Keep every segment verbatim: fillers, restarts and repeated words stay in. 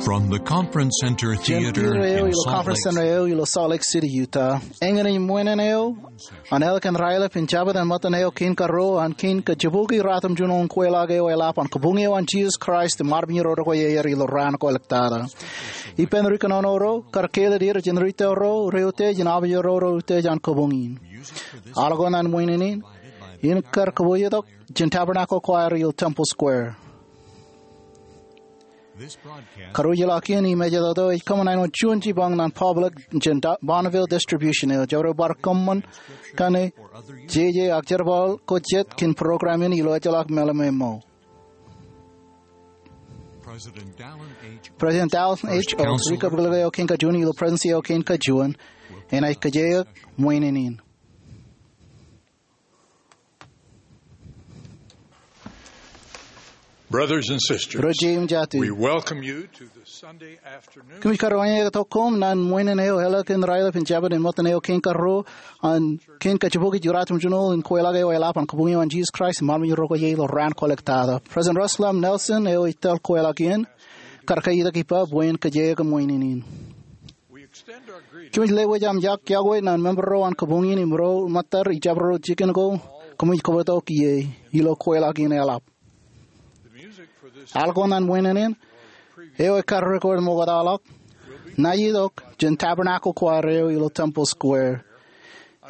From the Conference Center Jān Theater pier eo in ilo Salt Conference Lake Center eo ilo Salt Lake City, Utah, eñin ej ṃwiin eo an ālikin raelep in jabdewōt ṃōttan eo kein karuo an kein kajibukwi ratimjuonñoul in kweilọk eo eḷap an Kabuñ eo an Jisōs Kraist im armej ro rekwe aer ilo raan ko āliktata. Ippān ri kōnono ro kar kāālōt er jān ri tōl ro reutiej in armej ro reutiej an kabuñ in. Al ko ṇe an ṃwiin in, in kar kōpooj tok jān Tabernacle Choir ilo Temple Square. Karuo eo ḷọk in im ej ej kōṃṃan āinwōt juon jipañ ṇe an public jān Bonneville Distribution eo. Jabdewōt bar kōṃṃan kaṇe jeje ak jerbal ko jet kōn program in ilo ejjeḷọk meḷeḷe eo. President Dallin H. Oaks, ri kōpojak eo kein kajuon ilo Presidency eo kein kajuon, enaaj kōjeañ ṃwiin in. Brothers and sisters, ro jeiū im jatū, we welcome you to the Sunday afternoon. Kōmij kar wōnṃaanḷọk tok koṃ ñan ṃwiin eo ālikin raelep in jabdewōt ṃōttan eo kein karuo an kein kajibukwi ratimjuonñoul in kweilọk eo eḷap an Kabuñ eo an Jisōs Kraist im armej ro rekwe aer ilo raan ko āliktata. President Russell M. Nelson eo ej tōl kweilọk in kar kaitok ippa bwe en kōjeañ ṃwiin in. Kōmij lewōj aṃ iọkwe iọkwe ñan member ro an kabuñ in im ro ṃōttad ijabdewōt jikin ko kōmij kōpootok ie ilo kweilọk in eḷap. Al ko ṇe an ṃwiin in eo ekar record ṃokta ḷọk ṇa itok jān Tabernacle Choir eo ilo Temple Square.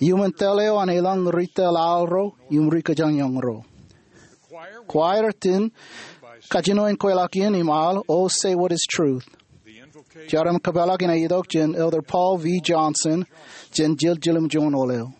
Iuṃwin tōl eo an elōñ ri tōl al ro im ri kōjañjañ ro. Choir in kajjino in kweilọk in im al Oh Say What Is Truth. Jar im kōpeḷḷọk in ej itok jān Elder Paul V. Johnson jān jil jiljilimjuonñoul eo.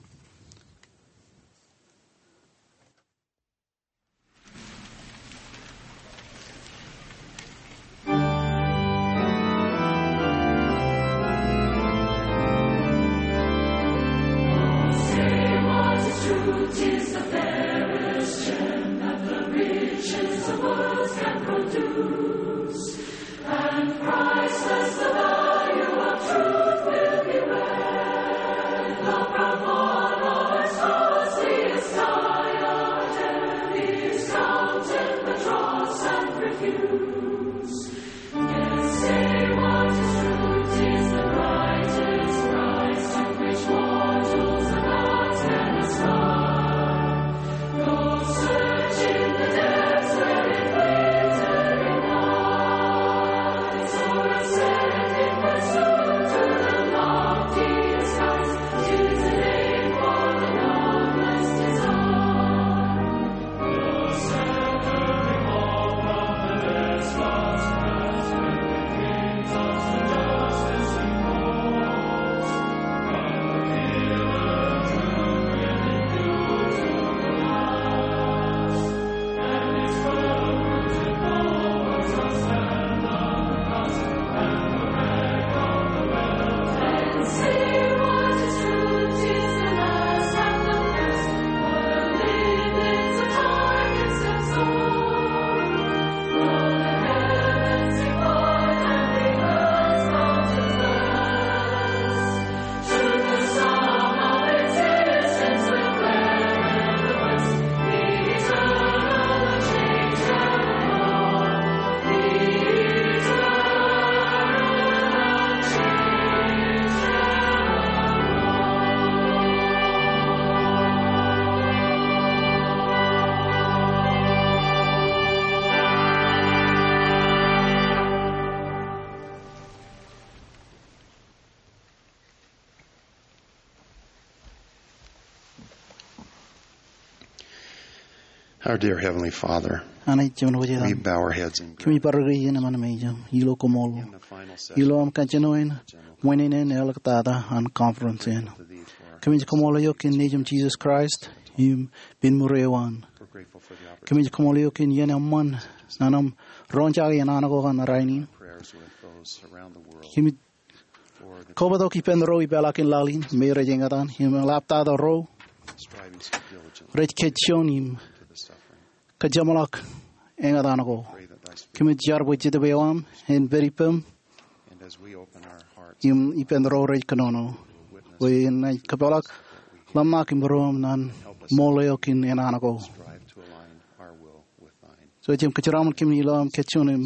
Our dear Heavenly Father, Anij Jemān wōj etaṃ, we bow our heads in gratitude. Kōmij bar ri iien eṃṃan mejān ilo koṃṃool ilo aṃ kajjino in ṃwiin in āliktata an conference in. Kōmij koṃṃool eok kōn Nejiṃ Jisōs Kraist im pen ṃuri eo an. Kōmij koṃṃool eok kōn iien eṃṃan ñan aṃ roñjake enana ko ñan rainin. Kōmij kobatok ippān ro ipeḷaakin laḷ in me rej eñtaan im eḷaptata ro rej kajjioñ im kōjeṃḷọk eñtaan ko. Kōmij jar bwe Jetōb eo aṃ en pād ippām im ippān ro rej kōnono bwe enaaj kōpeḷḷọk ḷōmṇak im būruōm ñan ṃool eo kōn enana ko. So jen kōjeraṃṃan kōm ilo aṃ kajjioñ im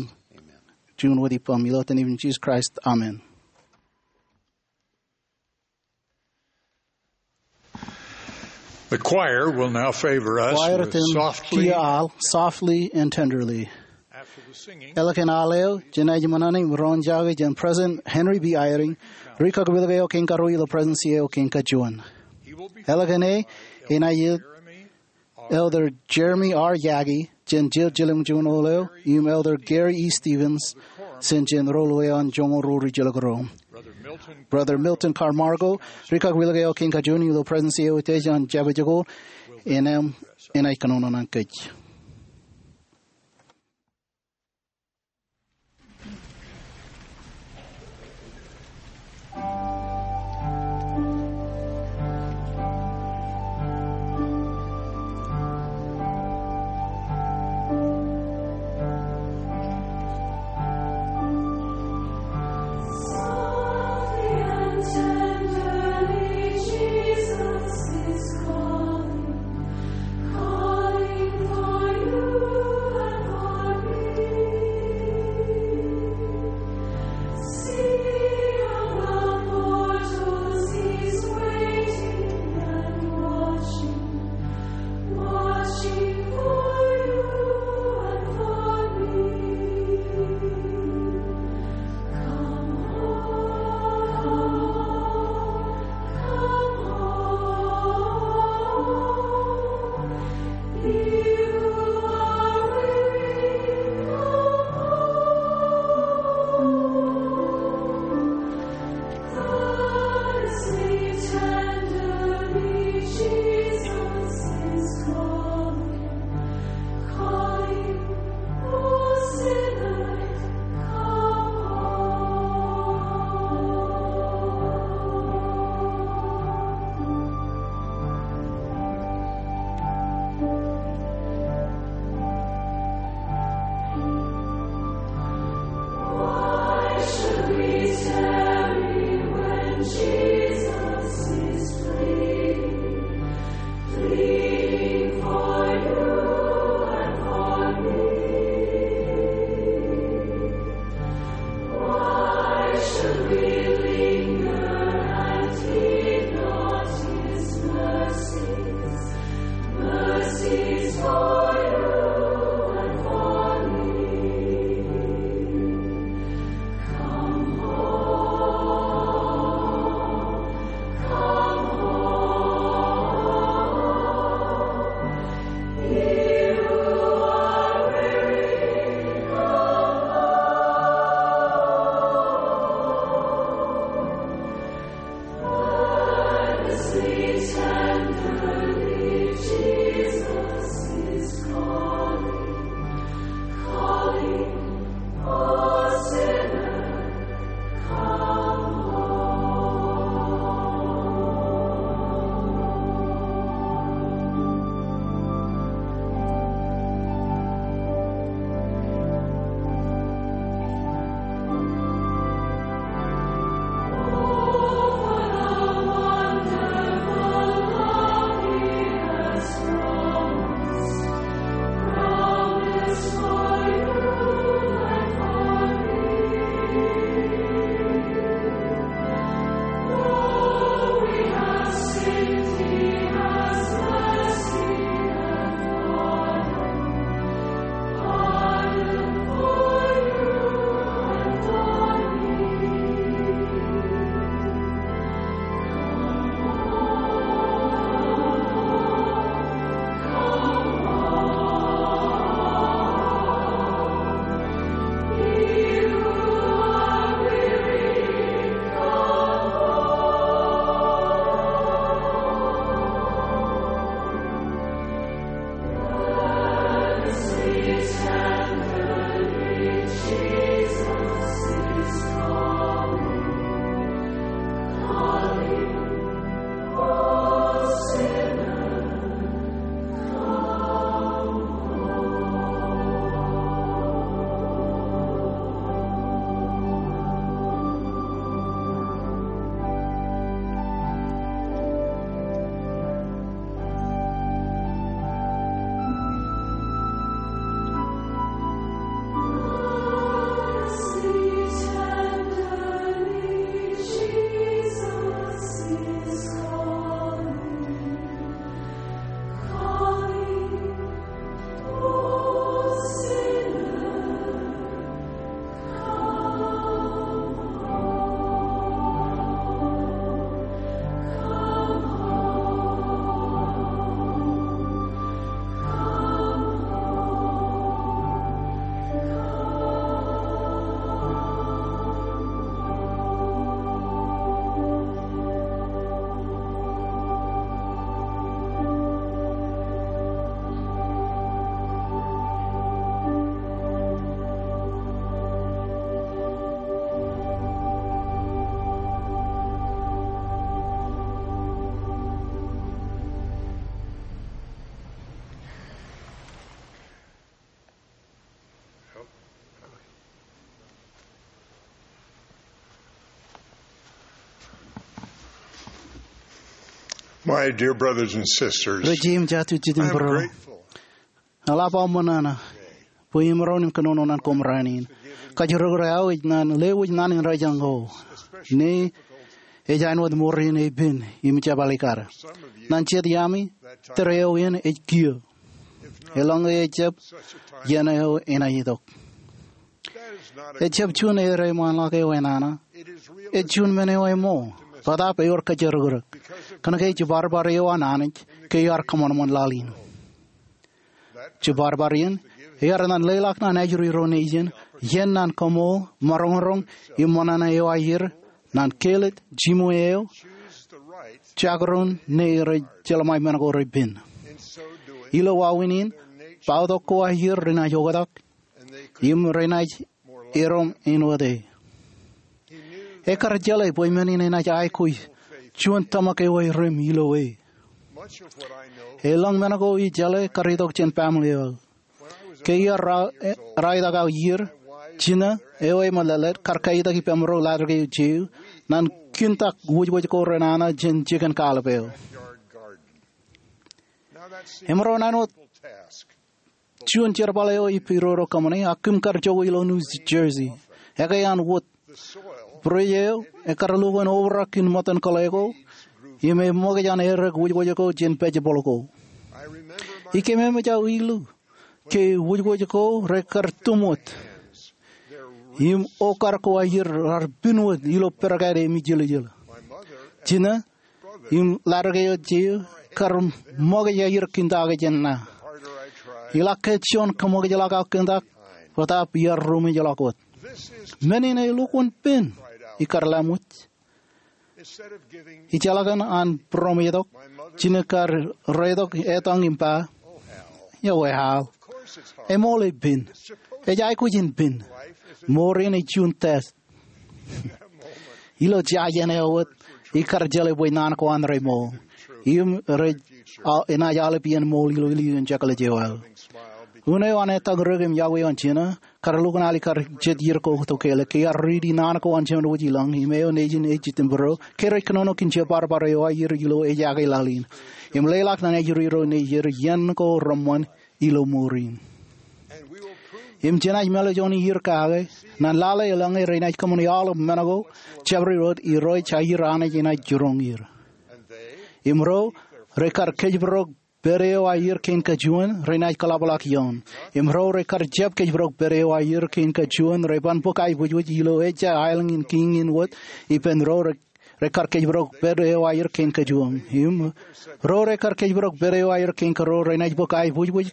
juon wōt ippaṃ. Ilo etan Nejiṃ Jisōs Kraist, amen. The choir will now favor us Kwaier with etan Softly. Kiiō al, Softly and Tenderly. After the singing, eḷap an al eo, jenaaj ṃōṇōṇō im roñjake jān President Henry B. Eyring, ri-kakaḷwōj eo kein karuo ilo President's eo kein kajuon. Eḷap an e, enaaj itok Elder Jeremy R. Yagi, jān Jiljilimjuonñoul eo, im Elder Gary E. Stevens, jān, jān roḷoḷe eo an joñoul ruo ri jelōk ro. Brother Milton Carmargo, ri-kakaḷwōj eo kein kajuon ilo President's eo ej jān Jabōt Jokol, enaaj, enaaj kōnono ñan kōj. My dear brothers and sisters, Ri jeim jatū jitōnbōro, eḷap aō ṃōṇōṇō bwe imaroñ in kōnono ñan koṃ raan in. Kajjirōk eo aō ej ñan lewōj ñan indeeo ko, ñe ej āinwōt mour in epen im jepālikad. Ñan jet iaami, tōre eo in ej kiiō. Eḷaññe ejjab, iien eo enaaj itok. Ejjab juon edeṃaanḷọk eo enana. Ej juon men eo emo, bōtaab ewōr kajjirōkrōk. Kōnke jiparbar eo an Anij ke iar kōṃanṃan laḷ in. Jiparbar in, ear ñan leḷọk ñan ajri ro nejin, iien ñan kaṃool, maroñroñ, im ṃōṇōṇō eo aer, ñan kelōt, jiṃwe eo, jakrōn ñe rej jeḷā men ko repen. Ilo wāween in, bautok ko aer renaaj oktak, im renaaj erom āinwōt e. Ekar jeḷā bwe men in enaaj aikuj juon tōmak eo erem ilo e. Elōñ men ko ijeḷā kar itok jān baaṃle eo aō. Ke iar ra-, e-, ralitōk aō iiō, jino eo eṃōlōtlōt kar kaitak ippaṃro ḷaddik eo jeō, ñan kintak wōjwōj ko renana jān jikin kallib eo. Emaroñ in āinwōt juon jerbal eo ippiro ro kōṃṃane, ak kōm kar jokwe ilo New Jersey. Ekkā an wōt. Bwidej eo ekar lukkuun obrak in ṃōttan kōḷḷe ko, im eṃōkaj an errā wōjwōj ko jān pājepel ko. Ikememej aō ilu ke wōjwōj ko rekar tūṃwōt, im okar ko aer raar pinwōt ilo perekāāl im ijeljel. Jino im ḷaddik eo jeō kar ṃōkaj aer kintake jān ṇa. Iḷak ke juon kōṃōkajḷọk aō kintak, bōtaab iar ruṃwij ḷọk wōt. Men in elukkuun pen, ikar laṃwij. Ijjeḷọk an būroṃōj tok, jino kar reitok etaṃ im ba, "Eo Hal, eṃool ej pen. Ej aikuj in pen. Mour in ej juon test." Ilo jajien eo wōt, ikar jeḷā bwe naan ko an reṃool. Im rej, a, enaaj aolep iien ṃool ilo ilju in jekḷaj eo aō. Unin eo an etaṃ ri-kōm yokwe eo an jino, kar lukkuun alikkar jet iiō ko to kele, ke iar riiti naan ko an Jemān wōj ilañ, im eo nejin ej jitōnbōro, ke rej kōnono kōn jebarbar eo aer ilo ejake laḷ in. Im leḷọk ñan ajri ro nejin iien ko reṃṃan ilo mour in. Im jenaaj mālōtlōt iiō kake, ñan lale eḷaññe renaaj kōṃṃane aolep men ko, jabdewōt irooj aer Anij enaaj jiroñ er. Im ro, rekar kōjparok pād eo aer kein kajuon, renaaj kōḷapḷọk ioon. Im ro rekar jab kōjparok pād eo aer kein kajuon, reban bōk aebwijbwij ilo ejja aelōñ in kiiñ in wōt, ippān ro re-, rekar kōjparok pād eo aer kein kajuon. Im ro rekar kōjparok pād eo aer kein karuo, renaaj bōk aebwijbwij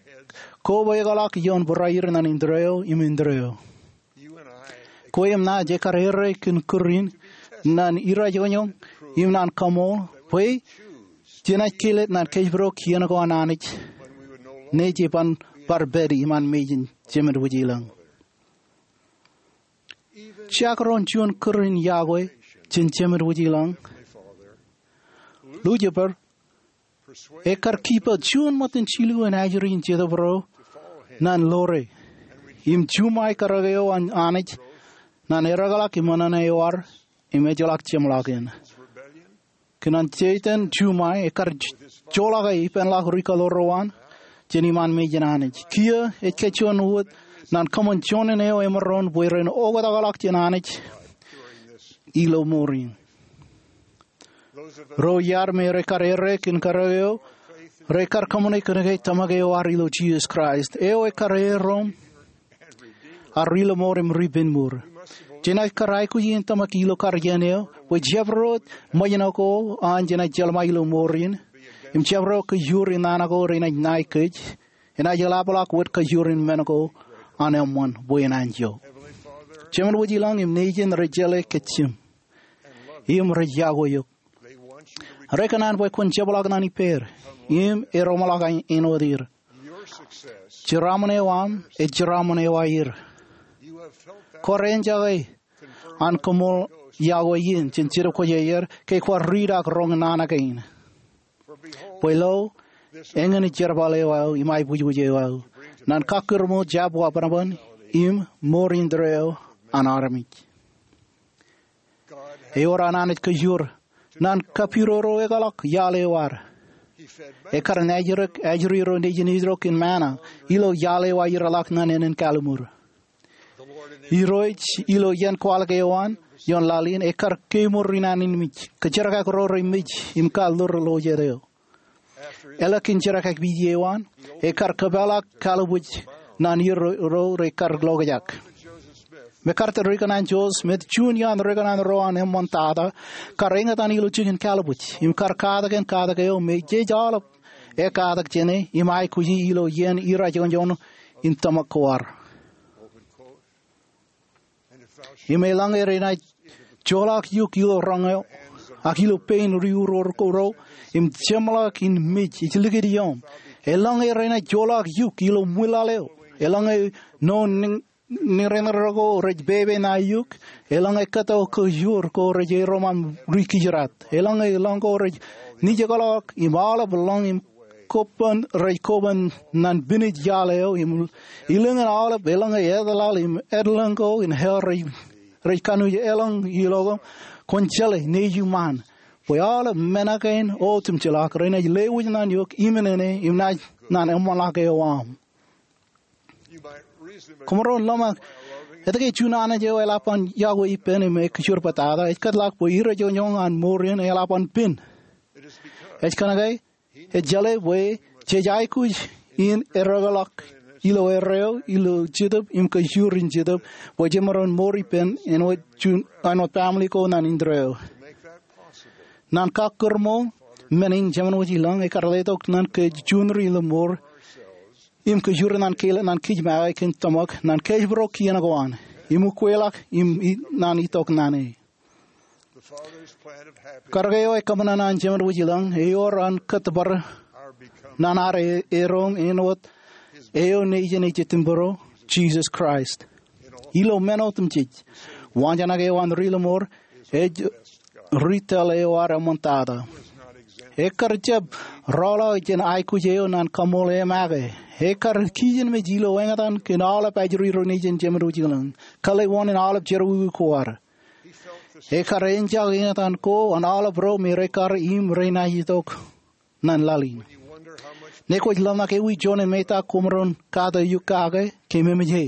kobaikḷọk ioon barāinwōt indeeo im indeeo. Kwe im ña jekar errā kōn kūr in, ñan irajoñoñ, im ñan kaṃool, bwe jenaaj kelōt ñan kōjparok iien ko an Anij, ñe jeban bar pād iṃaan mejān Jemān wōj ilañ. Jekdọọn juon kūr in yokwe jān Jemān wōj ilañ, Lucifer, ekar kiiō juon ṃōttan jilu in ajri in Jetōb ro ñan ḷoore, im juṃae karōk eo an Anij, ñan eddekḷọk im ṇōṇō eo ad, im ejjeḷọk jeṃḷọkin. Kōn an Setan juṃae, ekar j-, joḷọk e ippānḷọk ri kaḷoor ro an, jān iṃaan mejān Anij. Kiiō, ej kōjuon wōt, ñan kōṃṃan juon eo emaroñ bwe ren oktakḷọk jān Anij, ilo mour in. Ro iar me rekar errā kōn karōk eo, rekar kōṃṃane kōnke tōmak eo ad ilo Jisōs Kraist. Eo ekar erom, ak ri-lọmọọr im ri-penmour. Jenaaj kar aikuj in tōmak ilo kar iien eo, bwe jabdewōt ṃōjṇọ ko an jenaaj jeḷā ilo mour in, im jabdewōt kōjuor in naan ko renaaj ṇae kōj, enaaj eḷapḷọk wōt kōjuor in men ko an eṃṃan bwe en anjọ. Jemān wōj ilañ im nejin rej jeḷā kōj jim. Im rej yokwe eok. Rekōṇaan bwe kwōn jepḷọk ñan ippāer, im eroṃḷọk āinwōt er. Jeraaṃṃan eo aṃ, ej jeraaṃṃan eo aer. Kwaar enjake an koṃṃool yokwe in, jān Jetōb Kwōjarjar, ke kwaar riit ak roñ naan kein. Bwe lo, eñin ej jerbal eo aō, im aebwijbwij eo aō. Ñan kakkūrṃo jab wabōnbōn, im mour indeeo an armej. Ewōr an Anij kōjuor, ñan kapiroro ekḷọk iaḷ eo ad. Ekkar naajdik ajri ro nejin Israel kōn manna ilo iaḷ eo ear jeḷā ñan ānen kalliṃur. Irooj ilo iien kwaḷọk eo an ioon laḷ in ekkar kemour in āne in mej, kōjerkakakrak ro rej mej im kaḷoor ilo jet eo. Eḷak kōn jerkakakpeje eo an, ekkar kōpeḷḷọk kallibwij ñan irooj ro ekkar lokjak. MacArthur, rikōṇaan Joseph Smith, juon iaan rikōṇaan ro an eṃṃantata, kar eñtaan ilo jikin kallibwij im kar katak kōn katak eo me jej aolep ekatak jāne im aikuji ilo iien irajoñjoñ in tōmak ko ad. Im eḷaññe renaaj joḷọk eok ilo roñ eo ak ilo pein ri-uror ko ro im jeṃḷọk in mej, ej likūt iooṃ. Eḷaññe renaaj joḷọk eok ilo ṃwilaḷ eo, eḷaññe noon niñreñreo ko rej pepe ṇae eok, eḷaññe kōtto kōjro ko rej erom aṃ ri-kijdat, eḷaññe lọñ ko rej nijekḷọk im aolep lọñ im koban rej koban ñan pinej iaḷ eo, im ilōñin aolep eḷaññe edeḷaḷ im edlōñ ko in hell rej kanooj elōñ ilo koṃ, kwōn jeḷā nejūṃaan bwe aolep men kein otemjeḷọk renaaj lewōj ñan eok iṃōṇōṇō im naaj ñan eṃṃanḷọk eo aṃ. Koṃaroñ ḷōmṇak etke juon Anij eo eḷap an yokwe ippān im ekjur bōtata ej kōtḷọk bwe irajoñjoñ an mour in eḷap an pen. Ej kōnke ej jeḷā bwe jej aikuj in erreo ḷọk ilo erreo ilo Jetōb im kajjojo in Jetōb bwe jemaroñ mour ippān āinwōt juon, āinwōt family ko ñan indeeo. Ñan kakkōrmour men in, Jemān wōj ilañ ekkar letok ñan kōj juon ri ilo mour im kajjojo ñan kein, ñan kōjmake kōn tōmak ñan kōjparok kien ko an im ukweḷọk im ñan itok ñan e. Karōk eo ekōṃṃan an Jemān wōj ilañ ewōr an kōttōpar ñan ad erom āinwōt eo nejin ej Ippān bōro, Jisōs Kraist. Ilo men otemjej, waanjoñak eo an ri ilo mour ej ri tōl eo ad eṃṃantata. Ekkar jab rọọlḷọk jān aikuj eo ñan kaṃṃoolol e make. Ekkar kijenmej ilo eñtaan kōn aolep ajri ro nejin Jemān wōj ilañ, kōḷḷe wōṇāān aolep jerọwiwi ko ad. Ekkar enjeḷ eñtaan ko an aolep ro me rekar im renaaj itok ñan laḷ in. Ñe kwōj ḷōmṇak ewi juon emetak koṃaroñ kate eok kake, kōmemej e.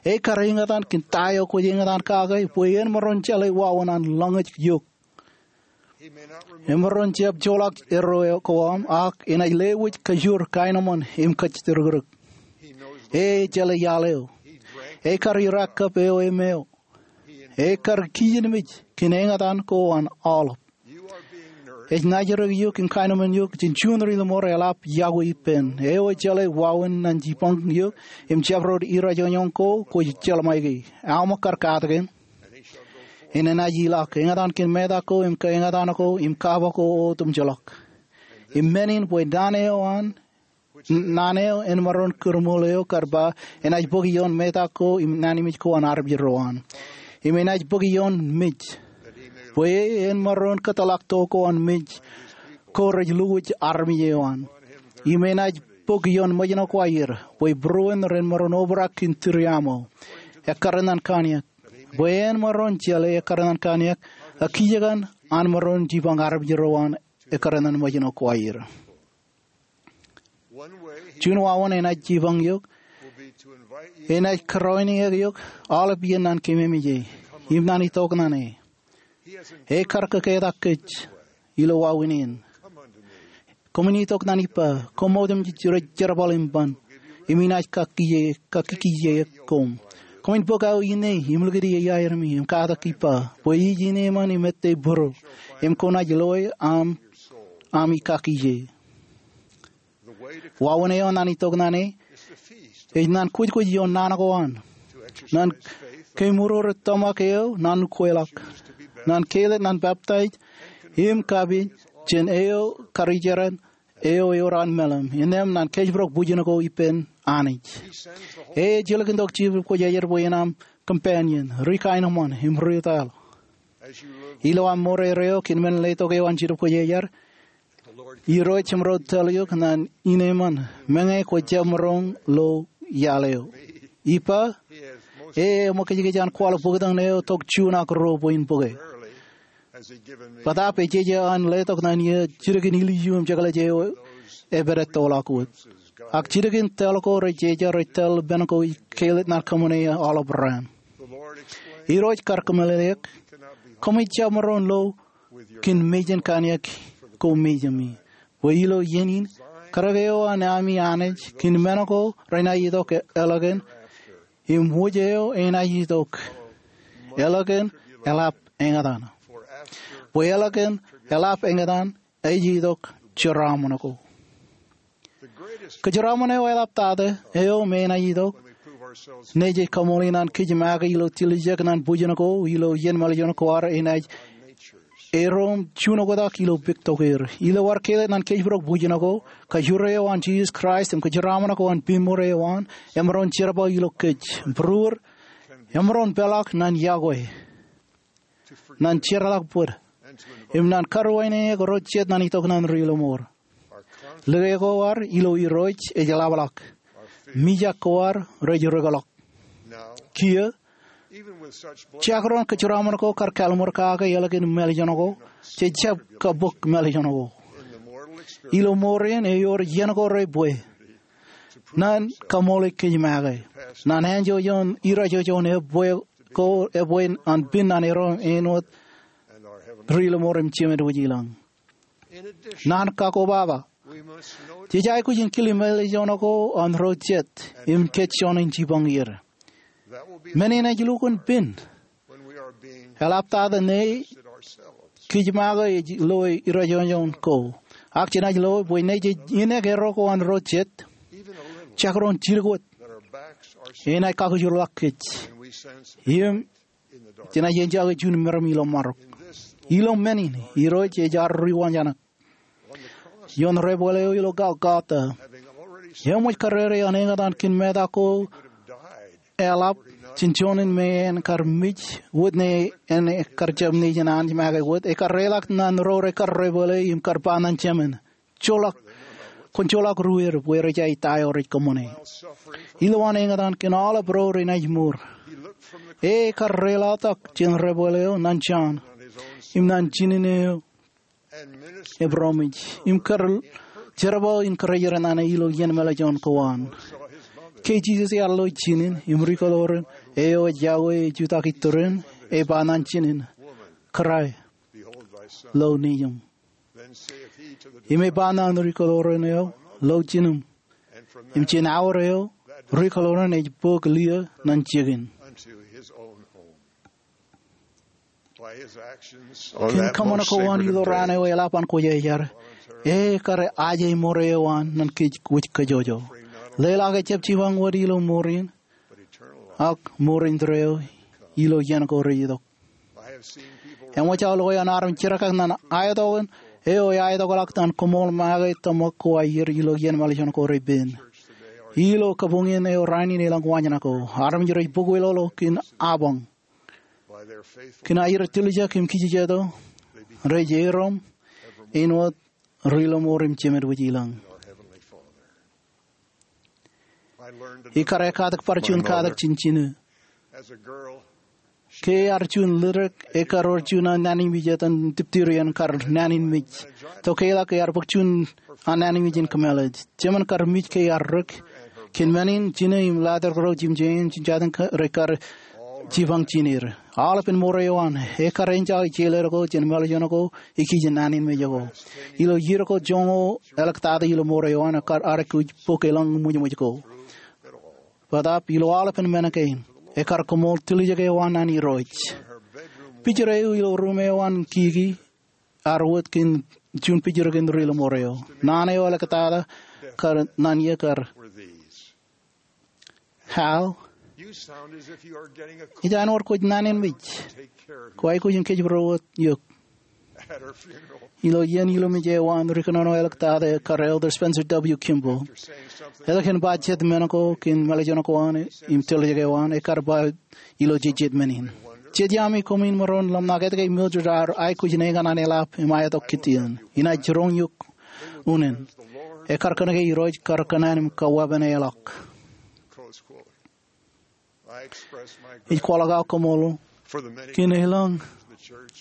Ekkar eñtaan kōn ta eo kwōj eñtaan kake bwe en maroñ jeḷā wāween an lọñij eok. Emaroñ jab joḷọk erreo ko aṃ, ak enaaj lewōj kōjro, kaenōṃṃan im kōjjitōk. E ej jeḷā iaḷ eo. Ekkar irakkab eo emeo. Ekkar kijenmej kōn eñtaan ko an aolep. Ej naajrak eok im kaenōṃṃan eok jān juon ri ilo mour eḷap yokwe ippān. Eo ej jeḷā wāween an jipañ eok im jabdewōt irajoñjoñ ko kwōj jeḷā ṃaiki. Aṃ ekkar katak eṇ. Enaaj ilọk eñtaan kōn metak ko im kaeñtaan ko im kaba ko otemjeḷọk. Im men in bwe naan eo an, naan eo en maroñ kūrṃool eo kar ba, enaaj bōk ioon metak ko im naan eo ko an armej ro an. Im enaaj bōk ioon mej bwe en maroñ kōtḷọk to ko an mej ko rej lukwōj armej eo an. Im enaaj bōk ioon ṃōjṇọ ko aer bwe būruon ren maroñ obrak kōn tūriaṃo ekkar ñan kaniōk, bwe en maroñ jeḷā ekkar ñan kaniōk ak kijekan an maroñ jipañ armej ro an ekkar ñan ṃōjṇọ ko aer. Juon wāween enaaj jipañ eok, enaaj kōrọọlniōk eok aolep iien ñan kōmemej e im ñan itok ñan e. Ekkar kōketak kōj ilo wāween in. Koṃwin itok ñan ippa, koṃ otemjej rej jerbal im ban, im inaaj kakkije, kakkije koṃ. Koṃwin bōk aō ine im likūt ie iaermi im katak ippa bwe ij ineeṃṃan im ettā būruō, im kwōnaaj loe aṃ, aṃ ikakkije. Wāween eo ñan itok ñan e ej ñan kwōjkwōj ioon naan ko an, ñan kemourur tōmak eo ñan ukweḷọk, ñan kāālōt ñan peptaij im kapin jān eo karijeran eo ewōr an meḷeḷe, innām ñan kōjparok bwijin ko ippān Anij. E ej ilikintok Jetōb Kwōjarjar bwe en aṃ companion, ri kaenōṃṃan im ri tōl. Ilo aṃ mour erreo kōn men letok eo an Jetōb Kwōjarjar, Irooj jemaroñ tōl eok ñan ineeṃṃan meñe kwōj jab maroñ lo iaḷ eo. Ippa, e eṃōkajkij an kwaḷọk bōktok ṇe eo tok juon ak ruo bwe in bōke. Bōtaab ejeje an letok naan ie jidik in ilju im jekḷaj eo epād ettoḷọk wōt. Ak jidik in tōl ko rejeje rej tōl ippān ko ij keilōk naan kōṃṃane aolep raan. Irooj kar kōmeḷeḷeik, koṃij jab maroñ lo kōn mejān kanniōk ko mejāmi. Bwe ilo iien in, karōk eo an ami Anij kōn men ko renaaj itok eḷọkān, im wōj eo enaaj itok eḷọkān eḷap eñtaan. Bwe eḷọkān eḷap eñtaan ej itok jeraaṃṃan ko. Kōjeraaṃṃan eo eḷaptata eo me enaaj itok ṇe jej kaṃool naan kōj make ilo tiljek naan bwijin ko ilo iien mālejān ko ad enaaj erom juon oktak ilo pik tokeer. Ilo ad keilōk naan kōjparok bwijin ko, kajjure eo an Jisōs Kraist im kōjeraaṃṃan ko an piṃṃoor eo an emaroñ jerbal ilo kōj. Būruod, emaroñ peḷḷọk naan yokwe, naan jeorḷọk bōd, im naan karuwainene ro jet naan itok naan ri lọmọọr. Lōke ko ad ilo Irooj ej ḷapḷọk. Mijak ko ad rej rūkḷọk. Kiiō, jakron kōjeraaṃṃan ko kar kalliṃur kake eḷọkān mālejān ko, jej jab kabōk mālejān ko. Ilo ṃoor in ewōr iien ko rej bwe naan kaṃool kōj make. Naan anjọ ioon irooj eo juon ebwe ko ebwe an pin naan erom āinwōt ri lọmọọr im Jemān wōj ilañ. Naan kakkobaba, jej aikuj in kile mālejān ko an ro jet im kōjjoñan jipañ er. Men in ej lukkuun pin eḷaptata ṇe kōj make ej loe irooj eo juon ko. Ak jenaaj loe bwe ṇe jej inek erro ko an ro jet, jakron jidik wōt, enaaj kakkōjorḷọk kōj im jenaaj enjake juon meram ilo marok. Ilo men in, Irooj ej ad ri wañjanak. Ioon debwāāl eo ilo Golgotha, eṃōj karere an eñtaan kōn meta ko eḷap jān juon in me en kar mej wōt ṇe en kar jab nejin Anij make wōt, ekar reḷọk naan ro rekar debwāāl im kar ba naan Jemān, joḷọk, kwōn joḷọk ruer bwe rej aikuj ta eo rej kōṃṃane. Ilowaan eñtaan kōn aolep ro renaaj mour, e ekar reḷọk jān debwāāl eo naan Jon im naan jinen eo epromise im kar jerbal in kōrā er naan ilo iien mālejān ko an. Ke Jisōs ear lo jinen im ri kōḷoran eo ej yokwe ej jutak itōn, e ba naan jinen, kōrā, lo nejūṃ. Im e ba naan ri kōḷoran eo, lo jinūṃ. Im jān aor eo, ri kōḷoran ej bōk liō naan jikin. Kōn kōṃṃan ko an ilo raan eo eḷap an kwōjarjar, e kar aje ṃoor eo an naan kōj wōj kōjwōj. Leḷọk ejjab jipañ wōt ilo ṃoor in, ak ṃoor indeeo ilo iien ko rej itok. Eṃōj aō loe an armej jerkak naan aetok eo eaetokḷọk naan koṃṃool make tōmak ko aer ilo iien mālejān ko rej pen. Ilo kabuñ in eo raan in elōñ wañjā ko, armej rej bōk wōtlọk kōn apañ. Kōn aer tiljek im kijejeto, rej erom āinwōt ri lọmọọr im Jemān wōj ilañ. Ij kar katak bar juon katak jān jinō. Ke ear juon ledik, ekar wōr juon an naan in mej etan dipteria in kar naan in mej. Tokālik ear bōk juon an naan in mej in kōmālij. Jemān kar mej ke ear dik. Kōn men in, jinō im ḷadik ro jimjein jān jatū rej kar jipañ jineer. Aolepān ṃoor eo an, ekar enjake jeḷā ko jān mālejān ko ikijjien naan in mej ko. Ilo iiō ko joñoul eḷap tata ilo ṃoor eo an, ekar aikuj bōk elōñ ṃwijṃwij ko. Bōtaab ilo aolepān men kein, ekar koṃṃool tiljek eo an naan Irooj. Picture eo ilo ruum eo an kiki ear wōt kōn juon picture kōn ri lọmọọr eo. Naan eo eḷaptata kar naan iiō kar, Hal, ej āinwōt kwōj naan in mej. Kwōj aikuj in kōjparok wōt eok. Ilo iien ilumej eo an, ri kōnono eḷaptata kar Elder Spencer W. Kimball, etke en ba jet men ko kōn mālejān ko an im tiljek eo an, ekar ba ilo jejjet men in, Jejjet ami, koṃwin maroñ ḷōmṇak etke Mildred ear aikuj in eñtaan eḷap im aetok Gideon. Enaaj jiroñ eok unin. Ekar kōnke Irooj kar kōṇaan im kaweepeneḷọk. Ij kwaḷọk aō koṃṃool kōn elōñ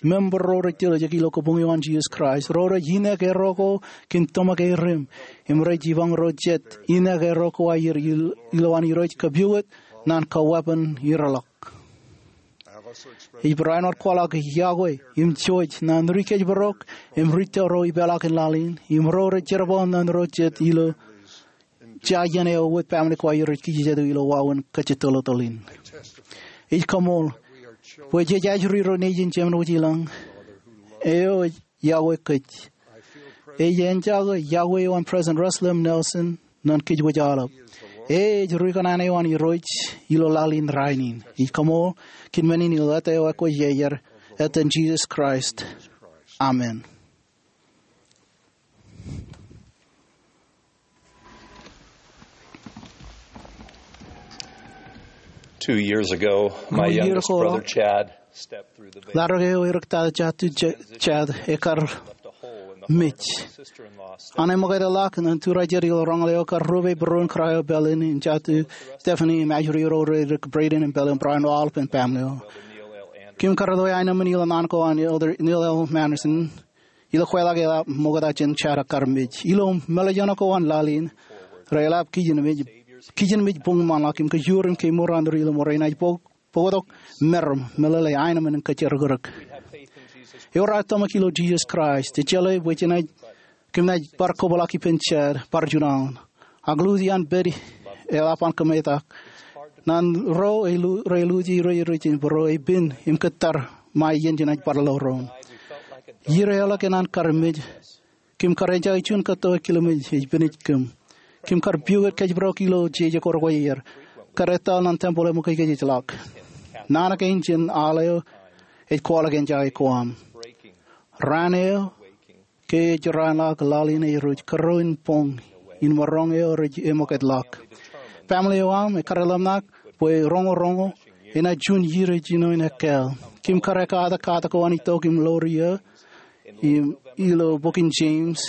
Member ro rej tiljek ilo kabuñ eo an Jisōs Kraist, ro rej ineek erro ko kōn tōmak e rim, im rej ibañ ro jet ineek erro ko aer il-, ilowaan Irooj kōpooj naan kaweeppān ireḷọk. Ij barāinwōt kwaḷọk yokwe im jouj naan ri kōjparok im ri tōl ro ipeḷaakin laḷ in, im ro rej jerbal naan ro jet ilo jea iien eo wōt baaṃle ko aer rej kijejeḷ ilo wāween kōjatōltoḷ in. Ij koṃṃool bwe jej ajri ro nejin Jemān Wōjlañ eo ej yokwe kōj. Ej enjake yokwe eo an President Russell M. Nelson ñan kōj wōj aolep. E ej ri kōṇaan eo an Irooj ilo laḷ in rainin. Ij koṃṃool kōn men in ilo āt eo ekwōjarjar, āten Jisōs Kraist, amen. Two years ago, my youngest brother Chad stepped through the veil. Ḷadik eo erik tata jatū Ch-, Chad ekar mej. An emōkaj ḷọk ñan turajer ilo roñoul eo kar rup e būruon cryo bed in, im jatū Stephanie im ajri ro rej erik Braden im Belle im barāinwōt aolepān baaṃle eo. Kim kar loe aenōṃṃan ilo naan ko an Elder Neil L. Andersen ilo kweilọk eḷap ṃokta jān Chad ekar mej. Ilo mālōtlōt ko an laḷ in, reḷap kijenmej, kijenmej buñṃanḷọk im kajoor im kemour an ri ḷōṃaro inaaj bōk, bōktok meram, meḷeḷe, aenōṃṃan im kōjerakrōk. Ewōr aō tōmak ilo Jisōs Kraist. Ejjeḷọk bwe jenaaj, kōm naaj bar kōpeḷḷọk ippān Chad bar juon aoon. Ak lutien pād eḷap an kōmetak, naan ro rej lu-, rej lute ro rej ijin bōro epen im kōttar ṃae iien jenaaj bar lo doon. Iiō eo ḷọk enaaj kar mej, kōm kar enjake juon kōtto ekilmej ej penij kōm. Kōm kar piukūt kōjparok ilo jeje ko rekwōjarjar, kar etal naan tempel eṃōkajkōj ej ḷọk. Naan kein jān al eo ej kwaḷọk enjake ko aṃ. Raan eo ke ej raan ḷọk, laḷ in ej ruj kōrā in boñ in maroñ eo rej eṃōkajḷọk. Baaṃle eo aṃ ekar ḷōmṇak bwe roñoul roñoul enaaj juon iiō rej jino in ekkāāl. Kōm kar ekkatak katak ko an itok im ḷoor iiō im ilo bok in James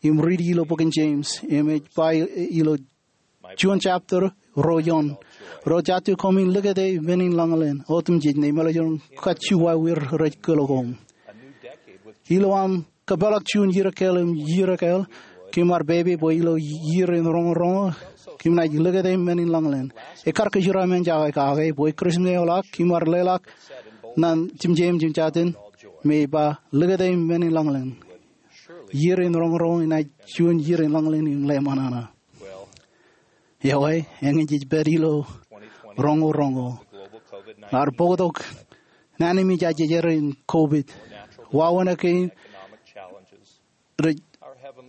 im riiti ilo bok in James im ej ba ilo juon chapter ruo eoon. Ro jatū, koṃwin likūti men in lañlōñ otemjej, ñe meḷeḷein kajju wāween rej kōl koṃ. Ilo aṃ kōpeḷḷọk juon iiō ekkāāl im iiō ekkāāl, kōm ar pepe bwe ilo iiō in roñoul roñoul kōm naaj likūti men in lañlōñ. Ekar kōjeraṃṃan jake kake bwe Christmas eo ḷọk kōm ar leḷọk naan jemjeim jān jatū in me ej ba, likūti men in lañlōñ. Iiō in roñoul roñoul enaaj juon iiō in lañlōñ im ḷōmṇak. Ewōr, eñin jej pād ilo roñoul roñoul. Ear bōktok naan im ej ajej in COVID. Wāween kein rej,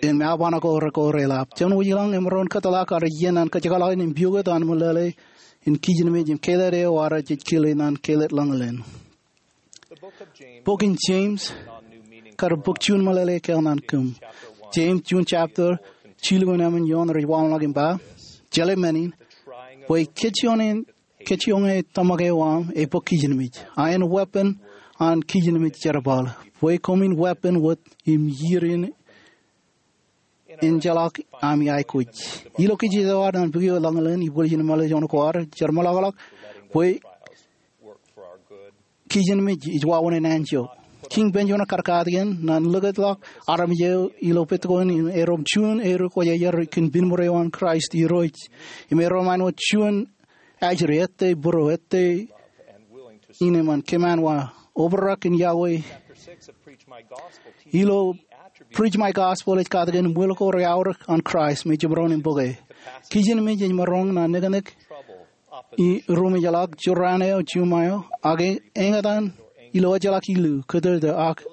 im aoban ko rekar eḷap. Jemān Wōjlañ emaroñ in kōtḷọk ad iien an kōjekḷọk in piukūt an meḷeḷe in kijenmej im kelōt eo ad jej kile naan kelōt lañlōñ. Bok in James kar bok juon meḷeḷe ekkāāl naan kōm. James juon chapter jilu im emān eoon rej waḷọk im ba, jeḷā men in, bwe kōjioñ in, kōjioñ e tōmak eo aṃ ebōk kijenmej. A en weeppān an kijenmej jerbal, bwe koṃwin weeppān wōt im iiō in enjeḷọk ami aikuj. Ilo kijeje eo ad an pukot eo lañlōñ, ibwiljin meḷeḷein ko ad, jeṃḷọkḷọk bwe kijenmej ej wāween in anjọ. Kiiñ Benjamin kar katakin naan likūtḷọk armej eo ilo pād ko in, erom juon erukwōjarjar kōn pinṃur eo an Kraist Irooj, im erom āinwōt juon ajri, ettā būruō, ettā innem an kōm an wa obrak in yokwe. Ilo Preach My Gospel ej katakin ṃwiil ko reaorōk an Kraist me jemaroñ in bōke. Kijenmej ej maroñ naan neknek, i ruṃwij ḷọk, jurraan eo, juṃae eo, ak eñtaan ilo ejjeḷọk ilu, kōtōtō, ak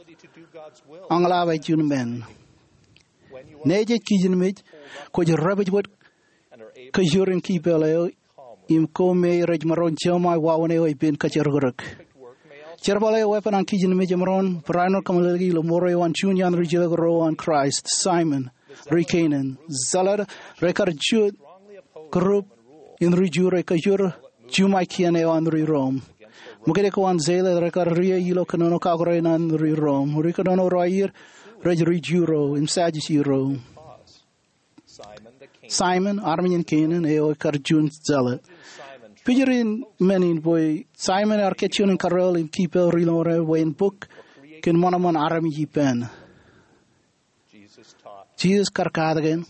añḷap eo juon men. Ñe jej kijenmej, kwōj dāpij wōt kōjur in kipeḷ eo im ko me rej maroñ jemaroñ wāween eo epen kōjerakrōk. Jerbal eo weeppān an kijenmej emaroñ barāinwōt kōmeḷeḷeiki ilo mour eo an juon iaan ri jilkinḷọk ro an Kraist, Simon, ri Kenan. Zealot rekar juon group in ri Ju rej kōjur juṃae kien eo an ri Rom. Ṃōkaj ko an Zealot rekar ri ilo kōnono kakure an ri Rom. Ri kōnono ro aer rej ri Ju ro im Sajusi ro. Simon, armej in Kenan eo ekar juon Zealot. Pijriin men in bwe Saimōn ear kajjioñ in karreoḷ im kiiō ri-lọmọọr eo bwe en bōk kōn ṃanṃan armej ippān. Jisōs kar katak kōn,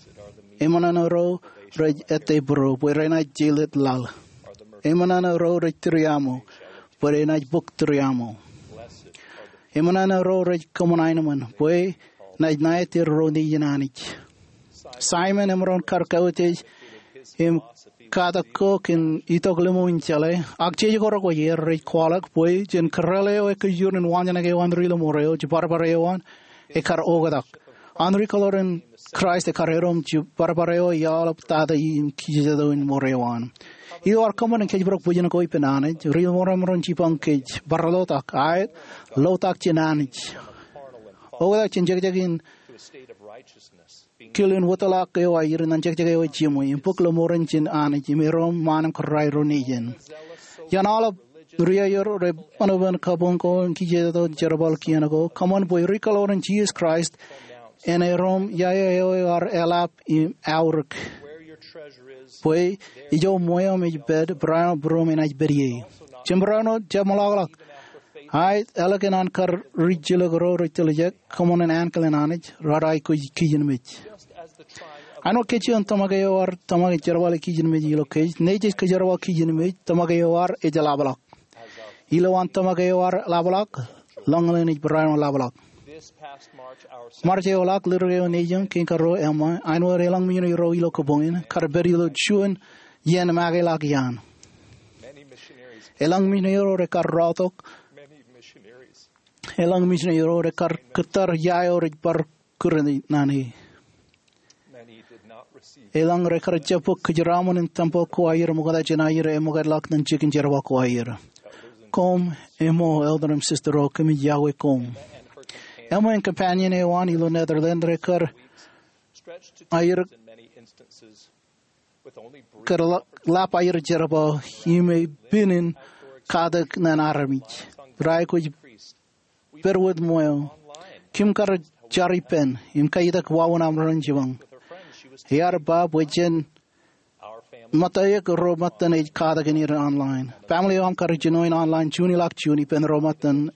eṃṃan an ro rej ettā būro bwe renaaj jeḷā laḷ. Eṃṃan an ro rej tūriaṃo bwe renaaj bōk tūriaṃo. Eṃṃan an ro rej kōṃṃan aenōṃṃan bwe enaaj ṇa etier ro nejin Anij. Saimōn emaroñ kar kautiej im katak ko kōn itok limo in jeḷā, ak jej korok bwe er rej kwaḷọk bwe jān kōrā eo ekkejur in waanjoñak eo an ri-lọmọọr eo, jibadbad eo an ekar oktak. An ri-kōḷaar in Kraist ekar erom jibadbad eo eaḷap tata im kijejeḷā in mour eo an. Ilo ad kōṃṃan in kōjparok bwijin ko ippān Anij, ri-lọmọọr emaroñ jipañ kōj, barāinwōt ak aet, ḷotak jān Anij. Oktak jān jekjek in kile in wōtlọk eo aer ñan jekjek eo ej jiṃwe, im bōk lọmọọren jān Anij, im erom ṃaan im kōrā ro nejin. Iaan aolep ri-aer rej ṃanban kabuñ ko im kijejeḷā jerbal kien ko, kōṃṃan bwe ri-kōḷaar in Jisōs Kraist en erom iaia eo ear eḷap im aorōk. Bwe ijo ṃweo eo ej pād, barāinwōt būruōm enaaj pād ie. Jembarāinwōt, jab ṃōḷaḷḷọk. Aet, ālikin an kar ri-jilōk ro rej tiljek, kōṃṃan in ankilen Anij, raar aikuj kijenmej. Āinwōt kajjien tōmak eo ear tōmak in jerbale kijenmej ilo kōj, nejej kōjerbal kijenmej tōmak eo ear ej ḷapḷọk. Ilowaan tōmak eo ear ḷapḷọk, lọñlọñ in ej barāinwōt ḷapḷọk. March eo ḷọk, ledik eo nejūṃ kein karuo, Emma, āinwōt elōñ misineri ro ilo kōbuñ in, kar pād ilo juon iien make ḷọk iaan. Elōñ misineri ro rekar rọọltok. Elōñ misineri ro rekar kōttar ia eo rej bar kūr naan e. Elōñ rekar jab bōk kōjeraṃṃan in tempel ko aer ṃokta jān aer eṃōkajḷọk ñan jikin jerbal ko aer. Koṃ, Emma, elder im sister ro, kōmij iọkwe koṃ. Emma im companion eo an ilo Netherlands rekar aer kar ḷap aer jerbal im ej pād in katak ñan armej. Raar aikuj pād wōt ṃweo. Kim kar jar ippān im kaitak wāween aṃ ren jipañ. Ear ba bwe jen ṃōttan ro ṃōttan ej katakin er online. Family eo aṃ kar jino in online June ḷọk June ippān ro ṃōttan.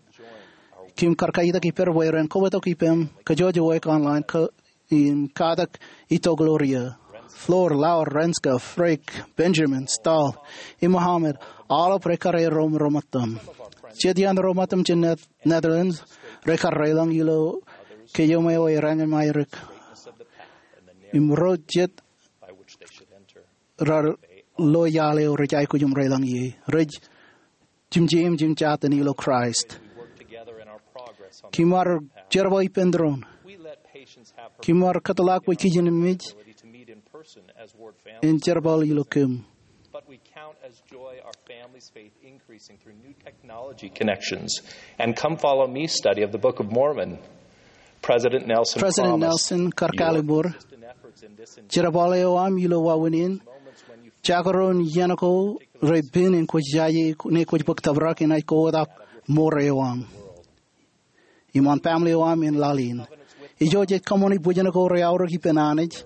Kim kar kaitak ippād bwe ren kobatok ippām kajjojo wōj online ko im katak itok ḷọk eo. Flor, Laura, Renska, Frank, Benjamin, Stahl, im Mohammed, aolep rekar erom ro ṃōttam. Jet iaan ro ṃōttam jān Net- Netherlands rekar reḷọñ ilo kōjeṃ eo ej raṇ im aerōk. Im ro jet raar lo iaḷ eo rej aikuj im reḷọñ ie. Rej jimjeim jimjatōn ilo Kraist. Kim ar jerbal ippān doon. Kim ar kōtḷọk bwe kijenmej en jerbal ilo kōm. But we count as joy our family's faith increasing through new technology connections and Come Follow Me study of the Book of Mormon. President Nelson President Nelson kar kallimur, jerbal eo aṃ ilo wāween in, jekdọọn iien ko rej pād in kwōj jaje ṇe kwōj bōk tōprak enaaj kotak mour eo aṃ im an family eo aṃ in laḷ in. Ijo jej kōṃṃani bwijin ko rej aorōk ippān Anij,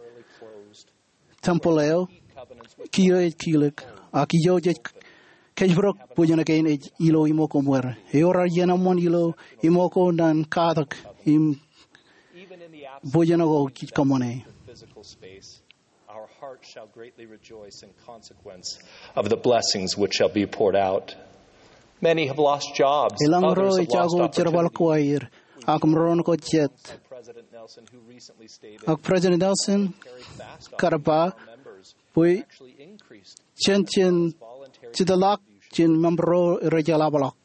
tempel eo, kiiō ej kilōk, ak ijo jej kōjparok bwijin kein ej ilo iṃō ko ṃweo. Ewōr ad iien eṃṃan ilo iṃō ko ñan katak im bwijin ko jej kōṃṃane. Our hearts shall greatly rejoice in consequence of the blessings which shall be poured out. Many have lost jobs. Elōñ ro ejako jerbal ko aer, ak maroñ ko jet. Ak President Nelson kar ba bwe jen jen jitḷọk jān member ro rej eḷapḷọk.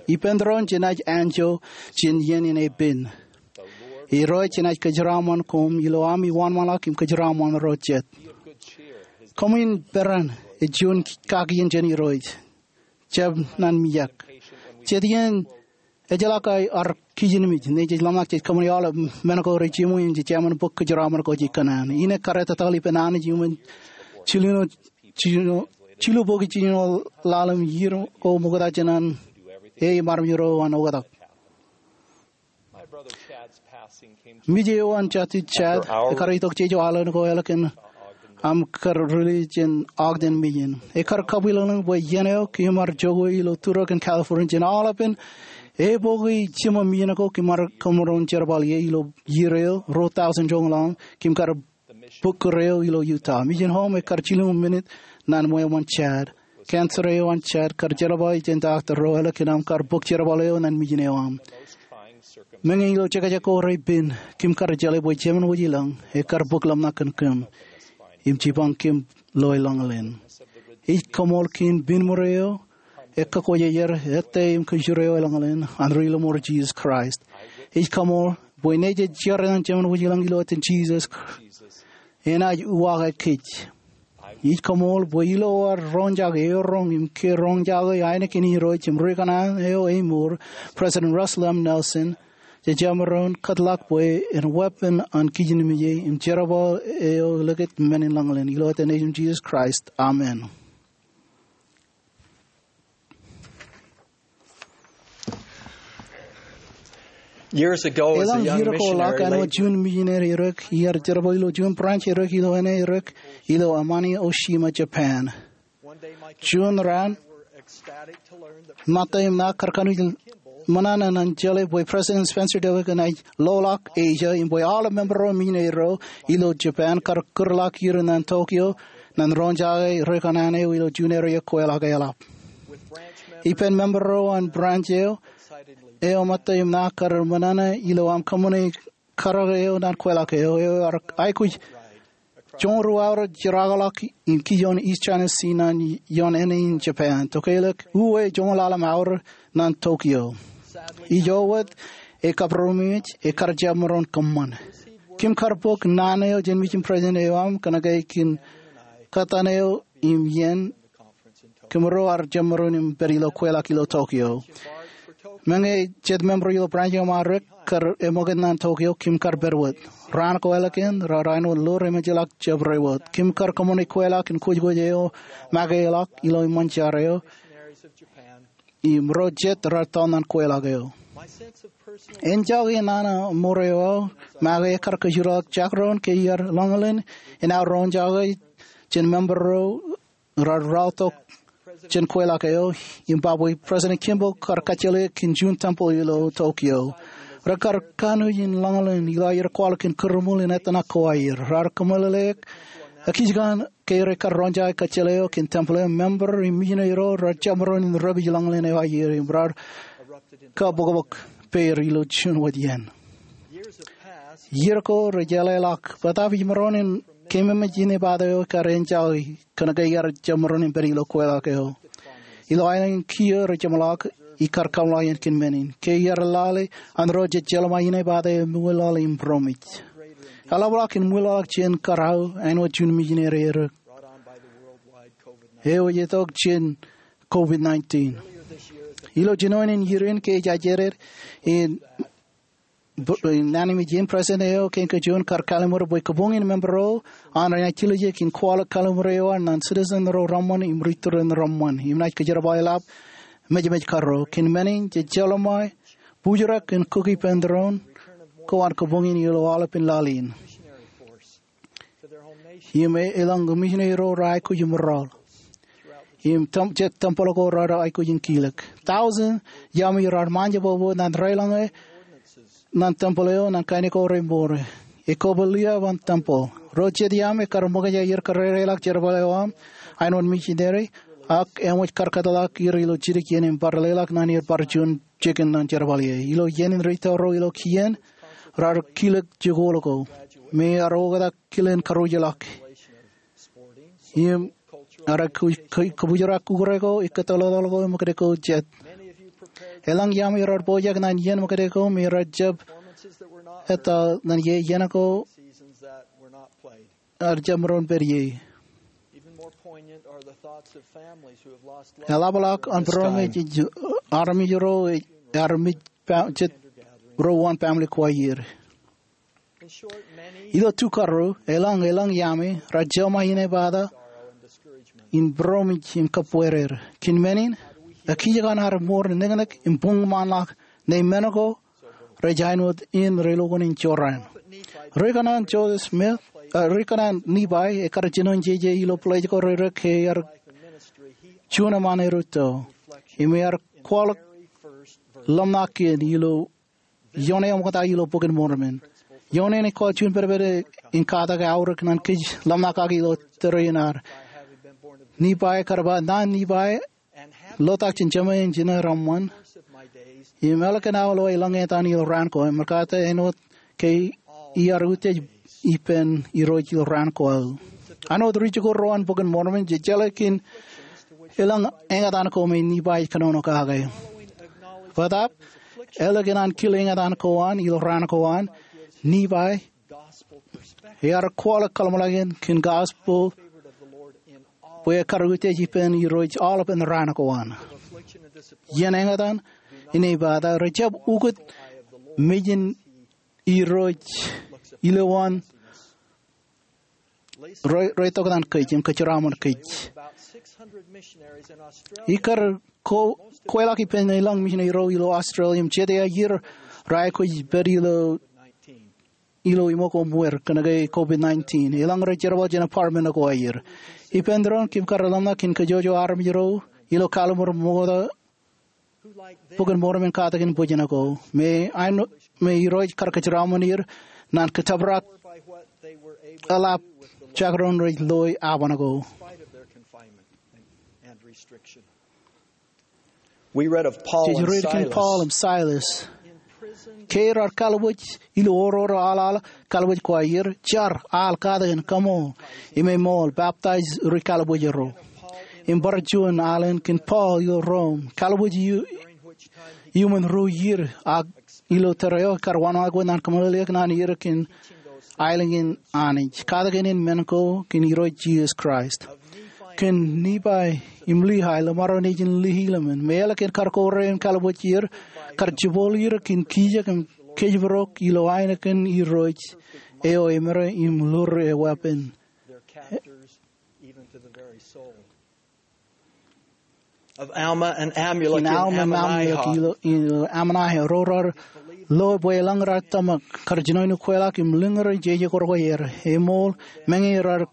Ippān doon jenaaj anjọ jān iien in epen. Irooj jenaaj kōjeraaṃṃan koṃ ilo ami wōnṃaanḷọk im kōjeraaṃṃan ro jet. Koṃwin peran, ej juon kakien jān Irooj. Jab nan mijak. Jet iien ejjeḷọk aō kijenmej, ṇe jej ḷōmṇak jej kōṃṃani aolep men ko rej jiṃwe im jej jemān bōk kōjeraaṃṃan ko jej kōṇaan. Innem kar etataḷ ippān Anij iuṃwin jilu, jilu, jilu bōki jiljilimjuonñoul laḷ im iiō ko ṃokta jān an e im armej ro an oktak. Mej eo an jatid Chad ekar itok jeje aolep ko ālikin aṃ kar release jān Ogden Mission. Ekar kabuwilōñlōñ bwe iien eo kōm ar jokwe ilo Turok in California jān aolepān eboki jiṃa mission ko kōm ar kōṃṃan jerbal ie ilo iiō eo ruo thousand joñoul aṃ. Kōm kar bōk kūr eo ilo Utah. Mission home ekar jilñoul minit ñan ṃweo ṃōn Chad. Cancer eo an Chad kar jerbal jān doctor ro ālikin aṃ kar bōk jerbal eo ñan mission eo aṃ. Meñe ilo jekjek ko reipen, kōm kar jeḷā bwe Jemān Wōjilōñ ekar bōk ḷōmṇak kōn kōm im jipañ kōm ilo eḷaññōḷ in. Ij koṃṃool kōn pen ṃōro eo ekkakwojejer ettā im kōjro eo eḷaññōḷ in an ri lọmọọr Jisōs Kraist. Ij koṃṃool bwe ñe jej jar ñan Jemān Wōjilōñ ilo etan Jisōs, enaaj uwaake kōj. Ij koṃṃool bwe ilo ad roñjake eoroñ im ke roñjake ainikien Irooj im ri kōṇaan eo emour, President Russell M. Nelson, jemaroñ kōtḷọk bwe en weeppān an kijenmej im jerbal eo likūt men in lañlōñ in. Ilo etan Nejūṃ Jisōs Kraist, amen. Years ago, as a Eḷaññe young iiō ko ḷọk, missionary, āinwōt juon misineri erōk, iar jerbal ilo juon branch erōk ilo āne erōk ilo Amano Oshima, Japan. Juon raan, ṃōtta im ṇa kar kanooj ṃōṇōṇō ñan jeḷā bwe President Spencer W. Kimball enaaj loḷọk Asia im bwe aolep member ro misineri ro ilo Japan kar kūrḷọk ier ñan Tokyo ñan roñjake ri kōṇaan eo ilo juon area kweilọk eḷap. Ippān member ro an branch eo, eo ṃōtta im ṇa kar ṃōṇōṇō ilo aṃ kōṃṃane karōk eo ñan kweilọk eo. Eo ar aikuj joñoul ruo aorōk jeraakḷọk in kijoon East China Sea ñan ioon āne in Japan. Tokālik uwe joñoul ḷalem aorōk ñan Tokyo. Ijo wōt, e kabūroṃōj, ekar jab maroñ kōṃṃan. Kōm kar bōk naan eo jān mission president eo aṃ kōnke kōn kōttan eo im iien kōmro ar jab maroñ im pād ilo kweilọk ilo Tokyo. Meñe jet member ilo branch eo aṃ rōk kar eṃōkaj ñan Tokyo, kōm kar pād wōt. Raan ko ālikin, raar āinwōt lo remejeḷọk jab ro wōt. Kōm kar kōṃṃane kweilọk in kōjkōj eo make ḷọk ilo eṃṃan jar eo im ro jet raar tọọl ñan kweilọk eo. Enjake nana ṃōro eo make ekar kōjro ḷọk jak ro in ke iar lañlōñ in aō roñjake jān member ro raar raorōk jān kweilọk eo im ba bwe President Kimball kar kajjeḷā kōn juon temple ilo Tokyo. Rekar kanooj in lañlōñ in ilo aer kwaḷọk kōn kūrṃool in etaṇak ko aer. Raar kōmeḷeḷeik ekijkakḷọk ke rekar roñjake kajjeḷā eo kōn temple eo, member im misineri ro raar jab maroñ in rebij lañlōñ eo aer im raar kabōkbōk pād ilo juon wōt iien. Iiō ko rejeḷāḷọk bōtaab ij maroñ in keememej inepata eo ekar enjake kōnke iar jab maroñ in pād ilo kweilọk eo. Ilo aelōñ in kiiō rej jeṃḷọk, ikar kaṃṃoolol iien kōn men in. Ke iar lale an ro jej jeḷā ṃōk inepata eo, eṃwilaḷ im būroṃōj. Eḷapḷọk im ṃwilaḷọk jān kōrā eo āinwōt juon misineri erōk eo ej itok jān COVID nineteen. Ilo jinoin in iien ke ej ajri in naan in ṃōjin, president eo kein kajuon kar kallimur bwe kabuñ in member ro an renaaj tiljek in kwaḷọk kallimur eo an ñan citizen ro reṃṃan im ri-tōre reṃṃan im naaj kōjerbale ḷap mejmej karro. Kōn men in jej jeḷā ṃōk bujrak in kōki ippān tōre in ko an kabuñ in ilo aolepān laḷ in. Im e, elōñ misineri ro raar aikuj im rọọl. Im tem-, jet temple ko raar aikuj in kilōk. Tọujin iaami raar ṃaanjab bōbō ñan rōḷañe ñan temple eo ñan kain ko remour. Ekwe, liaab an temple. Ro jet iaami kar ṃōkaj aer kōrrereḷọk jerbal eo aṃ āinwōt misineri, ak eṃōj kar kōtḷọk er ilo jidik iien im bar leḷọk ñan er bar juon jikin ñan jerbal ie. Ilo iien in ri-tōre ro ilo kien, raar kilōk jikuuḷ ko me ear oktak kilen karuj ḷọk. Im ear kō-, kō-, kōbōjrak ukōt ko, ikkūttoḷoḷ ko, im kōtke ko jet. Elōñ iaami raar pojak ñan iien ṃōkaj ko me raar jab ettā ñan ie, iien ko ear jab maroñ pād ie. Eḷapḷọk an būroṃōj ej armej ro, armej jet ro uwaan family ko aer. Ilo tukaro, elōñ, elōñ iaami raar jeḷā ṃōk inepata in būroṃōj im kōbwerer. Kōn men in, ekijkakḷọk ad mour neknek im buñṃaanḷọk ñe men ko rej āinwōt in relukkuun in jorrāān. Ri-kōṇaan Joseph Smith ri kōṇaan Nifai, ekkar jino jeje ilo pḷeej ko reirek ke ear juon eṃṃaan erūtto. Im ear kwaḷọk ḷōmṇak kien ilo ioon eṃōkaj ilo Bok in Mormon. Ioon eṇ ej kōj juon pedped in katak aorōk ñan kōj ḷōmṇak kake ilo tōre in ad. Nifai kar ba, naan Nifai, lotak jān jemān in jino reṃṃan, im ālikin aō lo eḷaññe etan ilo raan ko, im ṃōkaj āinwōt ke iar utiej ippān Irooj ilo raan ko aō. Āinwōt ri jikuuḷ ro an Bok in Mormon, jej jeḷā kōn eḷaññe etan ko me Nifai ej kōnono kake. Bōtaab, ālikin an kile eñtaan ko an ilo raan ko an, Nifai ear kwaḷọk kōḷmānḷọkjeṇ kōn gospel bwe ekkar utiej ippān Irooj aolepān raan ko an. Iien eñtaan in ej ba ta, rejjab ukōt mejān Irooj ilowaan rej, rej toktan kōj im kōjeraaṃṃan kōj. Ekkar ko, kweilọk ippān elōñ misineri ro ilo Australia im jete ier rej aikuj pād ilo, ilo iṃōk oṃwōr kōnke COVID nineteen. Elōñ rej jerbal jān apartment ko aer. Ippān doon kōm kar ḷōmṇak in kōjwōjwō armej ro ilo kalliṃur ṃokta Bok in Mormon katakin bwijin ko. Me āinwōt, me Irooj kar kōjeraaṃṃan er ñan kōttōprak eḷap jekdọọn rej loe aban ko. We read of Paul Jej and read kōn Silas. Paul im Silas. Ke rar kalbuuj ilo oror aḷaḷ kalbuuj ko aer, jar, al katakin, kaṃool, im eṃool, baptize ri kalbuuj ro. Im bar juon alen kōn Paul ilo Rom, kalbuuj iuṃwin ru iiō, ak ilo tōre eo ekar wanwōj ñan kōmeḷeḷeik ñan er kōn aelōñ in Anij, katakin in men ko kōn Irooj Jisōs Kraist. Kōn Nifai im Lihi, ḷōṃaro nejin Lihi ḷōmṇak, me ālikin kar kōrā im kalbuuj er, kar jibboḷ er kōn kijek im kōjparok ilo ainikien Irooj eo eṃōde im lure e weeppān. Of Alma and Amulek in Alma im Amulek ilo, ilo Ammonihah, ro rar loe bwe elōñ rar tōmak, kar jino in kweilọk im lōñ ro jeje kōrā ko aer, eṃool, meñe rar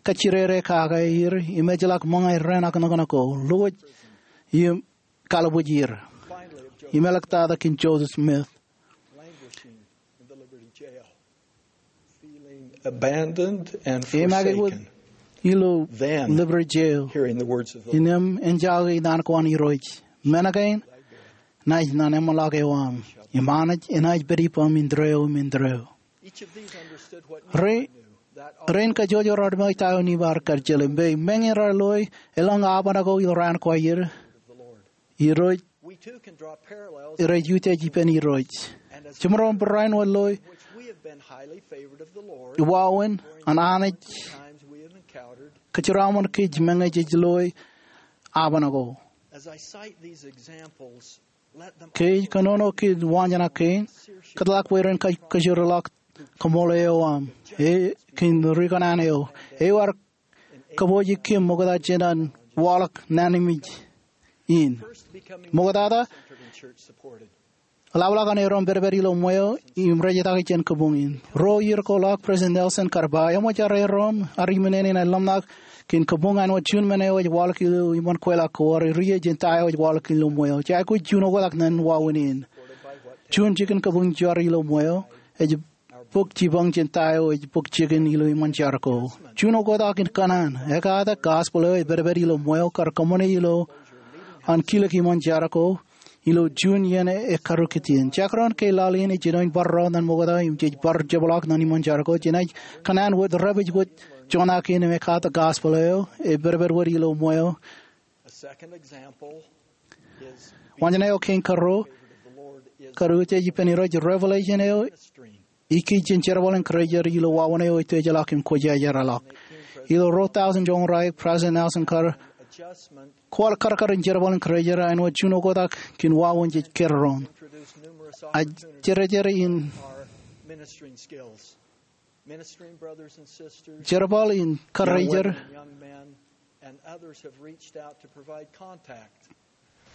kajjirere kake er, im ejjeḷọk ṃōñā raan ak nōknōk ko, lowōj im kalbuuj er. Im āliktata kōn Joseph Smith. Abandoned and forsaken. Im āinwōt ilo Liberty Jail. Innām en jake naan ko an Irooj. Men kein, naaj naan eṃṃanḷọk eo aṃ. Im Anij enaaj pād ippaṃ indeeo im indeeo. Rein kajjojo rar ṃōk ta eo Nifai ear kajjeḷā, im bwe meñe rar loe elōñ aban ko ilo raan ko aer, Irooj, rej utiej ippān Irooj. Jemaroñ barāinwōt loe wāween an Anij kōjeraaṃṃan kōj meñe jej loe aban ko. Ke ij kōnono kōn waanjoñak kein, kōtḷọk bwe ren kōjeraḷọk kaṃṃoolol eo aṃ, e, kōn ri kōṇaan eo. Eo ear kōpooje kōm ṃokta jān an waḷọk naan in. Ṃoktata, eḷapḷọk an erom pedped ilo ṃweo im rej etaki jān kabuñ in. Ruo iiō ko ḷọk, President Nelson kar ba, eṃōj ad erom ad iminene in ḷōmṇak kōn kabuñ āinwōt juon men eo ej waḷọk ilo iṃōn kweilọk ko, ad rie jān ta eo ej waḷọk ilo ṃweo. Jej aikuj juon oktak ñan wāween in. Juon jikin kabuñ jar ilo ṃweo ej bōk jipañ jān ta eo ej bōk jikin ilo iṃōn jar ko. Juon oktak in kōṇaan, ekata gospel eo ej pedped ilo ṃweo kar kōṃṃane ilo an kilōk iṃōn jar ko ilo juon iien ekkarukit in. Jekdọọn ke laḷ in ej jino in bar rọọl ñan ṃokta im jej bar jepḷaak ñan iṃōn jar ko, jenaaj kōṇaan wōt, dāpij wōt joñak in im ekata gospel eo ej pedped wōt ilo ṃweo. Waanjoñak eo kein karuo, kar utiej ippān Irooj, revelation eo ikijjien jerbal in Kraist ilo wāween eo itujeḷọk im kwōjarjarḷọk. Ilo ruo tọusōn joñoul raik, President Nelson kar kwaḷ karkar in jerbal in Kraist āinwōt juon oktak kōn wāween jej kōjro. Ak jerbal in Kraist,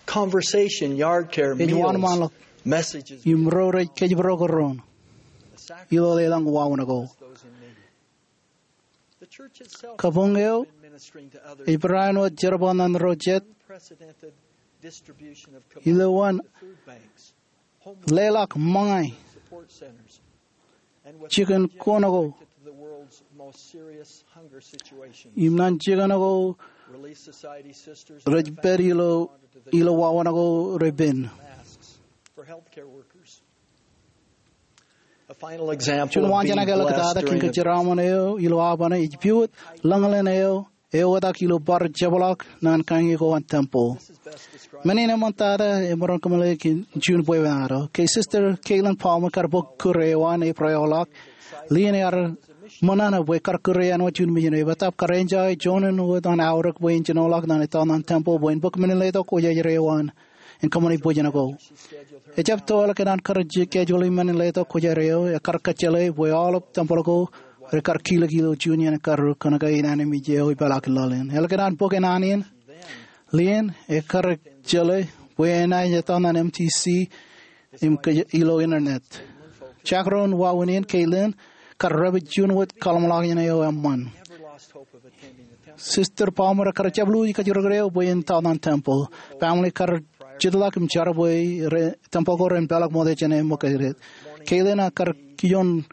conversation, yard care, ej meals, wōnṃaanḷọk, messages, im ro rej kōjparok doon ilo elōñ wāween ko. Kabuñ eo ej barāinwōt jerbal ñan ro jet ilowaan leḷọk ṃōñā jikin kuṇ ko im ñan jikin ko rej pād ilo, ilo wāween ko repen. Juon waanjoñak eo eḷap tata kōn kōjeraaṃṃan eo ilo aolepān ej piwōj lañlōñ eo eoktak ilo bar jepḷaak ñan kain ko an tempel. Men in eṃṃan tata emaroñ kōmeḷeḷe kōn juon bwebwenato. Ke Sister Caitlin Palmer kar bōk kūr eo an April eo ḷọk, Lynn ear ṃōṇōṇō bwe kar kūr eo an wōt juon mejān eo. Ebattap kar enjoy juon wōt an aorōk bwe en jinoḷọk ñan etaoḷ ñan tempel bwe en bōk men in letok kwōjarjar eo an im kōṃṃane bwijin ko. Ejjab toḷọk kōn an kar schedule men in letok kwōjarjar eo, ekar kōjjeḷā bwe aolep tempel ko rekar kilōk ilo juon iien karrū kōnke an anij eo epeḷḷọk laḷ in. Ālikin an bōk naan in, Lynn ekar kōjjeḷā bwe enaaj etaoḷ ñan M T C im kōj ilo internet. Jekdọọn wāween in, Caitlin kar dāpij juon wōt kaḷōmṇak in eo eṃṃan. Sister Palmer kar jab lewōj kajjirōk eo bwe en etaoḷ ñan tempel. Family kar jitḷọk im jar bwe tempel ko ren peḷḷọk ṃokta jān ṃōkaj. Caitlin kar kijoñ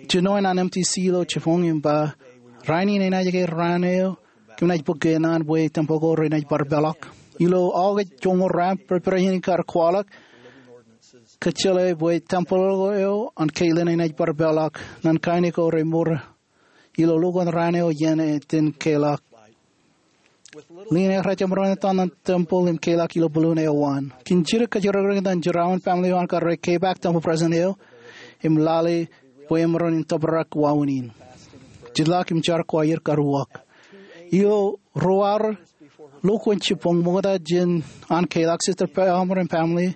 jinoin an M T C ilo jibboñ im ba, rainin enaaj ke raan eo kōm naaj bōk ke naan bwe tempel ko renaaj bar peḷḷọk. Ilo August joñoul ruo, President kar kwaḷọk kōjjeḷā bwe tempel eo an Caitlin enaaj bar peḷḷọk ñan kain ko remour ilo lukkuun raan eo iien iten keḷọk. Lynn ear jemaroñ etaoḷ ñan tempel im keḷọk ilo balloon eo an. Kōn jidik kōjjirōkrōk ñan jeraaṃṃan, family eo an kar kepaak tempel president eo im lale bwe emaroñ in tōprak wāween in. Jitḷọk im jar ko aer kar uwaak. Ilo ruo hour lukkuun jibboñ ṃokta jān an keḷọk, Sister Palmer im family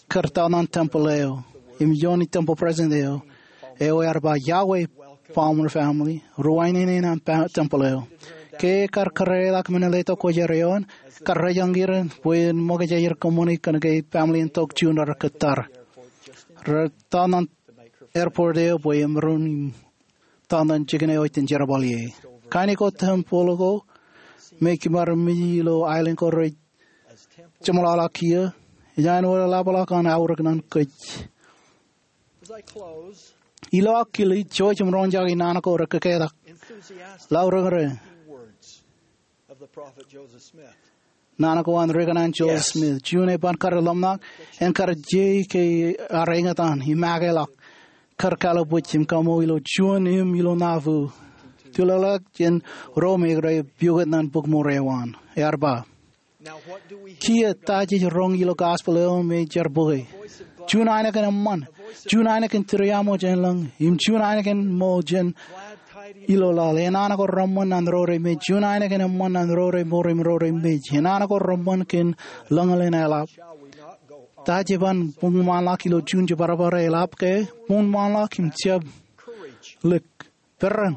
kar etaoḷ ñan tempel eo im ioon tempel president eo. Eo ear ba, iọkwe Palmer family, ruwainene ñan tempel eo. Ke kar kōrā ḷọk men in letok kwōjarjar eo an, kar rejañ er bwe en ṃōkaj aer kōṃṃane kōnke family in tok juon rar kōttar. Rar etaoḷ ñan airport eo bwe emaroñ in etaoḷ ñan jikin eo iten jerbal ie. Kain ko tempel ko me kōm ar meji ilo aelōñ ko rej jeṃḷọkḷọk kiiō, ej āinwōt eḷapḷọk an aorōk ñan kōj. Ilo aō kile, jouj im roñjake naan ko rekōketak. Laurōñrōñ. Naan ko an rikōṇaan Joseph Smith. Juon eban kar ḷōmṇak, en kar je ke ear eñtaan im akeḷọk, kar kalbuuj im kaṃṃool ilo juon im ilo Nauvoo. Tulọk jān ro me rej piukūt ñan bukmour eo an. Ear ba, kiiō ta jej roñ ilo gospel eo me jar bōke? Juon ainikien eṃṃan, juon ainikien tūriaṃo jān lañ, im juon ainikien ṃool jān ilo laḷ. Enana ko reṃṃan ñan ro remej, juon ainikien eṃṃan ñan ro remour im ro remej. Enana ko reṃṃan kōn lañlōñ eḷap. Ta jej ban buñṃaanḷọk ilo juon jibadbad eḷap ke? Buñṃaanḷọk im jab lik. Peran.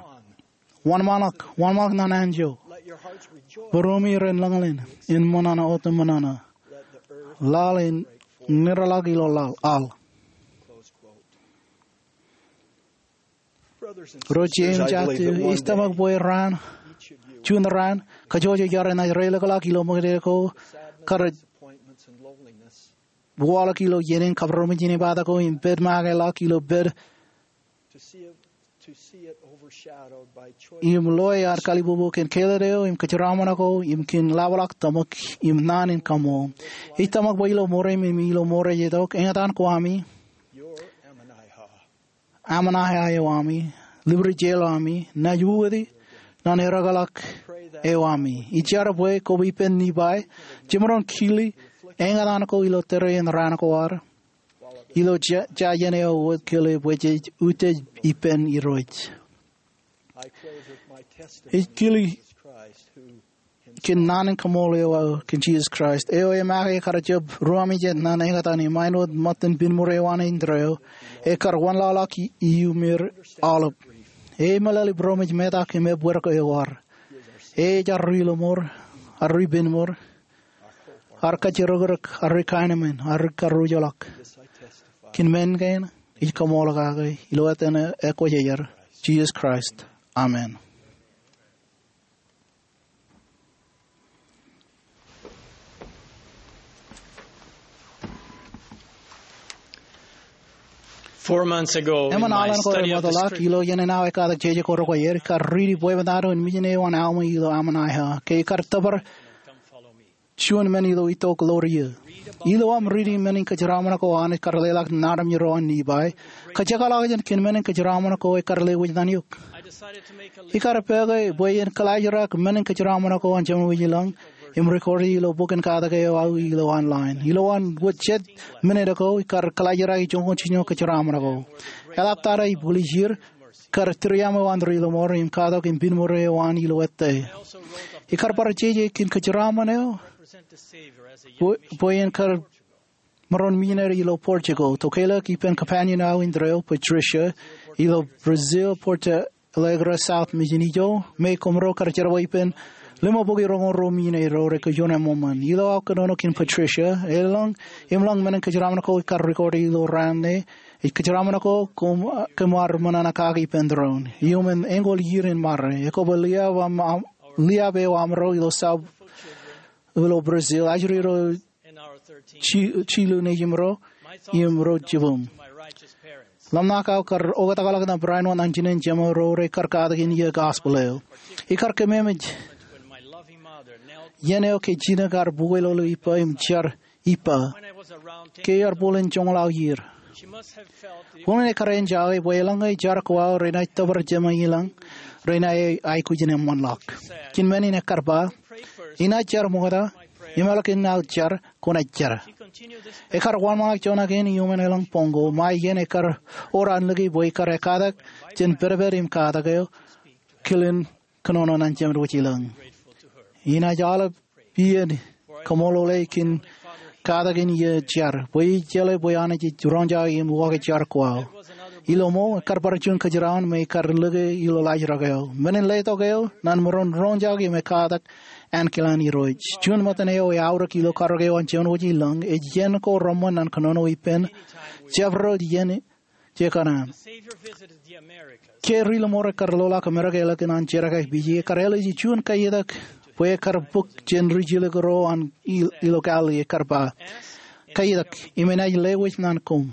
Wōnṃaanḷọk, wōnṃaanḷọk ñan anjọ. Būruemi ren lañlōñ, en ṃōṇōṇō otemōṇōṇō. Laḷ en ṇirḷọk ilo laḷ, al. Ro jeiū im jatū, ij tōmak bwe raan, juon raan, kōjwōj ej jar enaaj reilikḷọk ilo ṃōkaj ko, kar waḷọk ilo iien in kabūroṃōj in epata ko im pād ṃakeḷọk ilo pād im loe ad kalibubu kōn kāālōt eo im kōjeraaṃṃan ko im kōn ḷapḷọk tōmak im naan in kaṃṃool. Ij tōmak bwe ilo ṃoorem im ilo ṃoorei itok, eñtaan ko ami, Ammonihah eo ami, Liberty Jail eo ami, naaj uwiti ñan ereokḷọk eo ami. Ij jar bwe koba ippān Nifai, jemaroñ kile eñtaan ko ilo tōre in raan ko ad, ilo ja, jājen eo wōt kile bwe jej utiej ippān Irooj. Ij kile kōn naan in kaṃṃool eo aō kōn Jisōs Kraist, eo emake kar jab ruwami jet ñan eñtaan im āinwōt ṃōttan pinnṃur eo an indeeo, ekar wanlaḷọk iuṃwin aolep. Emeḷeḷe būroṃōj metak im ebbeer eo ad. Ej arri ḷōṃor, arri pinnṃur, arri kajjirōkrōk, arri kaenōṃṃan, arri karujḷọk. Kōn men kein ij kaṃool kake ilo etan Kwōjarjar, Jisōs Kraist, amen. Four months ago, in Eṃṃan my alen ko study of the remootḷọk, script- ilo iien in aō ekkatak jeje ko required, ikar riiti bwebwenato in mijin eo an Alma ilo Ammonihah. Ke ikar tōpar juon men ilo itok ḷoor iiō. Ilo aṃ riiti men in kōjeraṃṃan ko an, ikar leḷọk naan in Irooj Lipai, kōjekḷọk jān kōn men in kōjeraṃṃan ko ekar lewōj ṇan eok. Ikar pāāke bwe en kōḷaajrak men in kōjeraṃṃan ko an Jemān Wōj Ilōñ im record e ilo bok in katak eo aō ilo online. Ilowaan wōt jet minit ago, ikar kōḷaajrak joñan jiljino kōjeraṃṃan ko. Eḷaptata ibwiljir, kar tūriaṃo an Ri Lọmọọr im katak im piṃor eo an ilo ettā. Ikar bar jeje kōn kōjeraṃṃan eo bwe, bwe en kar maroñ missionary ilo Portugal. Tokālik ippān companion eo an Andrew, Patricia, ilo Brazil, Porto Alegre South Mission ijo, me koṃro kar jerbal ippān limabukwi roñoul ruo missionary ro rekwojarjar eṃṃan. Ilo aō kōnono kōn Patricia, elōñ im lōñ men in kōjeraṃṃan ko ikar record e ilo raan ṇe, ej kōjeraṃṃan ko koṃ, kōm ar ṃōṇōṇō kaki ippān doon. Iuṃwin eñoul iiō in ṃare, ekwe bwe liaab aṃ, aṃ, liaab eo aṃro ilo sab, ilo Brazil, ajri ro ji-, jilu nejimro im ro jibūṃ. Ḷōmṇak aō kar oktakḷọk ṇe barāinwōt ñan jinen Jemān ro rekar katak in iiō gospel eo. Ikar kememej iien eo ke jino kar bukweilọk ippa im jar ippa ke ear bōlen joñoul aō iiō. Unin ekar enjake bwe eḷaññe jar ko aō renaaj tōpar Jemān Wōj Ilōñ, renaaj aikuj in eṃṃanḷọk. Kōn men in ekar ba, inaaj jar ṃokta, im ālikin aō jar, kwōnaaj jar. Ekar wōnṃaanḷọk joñan kein iuṃwin elōñ boñ ko, ṃae iien ekar wōr an lōke bwe ikar ekkatak jān pedped im katak eo, kilen kōnono ṇan Jemān Wōj Ilōñ. Inaaj aolep iien kaṃṃoolol e kōn katak in iiō jar, bwe ij jeḷā bwe Anij ej roñjake im uwaake jar ko aō. Ilo ṃool, ekar bar juon kōjeraon me ikar lōke ilo laajrak eo. Men in letok eo, ṇan maroñ roñjake im ekkatak ankilaan Irooj. Juon ṃōttan eo eaorōk ilo karōk eo an Jemān Wōj Ilōñ, ej iien ko reṃṃan ṇan kōnono ippān jabdewōt iien jekōṇaan. Ke Ri Lọmọọr ekar loḷọk Amerika ālikin an jerkakpeje, ekar āliji juon kaiitak bwe ekar bōk jān ri jilkinro an il-, ilo Galilee, ekar ba, kaiitak, im enaaj lewōj ṇan koṃ.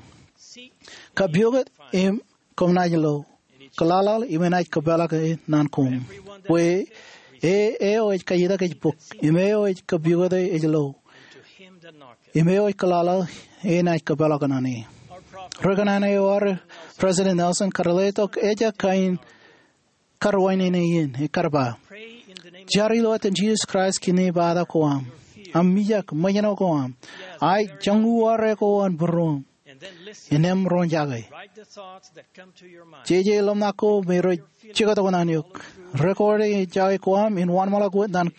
Kapukot, im koṃ naaj lo. Kōḷaḷḷaḷ, im enaaj kōpeḷḷọk ṇe ṇan koṃ. Bwe e, eo ej kaiitak ej bōk, im eo ej kapukot ej lo, im eo ej kōḷaḷḷaḷ enaaj kōpeḷḷọk ṇane. Ri-kōṇaan eo ad, President Nelson, kar letok ejjab kain karuwainene in, ekar ba, jar ilo etan Jisōs Kraist kōn ipata ko am, aṃ mijak, ṃōjṇọ ko am, ak joñoul uwaare ko an būruōṃ. Innām roñjake. Jeje ḷōmṇak ko me rej jektok ṇan eok. Record e enjake ko am in wōnṃaanḷọk wōt ṇan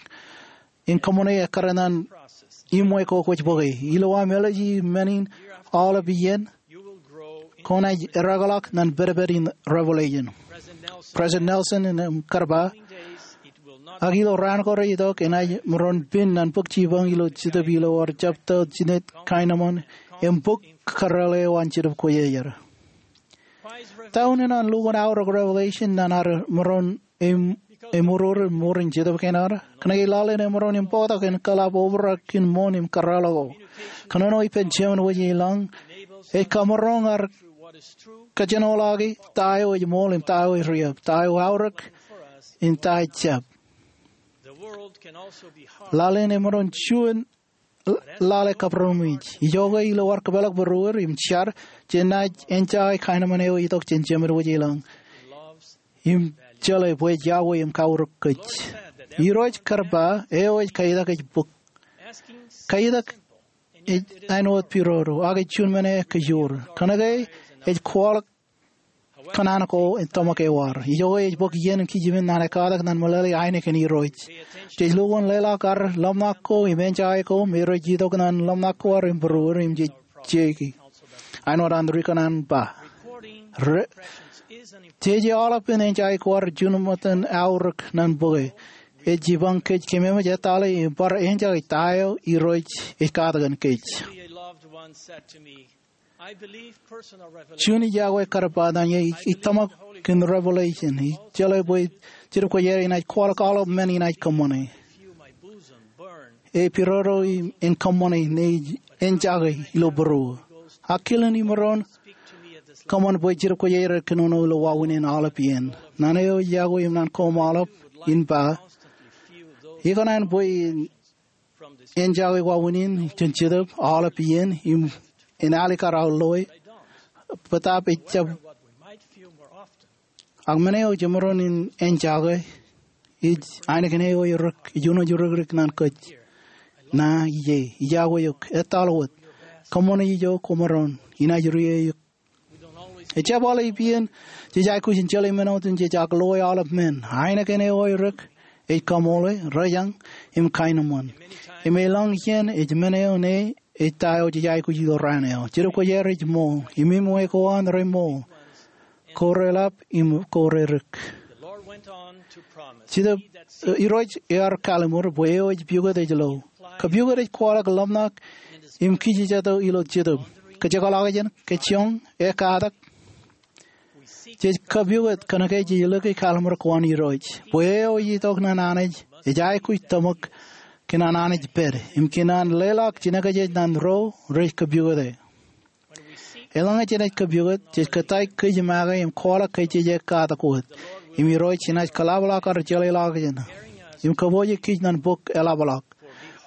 in kōṃṃane ekkar ṇan iṃwe ko kwōj bōke. Ilo aṃ āliji men in aolep iien, kwōnaaj ereakḷọk ṇan pedped in Revelation. President Nelson enaaj kar ba, ak ilo raan ko rejitok enaaj maroñ pen ṇan bōk jipañ ilo Jetōb ilo ad jab tōl jinet kaenōṃṃan im bōk kōrā eo an Jetōb Kwōjarjar. Ta unin an lukkuun aorōk Revelation ṇan ad maroñ im, im ṃōrōrō mour in jetōb kein ad? Kōnke lale ṇe maroñ im bōktok in kōḷap obrak in ṃoon im kōrā ḷọk ko. Kōnono ippān Jemān Wōj Ilōñ ej kamaroñ ad kōjenolọki ta eo ej ṃool im ta eo ej riab, ta eo aorōk im ta eo ejjab. Lale ṇe maroñ juon lale kabūroṃōj. Ijoke ilo ad kōpeḷḷọk būruod im jar, jenaaj enjake kaenōṃṃan eo itok jān Jemān Wōj Ilōñ im jeḷā bwe ej iọkwe im kaurōk kōj. Irooj kar ba, eo ej kaiitak ej bōk. Kaiitak ej āinwōt pidodo, ak ej juon men eo kōjoor. Kōnke ej kwaḷọk kōṇaan ko im tōmak eo ad. Ijoke ej bōk iien kijimin ṇan ekkatak ṇan meḷeḷe ainikien Irooj. Jej lukkuun leḷọk ad ḷōmṇak ko im enjake ko me rej itok ṇan ḷōmṇak ko ad im būruod im jej jeiki. Āinwōt an ri-kōṇaan ba, re-, jeje aolepān enjake ko ad juon ṃōttan aorōk ṇan bōke. Ej jipañ kōj kememej etale im bar enjake ta eo Irooj ej katakin kōj. Juon iọkwe kar ba ñe ij tōmak kōn revelation, ij jeḷā bwe Jetōb Kwōjarjar enaaj kwaḷọk aolep men inaaj kōṃṃane. Ej pidodo im en kōṃṃane ñe ij enjake ilo būruō. Ak kilen imaroñ kōṃṃan bwe Jetōb Kwōjarjar ej kōnono ilo wāween in aolep iien. Ñan eo ej iọkwe im ñan koṃ aolep in ba, ikōṇaan bwe en enjake wāween in jān Jetōb aolep iien im en alikkar aō loe, bōtaab ejjab. Ak men eo jemaroñ in enjake, ej ainikien eo ej rik, ej unooj rikrik ñan kōj. Ña ij, iọkwe eok, etal wōt. Kōṃṃane ijo kwōmaroñ, inaaj ri eok. Ejjab aolep iien jej aikuj in jeḷā men otemjej ak loe aolep men. Ainikien eo ej rik, ej kaṃoole, rejañ, im kaenōṃṃan. Im elōñ iien ej men eo ñe ej ta eo jej aikuj ilo raan eo. Jetōb Kwōjarjar ej ṃool, im iṃwe ko an reṃool, ko reḷap im ko redik. Jetōb, eh, Irooj ear kallimur bwe eo ej piukot ej lo. Kapiukot ej kwaḷọk ḷōmṇak im kijjito ilo Jetōb. Kōjekḷọk jān, kōjjoñ, ekatak. Jej kapiukot kōnke jej lōke kallimur ko an Irooj. Bwe eo ej itok ñan Anij, ej aikuj tōmak kōn an Anij pād, im kōn an leḷọk jinōkjeej ñan ro rej kapiukote. Eḷaññe jenaaj kapiukot, jej kōttāik kōj make im kwaḷọk kōjjej ekatak wōt. Im Irooj enaaj kōḷapḷọk ad jeḷāḷọkjeṇ im kōpooje kōj ñan bok eḷapḷọk.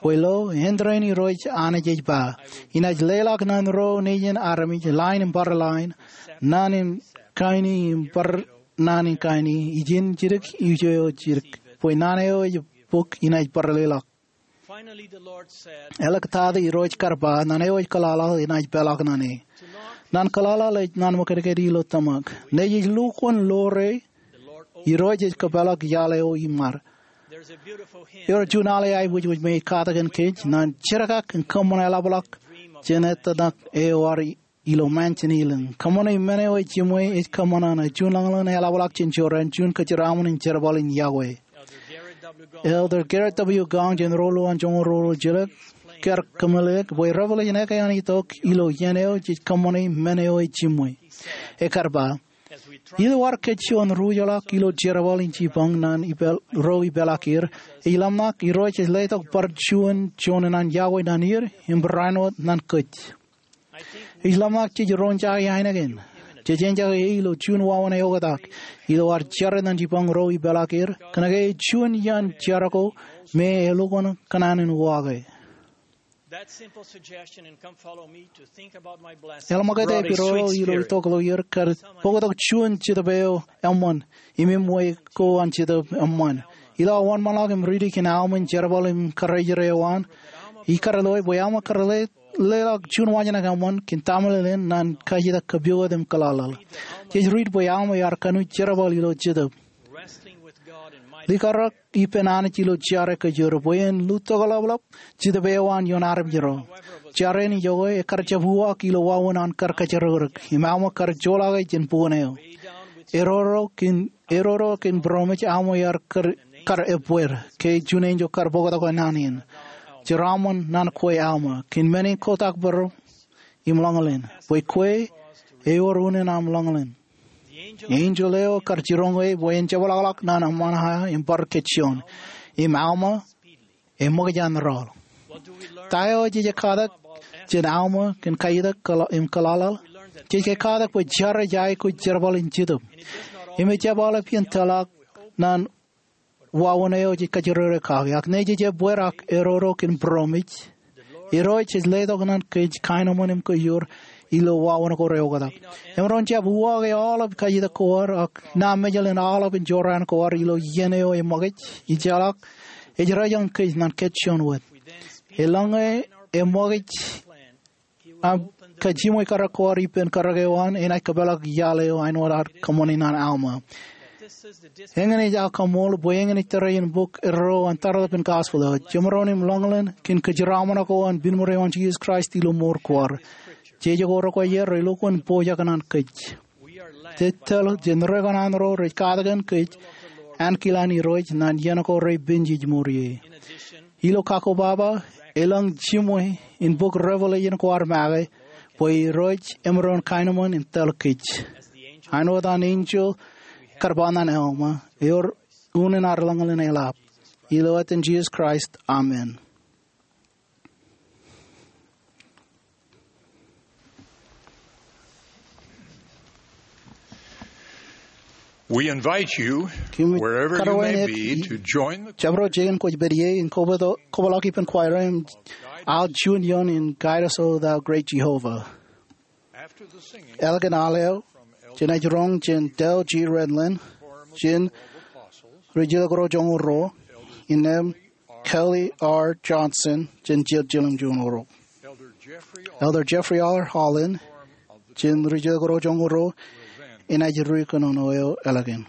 Bwe lo, āindein Irooj Anij ej ba, inaaj leḷọk ñan ro nejin armej line in bar line, naan in kaini in bar naan in kaini, ijin jidik, ijo jidik. Bwe naan eo ej bok inaaj bar leḷọk. Āliktata Irooj kar ba, ñan eo ej kōḷaḷḷaḷ enaaj peḷọk ñan e. Ñan kōḷaḷḷaḷ ej ñan ṃōkaj ilo tōmak. Ñe jej lukkuun lore, Irooj ej kōpeḷọk iaḷ eo iṃad. Ewōr juon aḷe aiboojoj me ej katakin kōj, ñan jerkak im kōṃṃan eḷapḷọk jān ettōṇak eo ad ilo mansion ilōñ. Kōṃṃane men eo ej jiṃwe ej kōṃṃan an juon ḷōñḷōñ eḷapḷọk jān jorrāān juon kōjeraaṃṃan in jerbal in iọkwe. Elder Gerrit W. Gong jān Rōlwōj an Joñoul Rōlwōjjilōk kar kōmeḷeḷeik bwe revelation ekkā an itok ilo iien eo jej kōṃṃane men eo ej jiṃwe. Ekar ba, ilo ad kōjjuon ruj ḷọk ilo jerbal in jipañ ñan ipeḷ-, ro ipeḷaakier, ej ḷōmṇak Irooj ej letok bar juon joñan an iọkwe ñan er im barāinwōt ñan kōj. Ij ḷōmṇak jej roñjake ainikien. Jej enjake e ilo juon wāween eoktak. Ilo ad jar ñan jipañ ro ipeḷaakier, kōnke ej juon iaan jar ko me elukkuun kōṇaan in uwaake. Eḷap ṃōkaj ej pidodo ilo itok ḷọk er kar bōktok juon jetōb eo eṃṃan, im iṃwe ko an jetōb eṃṃan. Ilo aō wōnṃaanḷọk im riiti kōn aṃ in jerbal im kōrā eo an, ikar loe bwe aṃ kar le-, leḷọk juon wōnṃaanḷọk eṃṃan kōn tamḷeḷeḷ in ñan kajjitōk kapiokot im kōḷaḷḷaḷ. Jej riit bwe aṃ ear kanooj jerbal ilo jetōb. Likarōk ippān Anij ilo jare kōjro bwe en lutokḷapḷap jetōb eo an ioon armej ro. Jare in iọkwe ekar jab uwaak ilo wāween an kar kōjrekrek, im aṃ kar joḷọke jān bukwōn eo. Eroro kōn, eroro kōn būroṃōj aṃ ear kar, kar ebbeer, ke juon enjeḷ kar bōktok naan in. Jeraaṃṃan ñan kwe aṃ, kōn men in kotak bōro im ḷōñḷōñ, bwe kwe ewōr unin aṃ ḷōñḷōñ. Enjeḷ eo kar jiroñ e bwe en jepḷaakḷọk ñan aṃ eo im bar kōjjoñ, im aṃ eṃōkaj an rọọl. Ta eo jej katak jān aṃ kōn kajjitōk kōḷa-, im kōḷaḷḷaḷ? Jej katak bwe jar ej aikuj jerbal in jetōb. Im ejjab aolep iien tōlḷọk ñan wāween eo jej kajjirere kake, ak ñe jej ebbeer ak eroro kōn būroṃōj, Irooj ej letok ñan kōj kaenōṃṃan im kōjro ilo wāween ko reoktak. Emaroñ jab uwaake aolep kajjitōk ko ad, ak ña Mejel in aolep in jorrāān ko ad ilo iien eo eṃōkaj, ejjeḷọk, ej rejañ kōj ñan kōjjoñ wōt. Eḷaññe eṃōkaj aṃ kajiṃwe kōrā ko ad ippān kōrā eo an, enaaj kōpeḷḷọk iaḷ eo āinwōt ad kōṃṃane ñan Alma. Eñin ej aō kaṃool bwe eñin ej tōre in bok erreo an tarlepen gospel eo. Jemaroñ im ḷōñḷōñ kōn kōjeraaṃṃan ko an pen ṃōreo an Jisōs Kraist ilo mour ko ad. Jeje ko rekwōjarjar elukkuun pojak ñan kōj. Jej tōl jān rekōṇaan ro rej katakin kōj ankilaan Irooj ñan iien ko reippān jej ṃōrā ie. Ilo kakkobaba, elōñ jiṃwe in bok Revelation ko ad make, bwe Irooj emaroñ kaenōṃṃan in tōl kōj. Āinwōt an enjeḷ kar ba ñan Alma, ewōr unin ad lañlōñ in eḷap. Ilo etan Jisōs Kraist, amen. We invite you, wherever you may be, to join the choir. Kōm jabdewōt bwe kwōj pād ie in kōpeḷḷọk ippān choir im al juon ioon in Guide Us, O Thou Great Jehovah. After the singing, ālikin al eo, jenaaj roñ jān Dale G. Redland, jān Ri Jilkinro Joñoul Ruo, innām Kelly R. Johnson, jān Ri Jilkinro Joñoul Ruo. Elder Jeffrey R. Holland, jān Ri Jilkinro Joñoul Ruo, enaaj ri kōnono eo ālikin.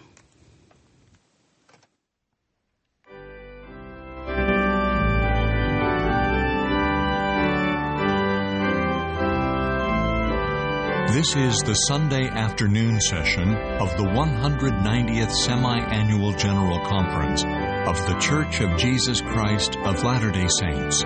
This is the Sunday afternoon session of the one hundred ninetieth Semi-Annual General Conference of The Church of Jesus Christ of Latter-day Saints.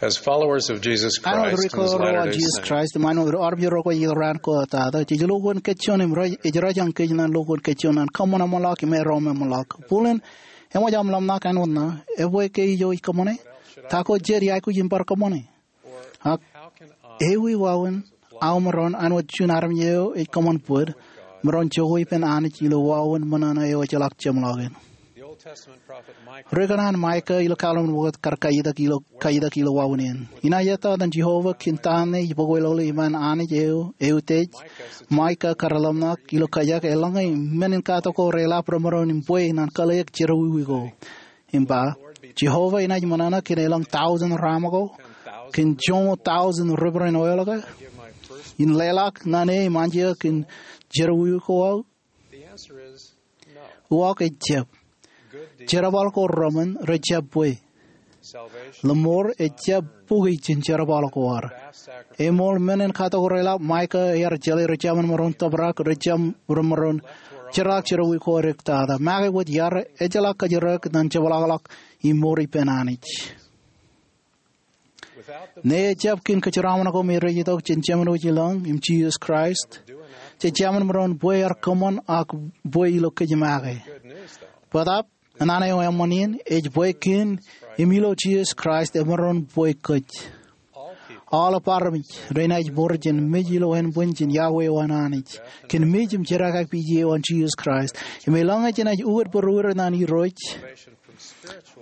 As followers of Jesus Christ and His Latter-day Saints, āinwōt ri kōrā eo an Jisōs Kraist im āinwōt armej ro kwōj itok raan ko tata, jej lo kōn kōj juon im rej, ej rōjañ kōj ñan lo kōn kōj juon ñan kōṃṃan eṃṃanḷọk im erom eṃṃanḷọk. Bōlen, eṃōj aṃ ḷōmṇak āinwōt ṇa, ebwe ke ijo ij kōṃṃane? Ta ko jej aikuj in bar kōṃṃane? Ak ewi wāween aō maroñ āinwōt juon armej eo ej kōṃṃan bōd, maroñ jokwe ippān Anij ilo wāween ṃōṇōṇō eo ejjeḷọk jeṃḷọkin? Ri kōṇaan Maika ilo Kalvin Wōt kar kaitak ilo, kaitak ilo wāween in. Inaaj ettā etan Jeova kōn ta ṇe ej bōk wōtlọk iṃaan Anij eo eutiej. Maika kar ḷōmṇak ilo kōjak eḷaññe men in katak ko reḷap remaroñ in bwe ñan kōḷḷeik jerọwiwi ko. Im ba, Jeova enaaj ṃōṇōṇō kōn elōñ tọujin raṃ ko, kōn joñoul tọujin ripād in oil ko, in leḷọk ñan e im anjọ kōn jerọwiwi ko aō? Uwaak, ejjab. Jerbal ko reṃōn rej jab bwe. Ḷōṃor ejjab bukwi jān jerbal ko ad. Eṃool men in katak ko reḷap, Maika ear jeḷā ri jemān maroñ tōprak, ri jemān maroñ jerak jerọwiwi ko edik tata. Make wōt iar ejjeḷọk kōjerek ñan jepḷaakḷọk im mour ippān Anij. Ñe ejjab kōn kōjeraṃṃan ko me rej itok jān Jemān wōj ilọñ im Jisōs Kraist, jej jemān maroñ bwe ear kōṃṃan ak bwe ilo kōj make. Bōtab, ñan eo eṃṃan in, ej bwe kōn im ilo Jisōs Kraist emaroñ bwe kōj. Aolep armej renaaj mour jān mej ilo ānbwin jān iọkwe eo an Anij, kōn mej im jerọwiwi eo an Jisōs Kraist. Im eḷaññe jenaaj uwid būruod ñan Irooj,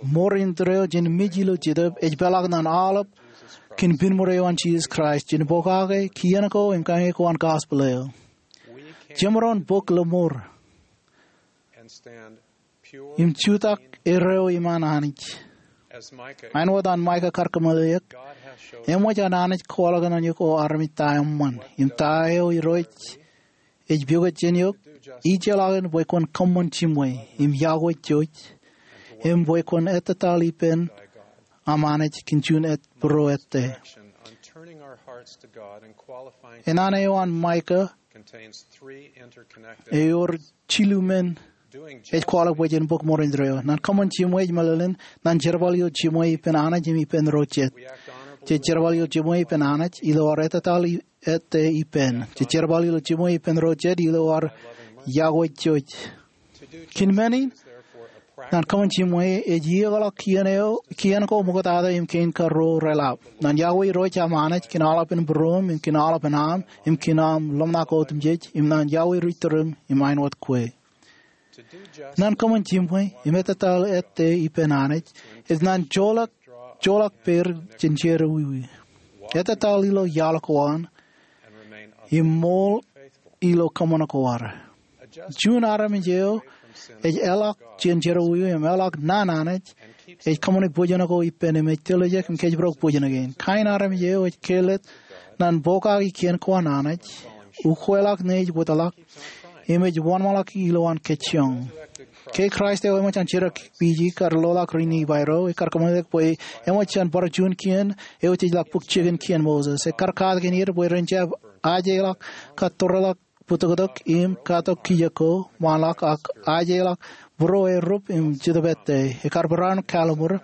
mour in tōre eo jān mej ilo Jetōb ej peḷḷọk ñan aolep kōn piṃor eo an Jisōs Kraist, jān pokake, kien ko im kañe ko an gospel eo. Jemaroñ bōk ḷōṃor im jutak erreo iṃaan Anij. Āinwōt an Maika kar kōmeḷeḷeik, eṃōj an Anij kwaḷọk ñan eok o armej ta eṃṃan, im ta eo Irooj ej pukot jān eok, ij jeḷā kōn bwe kwōn kōṃṃan jimwe, im iọkwe jouj, im bwe kwōn ettataḷ ippān aṃ Anij kōn juon jet būruod. Enana eo an Maika, ewōr jilu men ej kwaḷọk bwe jen bōk mour in tōre eo. Ñan kōṃṃan jimwe ej meḷeḷein, ñan jerbal ilo jimwe ippān Anij im ippān ro jet. Jej jerbal ilo jimwe ippān Anij, ilo ad ettataḷ i-, ettā ippān. Jej jerbal ilo jimwe ippān ro jet, ilo ad iọkwe jouj. Kōn men in, Ñan kōṃṃan jiṃwe, ej iiōkḷọk kien eo, kien ko ṃoktato im kein karuo reḷap. Ñan iọkwe Irooj aṃ Anij kōn aolepān būruōṃ, im kōn aolepān aṃ, im kōn aṃ ḷōmṇak otemjej, im ñan iọkwe ri-tūrūṃ, im āinwōt kwe. Ñan kōṃṃan jiṃwe, im ettōtaḷ ettā ippān Anij, ej ñan joḷọk, joḷọk peid jān jerọwiwi. Ettōtaḷ ilo iaḷ ko an, im ṃool ilo kōṃṃan ko ad. Juon armej eo ej eḷọk jān jerọwiwi im eḷọk naan Anij, ej kōṃṃane bōjjān ko ippān im ej tiljek im kōjparok bōjjān kein. Kain armej eo ej kāālōt ñan pokake kien ko an Anij, ukweḷọk ñe ej wōtlọk, im ej wōnṃaanḷọk ilowaan kōjjoñ. Ke Kraist eo eṃōj an jidik pije kar loḷọk ri-Nifai ro, ekkar kōmeḷeḷeik bwe eṃōj an bar juon kien eo ejjeḷọk bōk jikin kien Moses. Ekkar katakin er bwe ren jab ajeḷọk katorḷọk bōtōktōk im katok kijek ko ṃaanḷọk ak ajeḷọk būruo erup im Jetōb ettā. Ekkar barāinwōt kalimur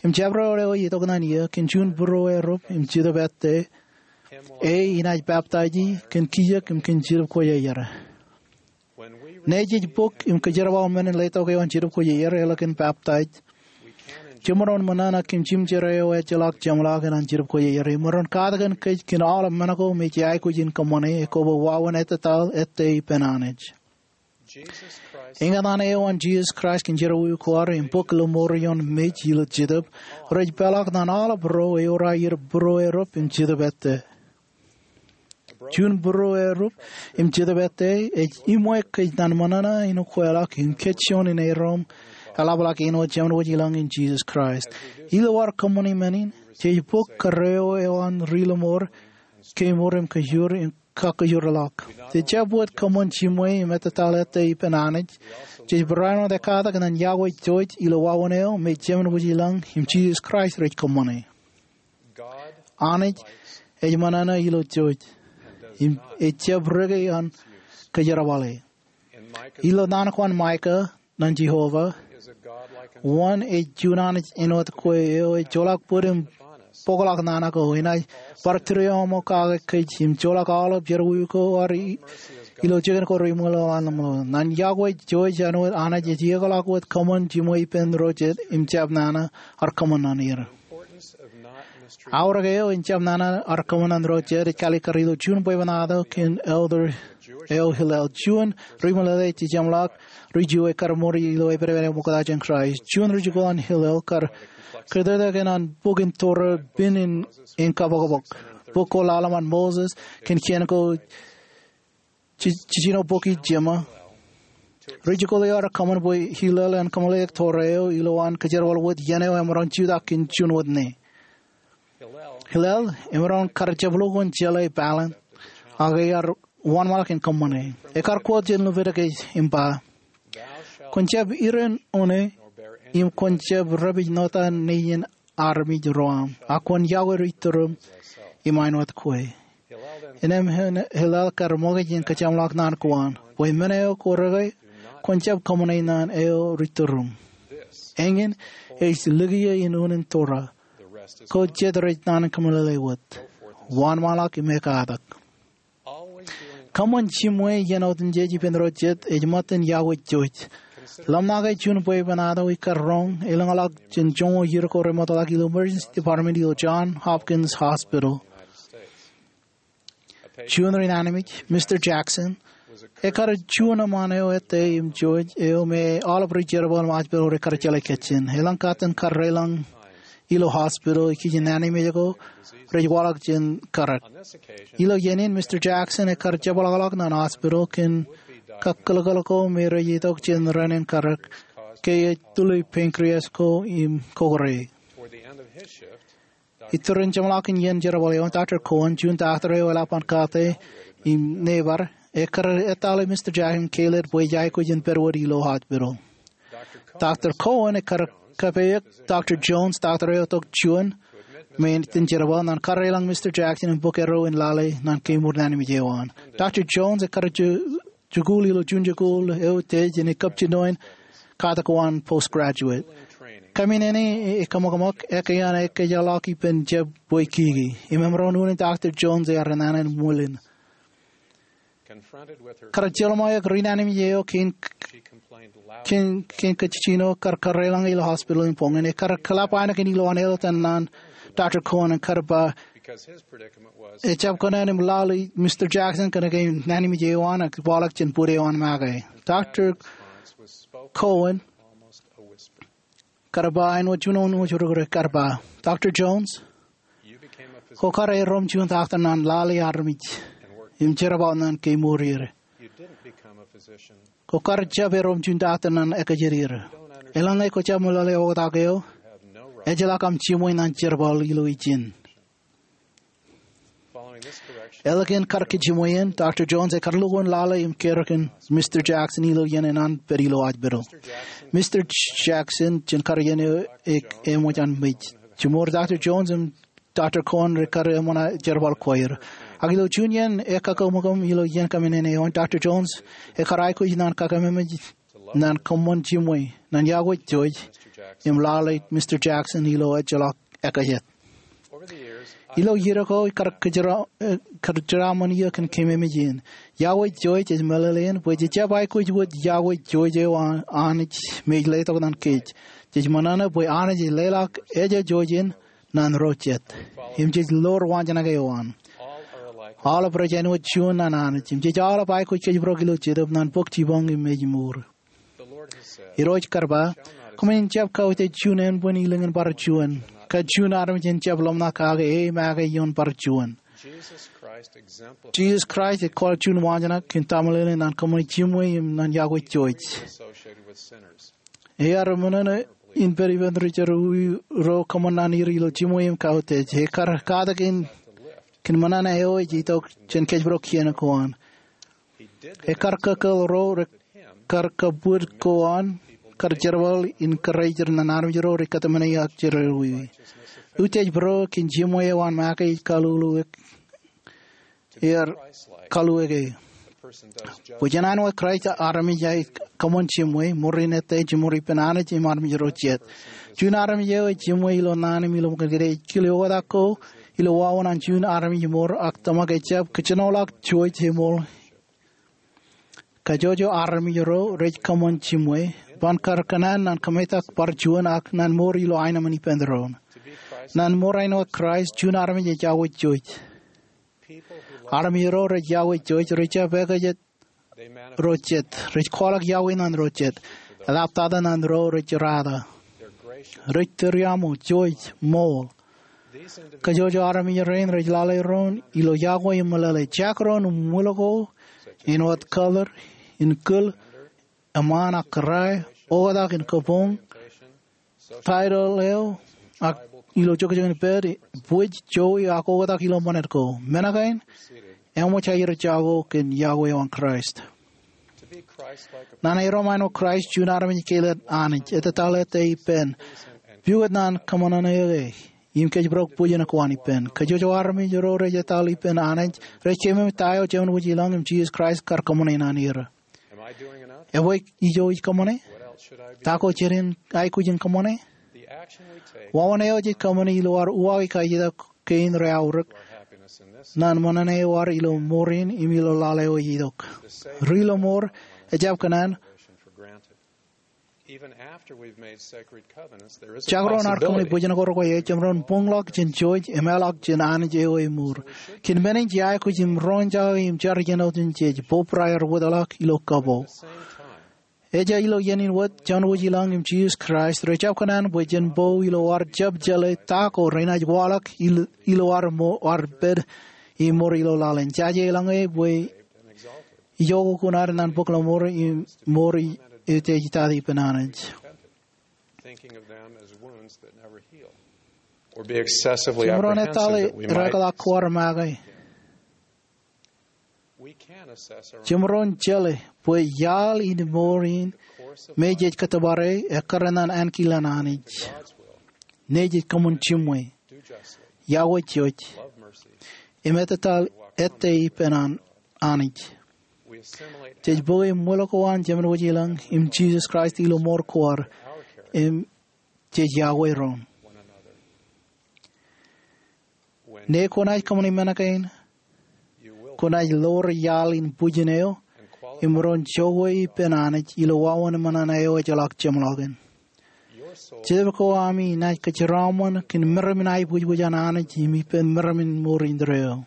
im jabdewōt eo itok ñan iiō kōn juon būruo erup im Jetōb ettā, e inaaj peptaij kōn kijek im kōn Jetōb Kwōjarjar. Ñe jej bōk im kōjerbal men in letok eo an Jetōb Kwōjarjar, eḷap kōn peptaij, jemaroñ ṃōṇōṇō kōn jimjer eo ejjeḷọk jeṃḷọk ñan Jetōb Kwōjarjar. Im ren katakin kōj kōn aolep men ko me jej aikuj in kōṃṃane, ekwe bwe wāween ettōtaḷ ettā ippān Anij. Eñtaan eo an Jisōs Kraist kōn jerọwiwi ko ad im bōk ḷōṃor ioon mej ilo Jetōb, rej peḷọk ñan aolep ro eor aer būruo erup im Jetōb ettā. Juon būruo erup im Jetōb ettā ej iṃwe kōj ñan ṃōṇōṇō in ukweḷọk im kōjjojo in erom eḷapḷọk āinwōt Jemān Wōj i lañ in Jisōs Kraist. Ilo ad kōṃṃane men in, jej bōk kōrā eo an ri-ḷōṃor, kemour im kōjur im kakkōjurḷọk. Jej jab wōt kōṃṃan jiṃwe im ettōtaḷ ettā ippān Anij, jej barāinwōt ekkatak ñan iọkwe jouj ilo wāween eo me Jemān Wōj i lañ im Jisōs Kraist rej kōṃṃane. Anij ej ṃōṇōṇō ilo jouj, im ejab reke an kōjerbale. Ilo naan ko an Maika ñan Jeova, wōn ej juon Anij āinwōt kwe eo ejjeḷọk bōd im bōkḷọk nana ko, enaaj bar tūriaṃokake kōj im joḷọk aolep jerọwiwi ko ad ilo jikin ko reṃwilaḷ an ḷōmṇak. Ñan iọkwe jouj āinwōt Anij ej iiōkḷọk wōt kōṃṃan jiṃwe ippān ro jet im jab nana ad kōṃṃan ñan er. Aorōk eo in jab nana ad kōṃṃan ñan ro jet ej kalikkar ilo juon bwebwenato kōn elder eo Hillel, juon ri-meḷeḷe jejemḷọk ri-Ju ekkar ṃuri ilo epedepedik ṃoktata jān Kraist. Juon rijikuuḷ an Hillel kar kōtōktōkin an bok in Torah pen in, in kapokpok. Bok ko lale ṃaan Moses kōn kien ko je-, jejino bok in Jeṃa. Rijikuuḷ eo ear kōṃṃan bwe Hillel en kōmeḷeḷeik Torah eo ilowaan kōjerbal wōt iien eo emaroñ jutak kōn juon wōt ñe. Hillel emaroñ kar jab lukkuun jeḷā pāleen, ak ear wōnṃaanḷọk in kōṃṃane. Ekkar quote jān Leviticus im ba, kwōn jab iren one, im kwōn jab repij ṇota nein armej ro aṃ, ak kwōn iọkwe ri-tūriṃ im āinwōt kwe. Innām Hillel kar ṃōkaj in kōjeṃḷọk naan ko an, bwe men eo kwō reke, kwōn jab kōṃṃane ñan eo ri-tūriṃ. Eñin ej likiiō in unin Torah. Ko jet rej naan in kōmeḷeḷe wōt. Wōnṃaanḷọk im ekkatak. Kōṃṃan jiṃwe iien otemjej ippān ro jet ej ṃōttan iọkwe jouj. Ḷōmṇake juon bwebwenato ikkar roñ elōñḷọk jān joñoul iiō ko remootḷọk ilo Emergency Department ilo Johns Hopkins Hospital. Juon ri-naan in mej, Mister Jackson, ekkar juon eṃṃaan eo ettā im jouj eo me aolep ri-jerbal im hospital ro ekkar jeḷā kōjjien. Elōñ kōttan kar deḷọñ ilo hospital ikijjien naan in mej ko rej waḷọk jān karōk. Ilo iien in, Mister Jackson ekkar jepḷaakḷọk ñan hospital kōn kakkōlkōl ko me rej itok jān raan in karōk ke ej tuli pancreas ko im kokore. Iturin jeṃḷọkin iien jerbal eo an, Doctor Cowan, juon doctor eo eḷap an kate im neighbor, ekkar etale Mister Jackson im kāālōt bwe ej aikuj in pād wōt ilo hospital. Doctor Cowan ekkar kapeik Doctor Jones, doctor eo tok juon, me iten jerbal, ñan kar deḷọñ Mister Jackson im bōk erro in lale ñan kemour naan in mej eo an. Doctor Jones ekkar ju-, jikuuḷ ilo juon jikuuḷ eo ej jān kab jinoin katak ko an postgraduate. Kaminene ej kōṃakṃak, ekkā an ekkejjeḷọk ippān jab bwe kiki. Im emaroñ unin Doctor Jones ear naan in ṃwilen. Kar jeḷmā eok ri-naan eo kein, kein, kein kajjino kar kōrā eḷaññe ilo hospital in boñōn. Ekar kōḷap aenōkōn ilowaan elōt eo an Doctor Cowan im kar ba, ejjab kōṇaan im lale Mister Jackson kōnke naan eo an ej waḷọk jān bōd eo an make. Doctor Cowan kar ba āinwōt juon wōt ri kar ba, Doctor Jones, kwō kar erom juon doctor ñan lale armej im jerbal ñan kemour er. Kwō kar jab erom juon doctor ñan ekōjede er. Eḷaññe kwō jab meḷeḷe oktak eo, ejjeḷọk aṃ jimwe ñan jerbal ilo ijin. Ālikin kar kajimwe in, Doctor Jones ekar lukkuun lale im kōrā kōn Mister Jackson ilo iien eṇ an pād ilo hospital. Mister Jackson jān kar iien eo, e, eṃōj an mej. Jiṃor Doctor Jones im Doctor Cowan rekar eṃṃan jerbal kwe er. Ak ilo juon iien ekkakōṃakōṃ ilo iien kaṃōṇōṇō eo an, Doctor Jones ekar aikuj ñan kakememej ñan kōṃṃan jimwe, ñan yokwe jouj, im lale Mister Jackson ilo ejjeḷọk ekōjjet. Ilo iiō ko kar kōjeraaṃṃan eō kōn kememej in. Yokwe jouj ej meḷeḷein bwe jej jab aikuj wōt yokwe jouj eo an Anij me ej letok ñan kōj. Jej ṃōṇōṇō bwe Anij ej leḷọk ejjeḷọk jouj in ñan ro jet. Im jej ḷoor waanjoñak eo an. Aolep rej āinwōt juon ñan Anij. Im jej aolep aikuj kōjparok ilo Jetōb ñan bōk jipañ im ej mour. Irooj kar ba, kōmin jab kautiej juon ānbwin ilōñ in bar juon, kōn juon armej en jab ḷōmṇak kake e make ioon bar juon. Jisōs Kraist ej kwaḷọk juon waanjoñak kōn taṃle eo ñan kōṃṃane jimwe im ñan yokwe jouj. Ear ṃōṇōṇō in pād ippān ri jerọwiwi ro kōṃṃan naan er ilo jimwe im kautiej. Ekar katak in kōn ṃōṇōṇō eo ej itok jān kōjparok kien ko an. Ekar kōkōḷ ro rekar kabwid ko an kar jerbal in kōrā ijin ñan armej ro rej kōtmāne ak jerọwiwi. Utiej bōro kōn jimwe eo an make ej kaluwilwe er, kaluwilwe e. Bwe jen āinwōt Kraist armej ej kōṃṃan jimwe, ṃoor in ettā jiṃor ippān Anij im armej ro jet. Juon armej eo ej jimwe ilo naan im ilo ṃōkaj kōn kile oktak ko ilo wāween an juon armej ṃoor ak tōmak ejjab kōjenolọk jouj eṃool. Kajjojo armej ro rej kōṃṃan jimwe, ban kar kōṇaan ñan kōmetak bar juon ak ñan mour ilo aenōṃṃan ippān doon. Ñan mour āinwōt Kraist, juon armej ej yokwe jouj. Armej ro rej yokwe jouj, rej jab ekōjjet ro jet, rej kwaḷọk yokwe ñan ro jet, eḷaptata ñan ro rej jerata. Rej tūriaṃo, jouj, ṃool. Kajjojo armej rein rej lale doon ilo yokwe im meḷeḷe. Jekdọọn ṃwil ko āinwōt color, in kūl, eṃṃaan ak kōrā, oktak in kabuñ, title eo, ak ilo jokjok in pād, bwij, jowi, ak oktak ilo ṃanit ko. Men kein eṃōj aer jako kōn yokwe eo an Kraist. Ñan erom āinwōt Kraist, juon armej ej kailet Anij, etetal ettā ippān, pukot ñan kōṃṃan eō e, im kōjparok bwijin ko an ippān. Kajjojo armej ro rej etal ippān Anij rej keememej ta eo Jemān Wōj ilañ im Jisōs Kraist kar kōṃṃane ñan er. Ebwe ijo ij kōṃṃane? Ta ko jen aikuj in kōṃṃane? Wāween eo jej kōṃṃane ilo ad uwaak kaijetak kein rej aorōk ñan ṃōṇōṇō eo ad ilo ṃoor in im ilo lale eo ej itok. Ri-lọmọọr ejjab kōṇaan Jekdọọn ad kōṃṃane bwijin ko rekwe, ejjab ren buñḷọk jān jouj im eḷak jān Anij eo eṃour. Kōn men in jej aikuj im roñjake im jar iien otemjej, bōbraer wōtlọk ilo kapo. Ejja ilo iien in wōt, Jemān Wōj ilañ im Jisōs Kraist rej jab kōṇaan bwe jen bo ilo ad jab jeḷā ta ko renaaj waḷọk ilo ad pād im mour ilo laḷ in. Jaje eḷaññe bwe ijoko kuṇaad ñan bōk lọmọọr im mour eo jej itata ippān Anij. Jemaroñ etale rekōḷọk ko ad make. Jemaroñ jeḷā bwe iaḷ in mour in me jej kōttōpare ekkar ñan ankilaan Anij. Nejej kōṃṃan jimwe, yokwe jouj, im etetal ettā ippān Anij. Jej bōke ṃwil ko an Jemān Wōj ilañ im Jisōs Kraist ilo mour ko ad im jej yokwe doon. Ñe kwōnaaj kōṃṃane men kein, kwōnaaj ḷoor iaḷ in bwijin eo im maroñ jokwe ippān Anij ilo wāween ṃōṇōṇō eo ejjeḷọk jeṃḷọkin. Jetōb ko ami enaaj kōjeraaṃṃan kōn meram in aibwijbwij an Anij im ippān meram in mour indeeo.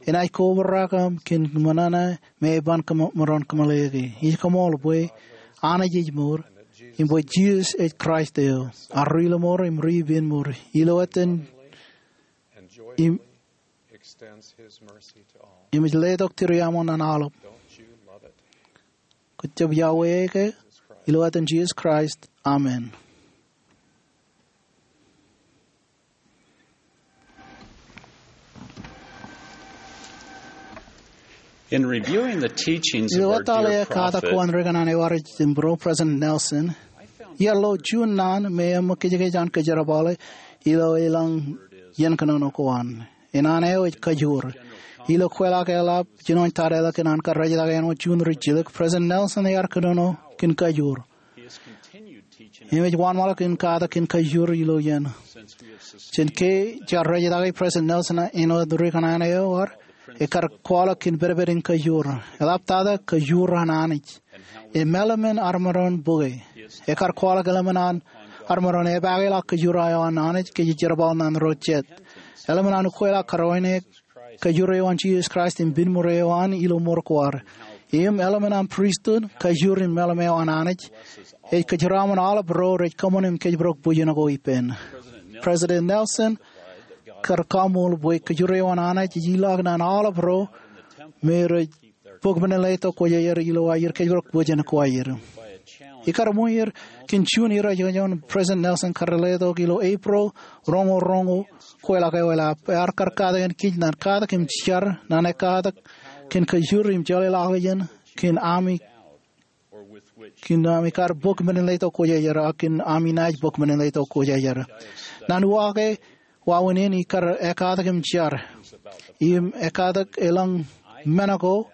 Enaaj kobrak aṃ kōn ṃōṇōṇō me eban kōm- maroñ kōmeḷeḷeiki. Ij koṃṃool bwe Anij ej mour im bwe Jisōs ej Kraist eo, ad ri-lọmọọr im ri-ippān mour. Ilo etan im im ej letok tūriaṃo ñan aolep. Kwōj jab iọkwe ke? Ilo etan Jisōs Kraist, amen. In reviewing the teachings of our dear prophet, ilo etal ekatak ko an ri-kōṇaan eo ad ej jimburō, President Nelson, iar lo juon naan me eṃōk kōjkōj an kōjerbale ilo elōñ iien kōnono ko an. Naan eo ej kajoor. Ilo kweilọk eḷap jinoin tarijeḷā kōn an kar rejjitōk āinwōt juon rijjilōk, President Nelson ear kōnono kōn kajoor im ej wōnṃaanḷọk in katak kōn kajoor ilo iien. Jān ke jaar rejjitōk President Nelson āinwōt ri-kōṇaan eo ad, ekar kwaḷọk kōn pedped in kajoor. Eḷaptata kajoor an Anij im eḷmen ad maroñ bōke. Ekar kwaḷọk eḷmen an ad maroñ epaake ḷọk kajoor eo an Anij ke jerbal ñan ro jet. Eḷmen an ukweḷọk karoone kajoor eo an Jisōs Kraist im piṃur eo an ilo mour ko ad. Im eḷmen an pristut, kajoor im meḷeḷe eo an Anij ej kōjeraaṃṃan aolep ro rej kōṃṃan im kōjparok bwijin ko ippān. President Nelson kar kaṃṃool bwe kajoor eo an Anij ej ilọk ñan aolep ro me rej bōk men in letok kwōj aer ilo aer kōjparok bwijin ko aer. Ikar ṃweer kōn juon irooj eo an President Nelson kar letok ilo Eprōl roñoul roñoul, kweilọk eo eḷap. Ear kar katakin kōj ñan katak im jar ñan ekatak kōn kajoor im jeḷāḷọkjeṇ kōn ami kōn ami kar bōk men in letok kwōj aer, ak kōn ami naaj bōk men in letok kwōj aer. Ñan uwaak e, wāween in ikar ekatak im jar im ekatak elōñ men ko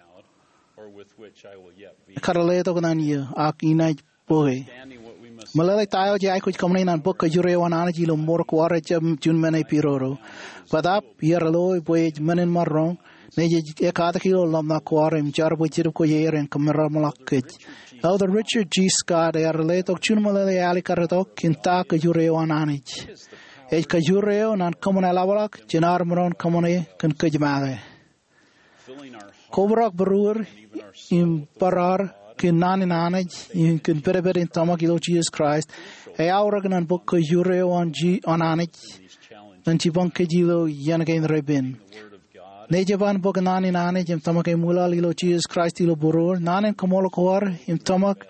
kar letok ñan eō, ak inaaj bōke. Meḷeḷe ta eo jej aikuj kōṃṃane ñan bōk kajoor eo an Anij ilo mour ko ad ejjab juon men epidodo. Bōtaab iar loe bwe ej men in maroñ, ñe jej ekatak ilo ḷōmṇak ko ad im jar bwe Jetōb Kwōjarjar en kōmeramḷọk kōj. Elder Richard G. Scott ear letok juon meḷeḷe āliktata kōn ta kajoor eo an Anij. Ej kajoor eo ñan kōṃṃan eḷapḷọk jān ad maroñ kōṃṃane kōn kōj make. Kobrak būruod im bar ad kōn naan in Anij im kōn pedped in tōmak ilo Jisōs Kraist, eaorōk ñan bōk kajoor eo an Ji- an Anij ñan jipañ kōj ilo iien kein repen. Ñe ej ban bōk naan in Anij im tōmak eṃwilaḷ ilo Jisōs Kraist ilo būruod, naan in kōṃṃool ko ad im tōmak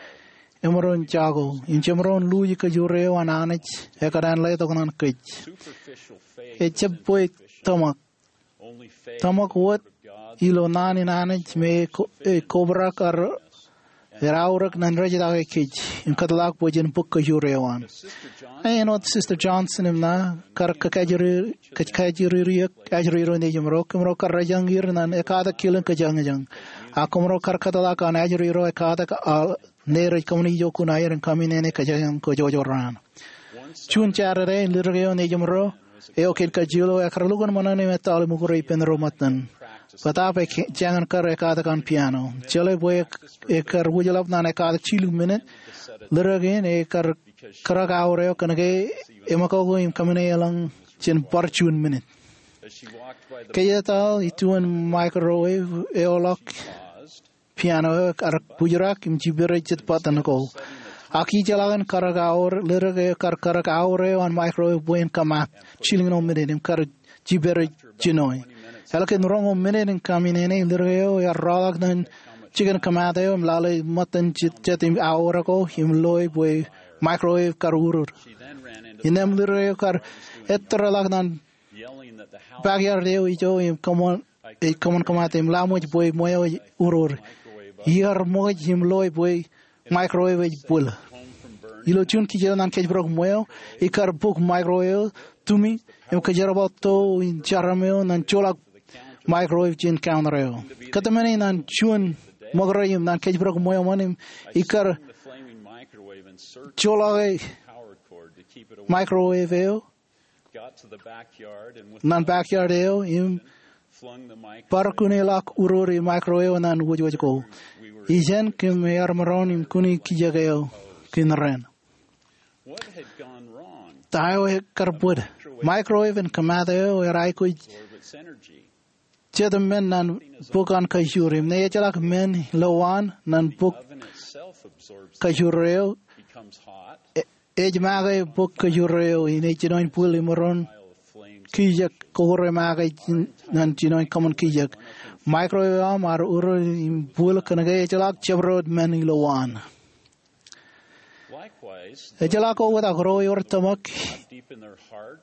emaroñ jako, im jemaroñ luuj kajoor eo an Anij ekōṇaan letok ñan kōj. Ejjab bwe tōmak. Tōmak wōt ilo naan in Anij me ko- e kobrak ad eaorōk ñan rejjitōk kōj im kōtḷọk bwe jen bōk kajoor eo an. Āinwōt Sister Johnson im ña kar kajjirere, kajjirere eo, ajri ro nejiṃro, kōmro kar rōjañ er ñan ekatak kilin kōjañjañ. Ak kōmro kar kōtḷọk an ajri ro ekatak ñe rej kōṃṃani ijo kuṇaer in kaminene kōjañjañ ko jojorraan. Juon Jādede in ledik eo nejiṃro eo kōn kajjioḷo ekar lukkuun ṃōṇōṇō im etal im ukure ippān ro ṃōttan. Bōtaab ej jañin kar ekatak an piano. Jeḷā bwe ekar wūjḷap ñan ekatak jilu minit, ledik in ekar kōrōk aor eo kōnke eṃōkoko im kaminene elōñ jān bar juon minit. Ke ej etal ituun microwave eoḷọk, piano eo ekar bōjrak im jiperej jet button ko. Ak ijeḷā in kōrōk aor, ledik eo ekar kōrōk aor eo an microwave bwe en kōmaat jilñuul minit im kar jiperej jino. Ālikin roñoul minit in kaminene, ledik eo ear rọọlḷọk ñan jikin kōmaat eo im lale ṃōttan jet, jet im aor ko im loe bwe microwave kar urur. Innām ledik eo kar ettōrḷọk ñan backyard eo ijo im kōṃṃan ej kōṃṃan kōmaat im laṃōj bwe ṃweo ej urur. Iar ṃōkaj im loe bwe microwave ej bwil. Ilo juon kijeḷ ñan kōjparok ṃweo, ikar bōk microwave eo, tumi, im kōjerbal to in jarom eo ñan joḷọk microwave jān counter eo. Kōtmāne ñan juon ṃōkaj im ñan kōjparok ṃweo ṃōn im ikar joḷọk microwave eo ñan backyard eo im bar kūneḷọk urur in microwave eo ñan wōjwōj ko. Ijeṇ kōm ear maroñ im kūni kijek eo kōn raṇ. Ta eo ekar bōd? Microwave in kōmaat eo ear aikuj jet men ñan bōk an kajoor im ñe ejjeḷọk men ilowaan ñan bōk kajoor eo, ej make bōk kajoor eo im ej jinoin bwil im maroñ kijek, kokore make ñan jinoin kōṃṃan kijek. Microwave eo aṃ ear urur im bwil kōnke ejjeḷọk jabdewōt men ilowaan. Ejjeḷọk oktak, ro ewōr tōmak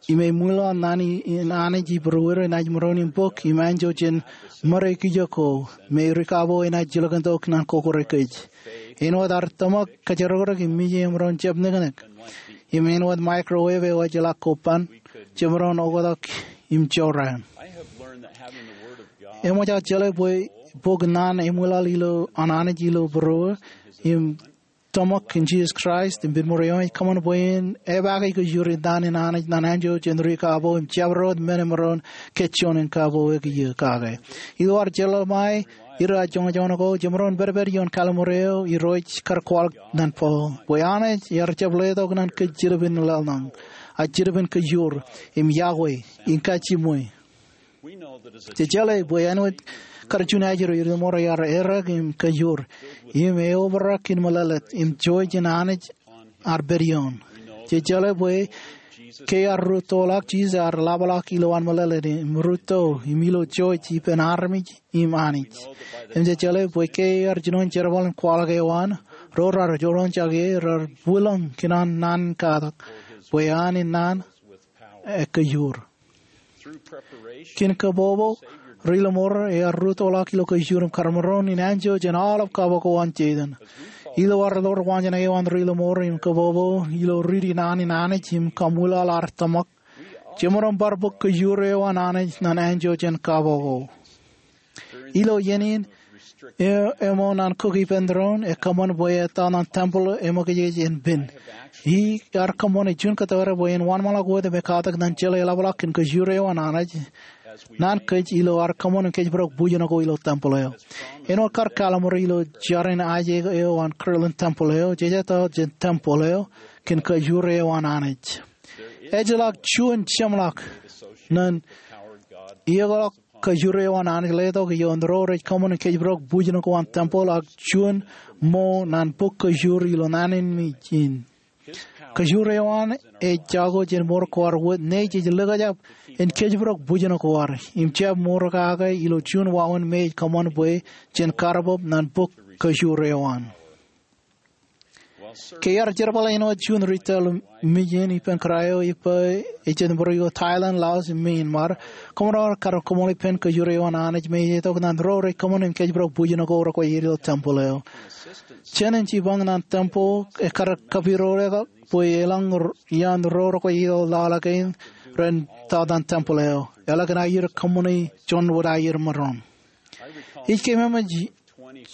im eṃwilaḷ ñan an Anij ibūruwir enaaj maroñ im bōk im anjọ jān ṃōde kijek ko me rikapo enaaj jilkintok ñan kokore kōj. Āinwōt ad tōmak kōjrokrōk im mije emaroñ jab neknek, im āinwōt microwave eo ejjeḷọk ko ban jemaroñ oktak im jorrāān. Eṃōj aō jeḷā bwe bōk naan eṃwilaḷ ilo an Anij ilo būruō im tōmak in Jisōs Kraist im pād ṃōde eo ej kōṃṃan bwe en epaake kajoor in naan in Anij ñan anjọ jān rikapo im jabdewōt men emaroñ kōjjoñan kapo ekiiō kake. Ilo ad jeḷā ṃae, ilo ad joñjoñako, jemaroñ pedped ioon kalliṃur eo Irooj kar kwaḷọk ñan Paul bwe Anij ear jab letok ñan kōj Jilubin laḷ ṇañ, ak Jilubin kajoor, im iọkwe, im kajiṃwe. Jej jeḷā bwe āinwōt kar juon ajri, ri-tōmor ear errā im kajoor im eobrak in meḷeḷe im jouj jān Anij ad pād ioon. Jej jeḷā bwe ke ear rūttoḷọk, Jisōs ear ḷapḷọk ilowaan meḷeḷe im rūtto im ilo jouj ippān armej im Anij. Im jej jeḷā bwe ke ear jinoin jerbal in kwaḷọk eo an, ro rar joḷọk jān e rar bwilōñ kōn an naan in katak, bwe an in naan ekkajoor. Kōn kabbokbok, ri-tōmor ear rūttoḷọk ilo kajoor im kar maroñ in anjọ jān aolep kabbokbok an Setan. Ilo ad ḷoor waanjoñak eo an ri-tōmor im kabbokbok ilo riiti naan in Anij im kaṃwilaḷ ad tōmak, jemaroñ bar bōk kajoor eo an Anij ñan anjọ jān kabbokbok. Ilo iien in, e-, ṃōṇōṇō an kōk ippān tōre in, ekōṃṃan bwe etaḷ ñan tempel eṃōkajej en pen. Iar kōṃṃane juon kōttar bwe en wōnṃaanḷọk wōt im katak ñan jeḷā eḷapḷọk kōn kajoor eo an Anij ñan kōj ilo ad kōṃṃan im kōjparok bwijin ko ilo tempel eo. Āinwōt kar kalliṃur ilo jar in aje eo an Kirtland Tempel eo, jej etaḷ jān tempel eo kōn kajoor eo an Anij. Ejjeḷọk juon jeṃḷọk ñan iiōkḷọk kajoor eo an Anij letok ioon ro rej kōṃṃan im kōjparok bwijin ko an tempel ak juon ṃo ñan bōk kajoor ilo naan in ij in. Kajoor eo an ej jako jān mour ko ad wōt, ñe jej likjab in kōjparok bwijin ko ad im jab mour kake ilo juon wāween me ej kōṃṃan bwe jen kar bōk ñan bōk kajoor eo an. Ke iar jerbal āinwōt juon retail mejān ippān kōrā eo ippa ej jet ṃōttan ilo Thailand, Laos, im Myanmar, kōmro kar kōṃṃani pen kajoor eo an Anij me ej itok ñan ro rej kōṃṃan im kōjparok bwijin ko rekwe er ilo tempel eo. Jān in jipañ ñan tempel ekar kapidodoḷọk bwe elōñ r-, iaan ro rekwe ilo lale kein ren etaḷ ñan tempel eo. Eḷak in aier kōṃṃani juon wōt aier maroñ. Ij keememej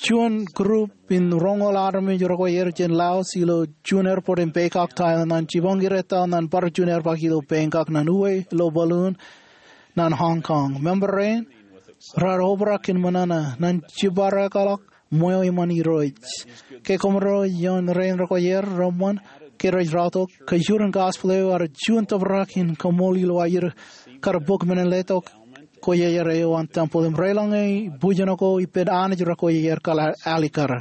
juon group in roñoul armej rekwe er jān Laos ilo juon airport in Bangkok, Thailand, ñan jipañ er etaḷ ñan bar juon airport ilo Bangkok ñan uwe ilo balloon ñan Hong Kong. Member rein rar obrak in ṃōṇōṇō ñan jibadekḷọk ṃweo iṃaan Irooj. Ke kōmro ioon rein rekwe er reṃṃan ke rej rọọltok, kajoor in gospel eo ear juon tōprak in kaṃool ilo aer kar bōk men in letok kwejer eo an tempel im relōñe bwijin ko ippān Anij rekwe er kar alikkar.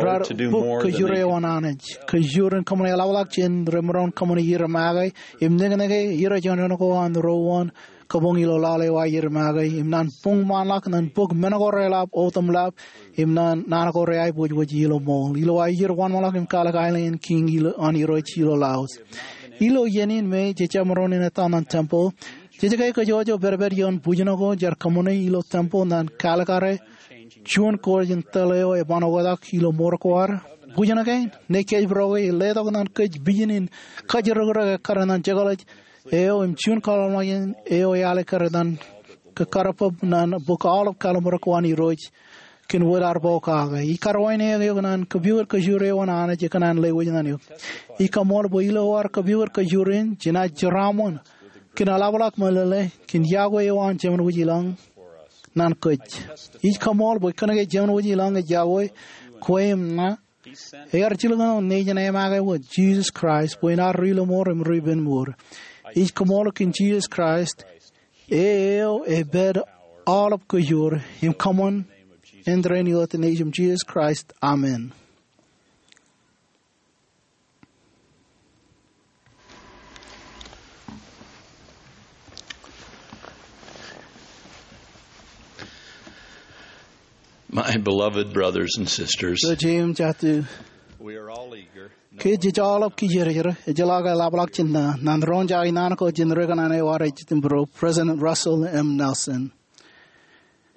Rar bōk kajoor eo an Anij, kajoor in kōṃṃane eḷapḷọk jān remaroñ kōṃṃane aer make, im nekneke er joñan ko an ro wōn kabuñ ilo lale eo aer make, im ñan buñmaanḷọk ñan bōk men ko reḷap otemḷap, im ñan naan ko reaibwijbwij ilo ṃool. Ilo aer wōnṃaanḷọk im kalōk aelōñ in kiiñ ilo an Irooj ilo Laos. Ilo iien in me jej jab maroñ in etaḷ ñan tempel, jej ke kōjwōj pedped ioon bwijin ko jaar kōṃṃane ilo tempel ñan kalikkare juon kōj in tōl eo eban oktak ilo mour ko ad? Bwijin kein, ñe kōjparok e, letok ñan kōj vision in kōjrokrōk ekkar ñan jekḷaj eo im juon kwaḷọk eo ealikkar ñan kōkkar bōb ñan bōk aolep kalliṃur ko an Irooj kōn wōt ad bōk kake. Ij karuwainene eok naan kōpooj kōjur eo an Anij ekōṇaan lewōj ñan eok. Ij kaṃool bwe ilo ad kōpooj kōjur in, jenaaj jeraaṃṃan kōn eḷapḷọk meḷeḷe kōn yokwe eo an Jemān Wōj Ilañ naan kōj. Ij kaṃool bwe kōnke Jemān Wōj Ilañ ej yokwe kwe im ña, ear jilkinḷọk nejin emake wōt, Jisōs Kraist, bwe en ad ri-lọmọọr im ri-penmour. Ij kaṃool kōn Jisōs Kraist, e eo epād aolep kōjur, im kōṃṃan āindein ilo etan Nejūṃ Jisōs Kraist, amen. My beloved brothers and sisters, Ro jeiū im jatū, we are all eager. Kōj jej aolep kijerjer, ejjeḷọk eḷapḷọk jān naan, naan roñjake naan ko jān ri-kōṇaan eo ad ej jitōnbōro, President Russell M. Nelson.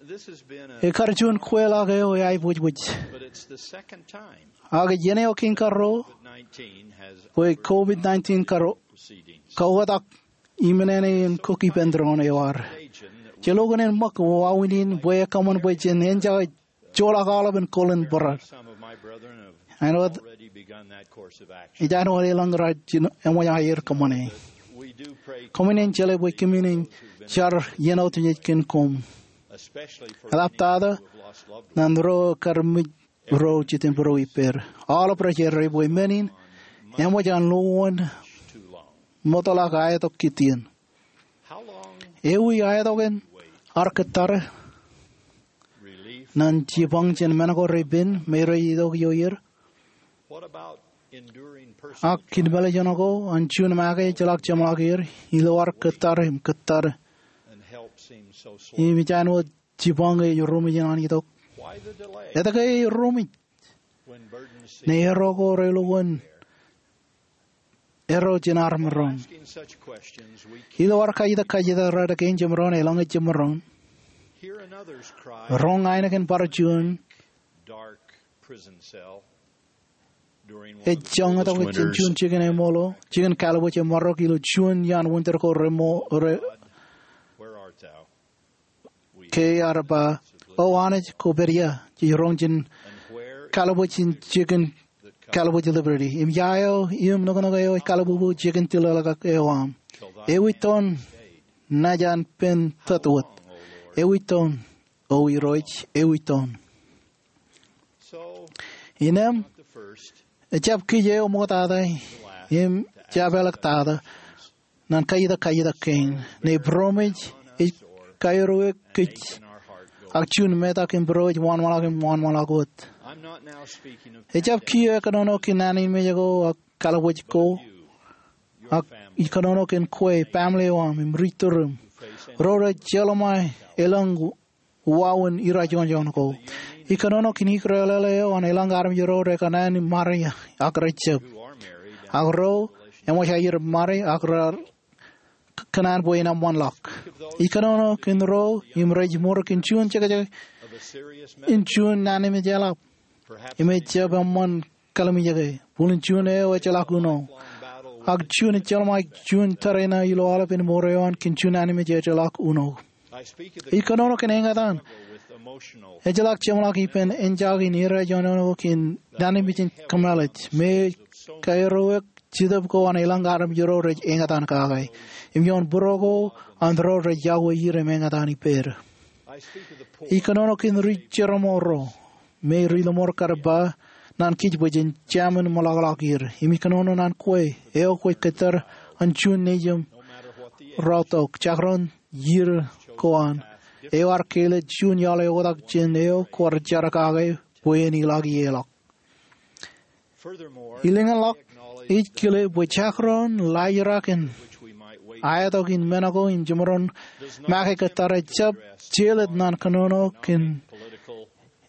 This has been a Ekar juon kweilọk eo eaiboojoj. But it's the second time Ak ej iien eo kein karuo COVID nineteen has bwe COVID nineteen kar proceedings. Kaoktak iṃōṇōṇō in kōn ippān tōre eo ad. Jelo kōn en ṃōk wāween in bwe ekōṃṃan bwe jen enjake joḷọk aolepān kōḷ in bōrad. Some of my brethren have Āinwōt already begun that course of action. Ej āinwōt elōñ rej jino eṃōj aer kōṃṃane. We do pray Koṃwin en jeḷā bwe kōmin en jar iien otemjej kōn koṃ. Especially for Eḷaptata those who have lost loved ones. Naan ro kar mej ro jitōnbōro ippād. Aolep rej errā bwe men in eṃōj an lo wōn too long. Ṃoktata ak aetok kittien. How long Ewi aetok in ar kōttare relief naan jipañ jān men ko repen me rej itok ioer? What about enduring persecution? Ak kōn mālejān ko an juon make ejjeḷọk jeṃḷọk er ilo ad kōttar im kōttar and help seems so slow? Im ej āinwōt jipañ ej ruṃwij in an itok. Why the delay? Etke ej ruṃwij? When burdens seem ne erro ko relukkuun erro jān armej ro. Asking such questions, we can't Ilo ad kajjitōk kajjitōk rot kein jemaroñ, eḷaññe jemaroñ. Hear another's cry. Roñ ainikien bar juon. Dark prison cell. During one of the Ej joñak tok ijin juon jikin eṃṃool, jikin kalbuuj eṃṃarok ilo juon iaan winter ko remo re. Where art thou? Ke ear ba, O Anij, kwō pād ia? Jej roñ jān kalbuuj in jikin kalbuuj Liberty. Im ia eo im nuknuk eo ej kalbubu jikin tilōḷọk eo aṃ? Ewi toon naaj an pen tōt wōt? Ewi toon, O Irooj, ewi toon? Innām, ejjab kōj eo ṃoktata, im jab āliktata, naan kajjitōk kajjitōk kein. Ñe būroṃōj ej kaerreo kōj, ak juon metak im būro ej wānwānḷọk im wānwānḷọk wōt. Ejjab kiiō kōnono kōn naan in mej ko ak kalbuuj ko, ak ij kōnono kōn kwe, family eo aṃ, im ri turuṃ, ro rej jeḷā ṃae elōñ wāween irajoñjoñ ko. Ij kōnono kōn ikrelele eo an elōñ armej ro rekōṇaan im married ak rejab, ak ro eṃōj aer married ak raar kōṇaan bwe en eṃṃanḷọk. Ij kōnono kōn ro im rej mour kōn juon jekjek in juon naan in mej eḷap im ejjab eṃṃan kallimjeke. Bōlen juon eo ejjeḷọk uno, ak juon ejjeḷọk juon tōre ṇe ilo aolepān mour eo an kōn juon naan in mej ejjeḷọk uno. Ij kōnono kōn eñtaan. Ejjeḷọk jeṃḷọk ippān enjake in irajoñjoñ ko kōn naan in mej in kōmālij me ej kaerreo Jetōb ko an elōñ armej ro rej eñtaan kake, im ioon būro ko an ro rej yokwe er im eñtaan ippād. Ij kōnono kōn ri jerọm ro me ri lọmọọr kar ba naan kij bwe jen jāmin ṃōḷọkḷọk er. Im ij kōnono naan kwe eo kwōj kōttar an juon nejiṃ rọọltok, jakron iiō ko an, eo ear kelōt juon iaḷ eo oktak jān eo kwaar jar kake bwe en ilọk ie ḷọk. Ilōñḷọk, ij kile bwe jakron laajrak in aetok in men ko im jemaroñ make kōttar ejjab jelōt naan kōnono kōn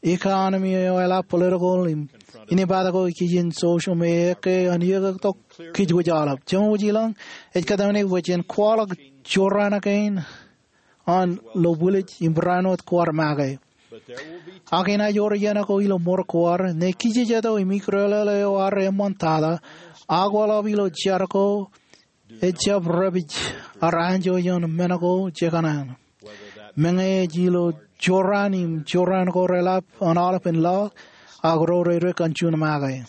economy eo eḷap, political im inepata ko ikijjien social me ekkā an iiō tok kij wōj aolep. Jemān wōj ilañ ej kōtmāne bwe jen kwaḷọk jorrāān kein an lo bwilej im barāinwōt kwaar make. Ak enaaj wōr iien ko ilo mour ko ad, ñe kijejeto im ikrelele eo ad eṃṃantata, ak akwāḷọk ilo jar ko ejjab repij ad anjọ ioon men ko jekōṇaan. Meñe ej ilo jorrāān im jorrāān ko reḷap an aolepān laḷ ak ro reirek an juon make.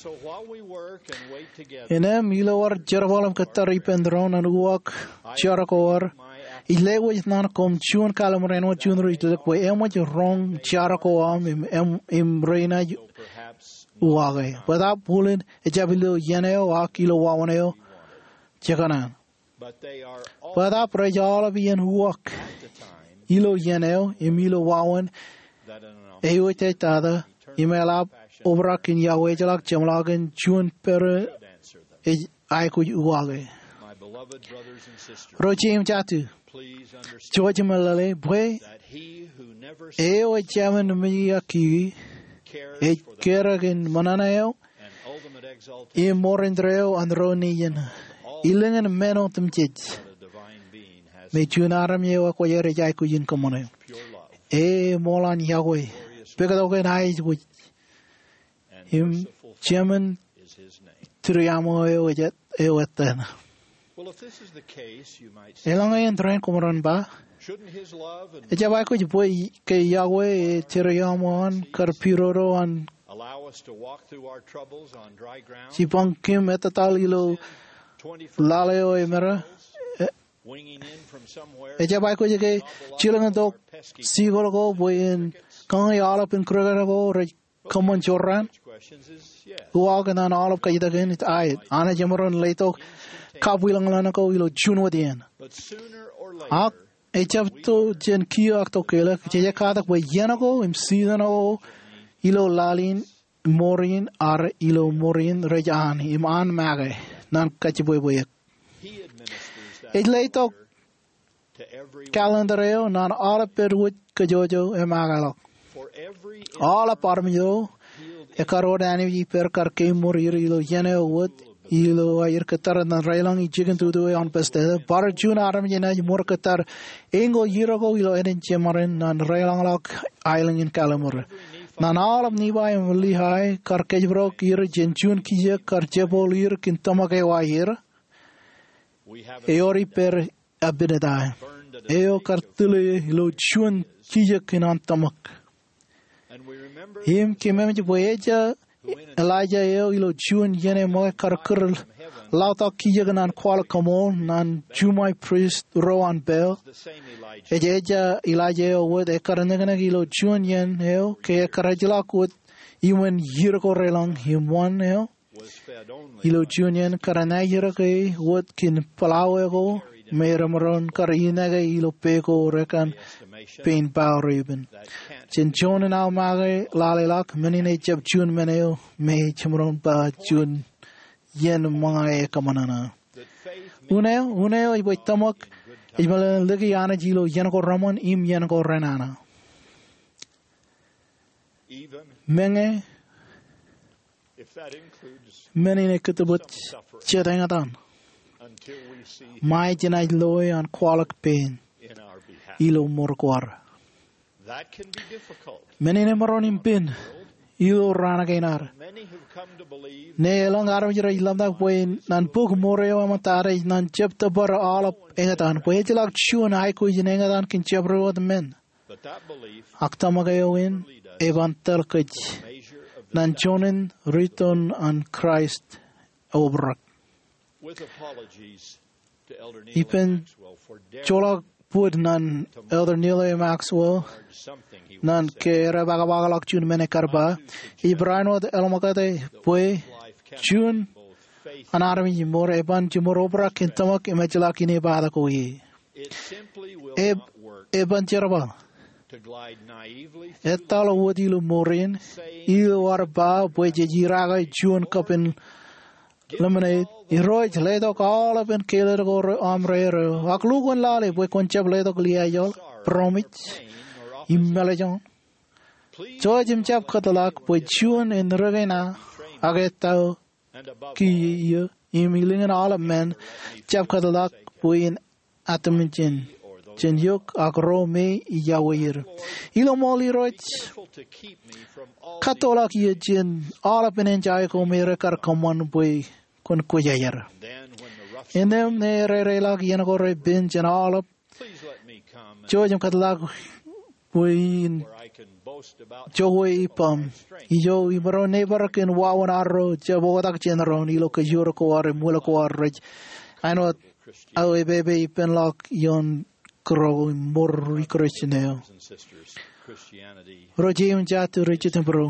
Innām ilo ad jerbal im kōttar ippān doon an uwaak jar ko ad, ij lewōj naan koṃ juon kallim̧ur āinwōt juon ri ejjeḷọk bwe eṃōj roñ jar ko aṃ im, im, im rein ej uwaake. Bōtaab bōlen ejjab ilo iien eo ak ilo wāween eo jekōṇaan. Bōtaab rej aolep iien uwaak ilo iien eo im ilo wāween eo ej tata im eḷap obrak in iọkwe ejjeḷọk jeṃḷọkin juon pere ej aikuj uwaake. Ro jeiū im jatū, jouj im meḷeḷe bwe eo ej jemān mejiak kiwi ej kere kōn ṃōṇōṇō eo im mour indeeo an ro nejiṃ, ilōñ in men otemjej, me juon armej eo ekwōjarjar ej aikuj in kōṃṃane. E eṃool an iọkwe, pukot ko an aikuj, im jemān tūriaṃo eo ej, eo etan. Eḷaññe en tōre in, koṃ ren ba, ejjab aikuj bwe ke iọkwe e tūriaṃo an kar pidodo an jipañ kōm ettōtaḷ ilo laḷ eo emera? E, ejjab aikuj ke jilkintok sikol ko bwe en kañi aolepān kūrkūt ko rej kōṃṃan jorrāān? Uwaak naan aolep kajjitōk in ej aet. Anij emaroñ letok kabwilōñlōñ ko ilo juon wōt iien. Ak ejjab to jān kiiō ak to keḷọk, jej katak bwe iien ko im season ko ilo laḷ in, mour in, ak ilo mour in rej an im an make naan kajjibwebwe eok. Ej letok calendar eo naan aolep pād wōj kōjwōj eo e makeḷọk. Aolep armej eo ekar wōt Anij ej pād kar kemour er ilo iien eo wōt, ilo aer kōttar naan deḷọñ ilo jikin tutu eo an Bethesda, bar juon armej enaaj mour kōttar eñin ko ier ko ilo ānen jemān naan deḷọñḷọk aelōñ in kalliṃur. Naan aolep Nifai im Lihay kar kōjparok er jān juon kijek kar jepooḷ er kōn tōmak eo aer, ewōr ippād Abinadi, eo kar tile ilo juon kijek kōn an tōmak. Im kōmij bwe ejja Elijah eo ilo juon iien eṃṃakūt kar kūr laḷtak kijek naan kwaḷọk koṃṃool naan juṃae prist ro an Baal. Ej ejja Elijah eo wōt ekar neknek ilo juon iien eo ke ekar ejjeḷọk wōt iṃōn ier ko deḷọñ im wōn eo ilo juon iien kar ṇa er ke wōt kōn pḷawe ko me remaroñ kar ineke ilo pe ko rekan pein Baal repen. Jān juon in aō make lale ḷọk, men in ejjab juon men eo me ej jemaroñ ba juon iien ṃōñā e kōṃanṃan. Unin eo, unin eo ej bwe tōmak ej meḷeḷein lōke Anij ilo iien ko reṃṃan im iien ko renana. Meñe men in ekōttōpar jet eñtaan ṃae jenaaj loe an kwaḷọk pein ilo mour ko ad. Men in emaroñ in pen ilo raan kein ad. Ṇe elōñ armej rej ḷōmṇak bwe naan bok mour eo eṃōj ad ej naan jab tōpar aolep eñtaan, bwe ejjeḷọk juon aikuj in eñtaan kōn jabdewōt men. Ak tōmak eo in eban tōl kōj naan juon in riton an Kraist obrak. Ippān joḷọk bōd naan Elder Neal A. Maxwell naan ke ear pākpakḷọk juon men ekar ba, ij barāinwōt eḷōñḷọk bwe juon an armej in mour eban jimour obrak kōn tōmak im ejjeḷọk inepata ko ie. Eb, eban jerbal etal wōt ilo mour in ilo ad ba bwe jej irake juon kapen lemonade. Irooj, letok aolepān keled ko aṃ reereo, ak lukkuun lale bwe kwōn jab letok liaajḷọk, būroṃōj, im mālejjoñ. Jouj im jab kōtḷọk bwe juon en rūkaki ṇa ak ettā kiiō im ilōñin aolep men, jab kōtḷọk bwe en atimjin jān eok ak ro me ij iọkwe er. Ilo ṃool Irooj, kattoḷọk eō jān aolepān enjae ko me rekar kōṃṃan bwe kwōn kwōjarjar. Innām ṇe ereireḷọk iien ko repen jān aolep, jouj im kōtḷọk bwe in jokwe ippaṃ. Ijo imaroñ neighbor kōn wāween arro jab oktak jān doon ilo kōjro ko ad im wōt ko ad rej āinwōt aō epepe ippān ḷọk ioon kōrā ko im mour ri-Christian eo. Ro jeiū im jatū rej jitōnbōro.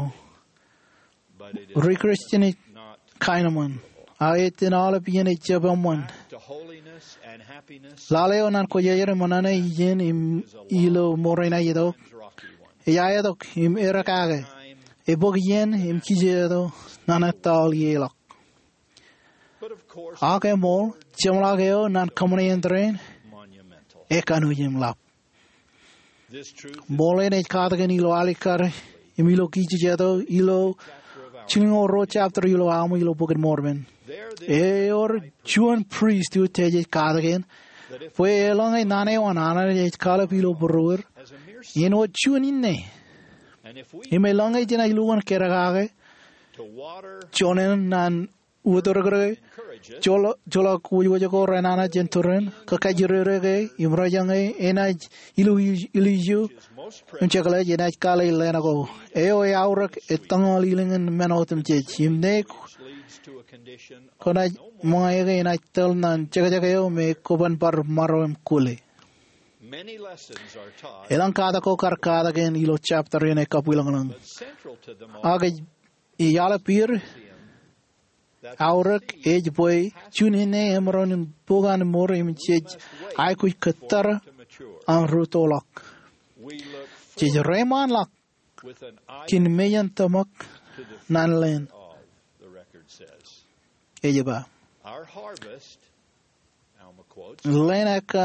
Ri-Christian ej kaenōṃṃan. Ak ej itōn aolep iien ej jab eṃṃan. Lale eo ñan kwōjarjar im ṇa ijin im ilo mour in aetok ej aetok im eddekake. Ebōk iien im kijeeto ñan ettā aolep ḷọk. Ak eṃool, jeṃḷọk eo ñan kōṃṃane āindein, ekanooj im ḷap. Ṃool in ej katakin ilo alikkar im ilo kijejeto ilo jilñoul ruo chapter ilo aṃ ilo Bok in Mormon. Ewōr juon pristut ej katakin bwe eḷaññe naan eo an Anij ej kaḷap ilo būruod, āinwōt juon inne. Im eḷaññe jenaaj lukkuun kappukot, joñan ñan uturkūtke, joḷọk wōjwōj ko renana jān turin, kōkajjitōk ke im rejañe enaaj ilo iju im jekḷaj enaaj kaḷe leen ko. Eo ej aorōk ettōñal ilōñ in men otemjej im ñe kwōnaaj ṃōñā ke enaaj tōl ñan jekjek eo me kwōban bar maro im kwōle. Elōñ katak ko kar katakin ilo chapter in ej kabwilōñlōñ. Ak ej aolep er aorōk ej bwe juon inne emaroñ in bōk an mour im jej aikuj kōttar an rūttoḷọk. Jej reiṃaanḷọk kōn mejān tōmak ñan leen, ej ba. Leen ekkā,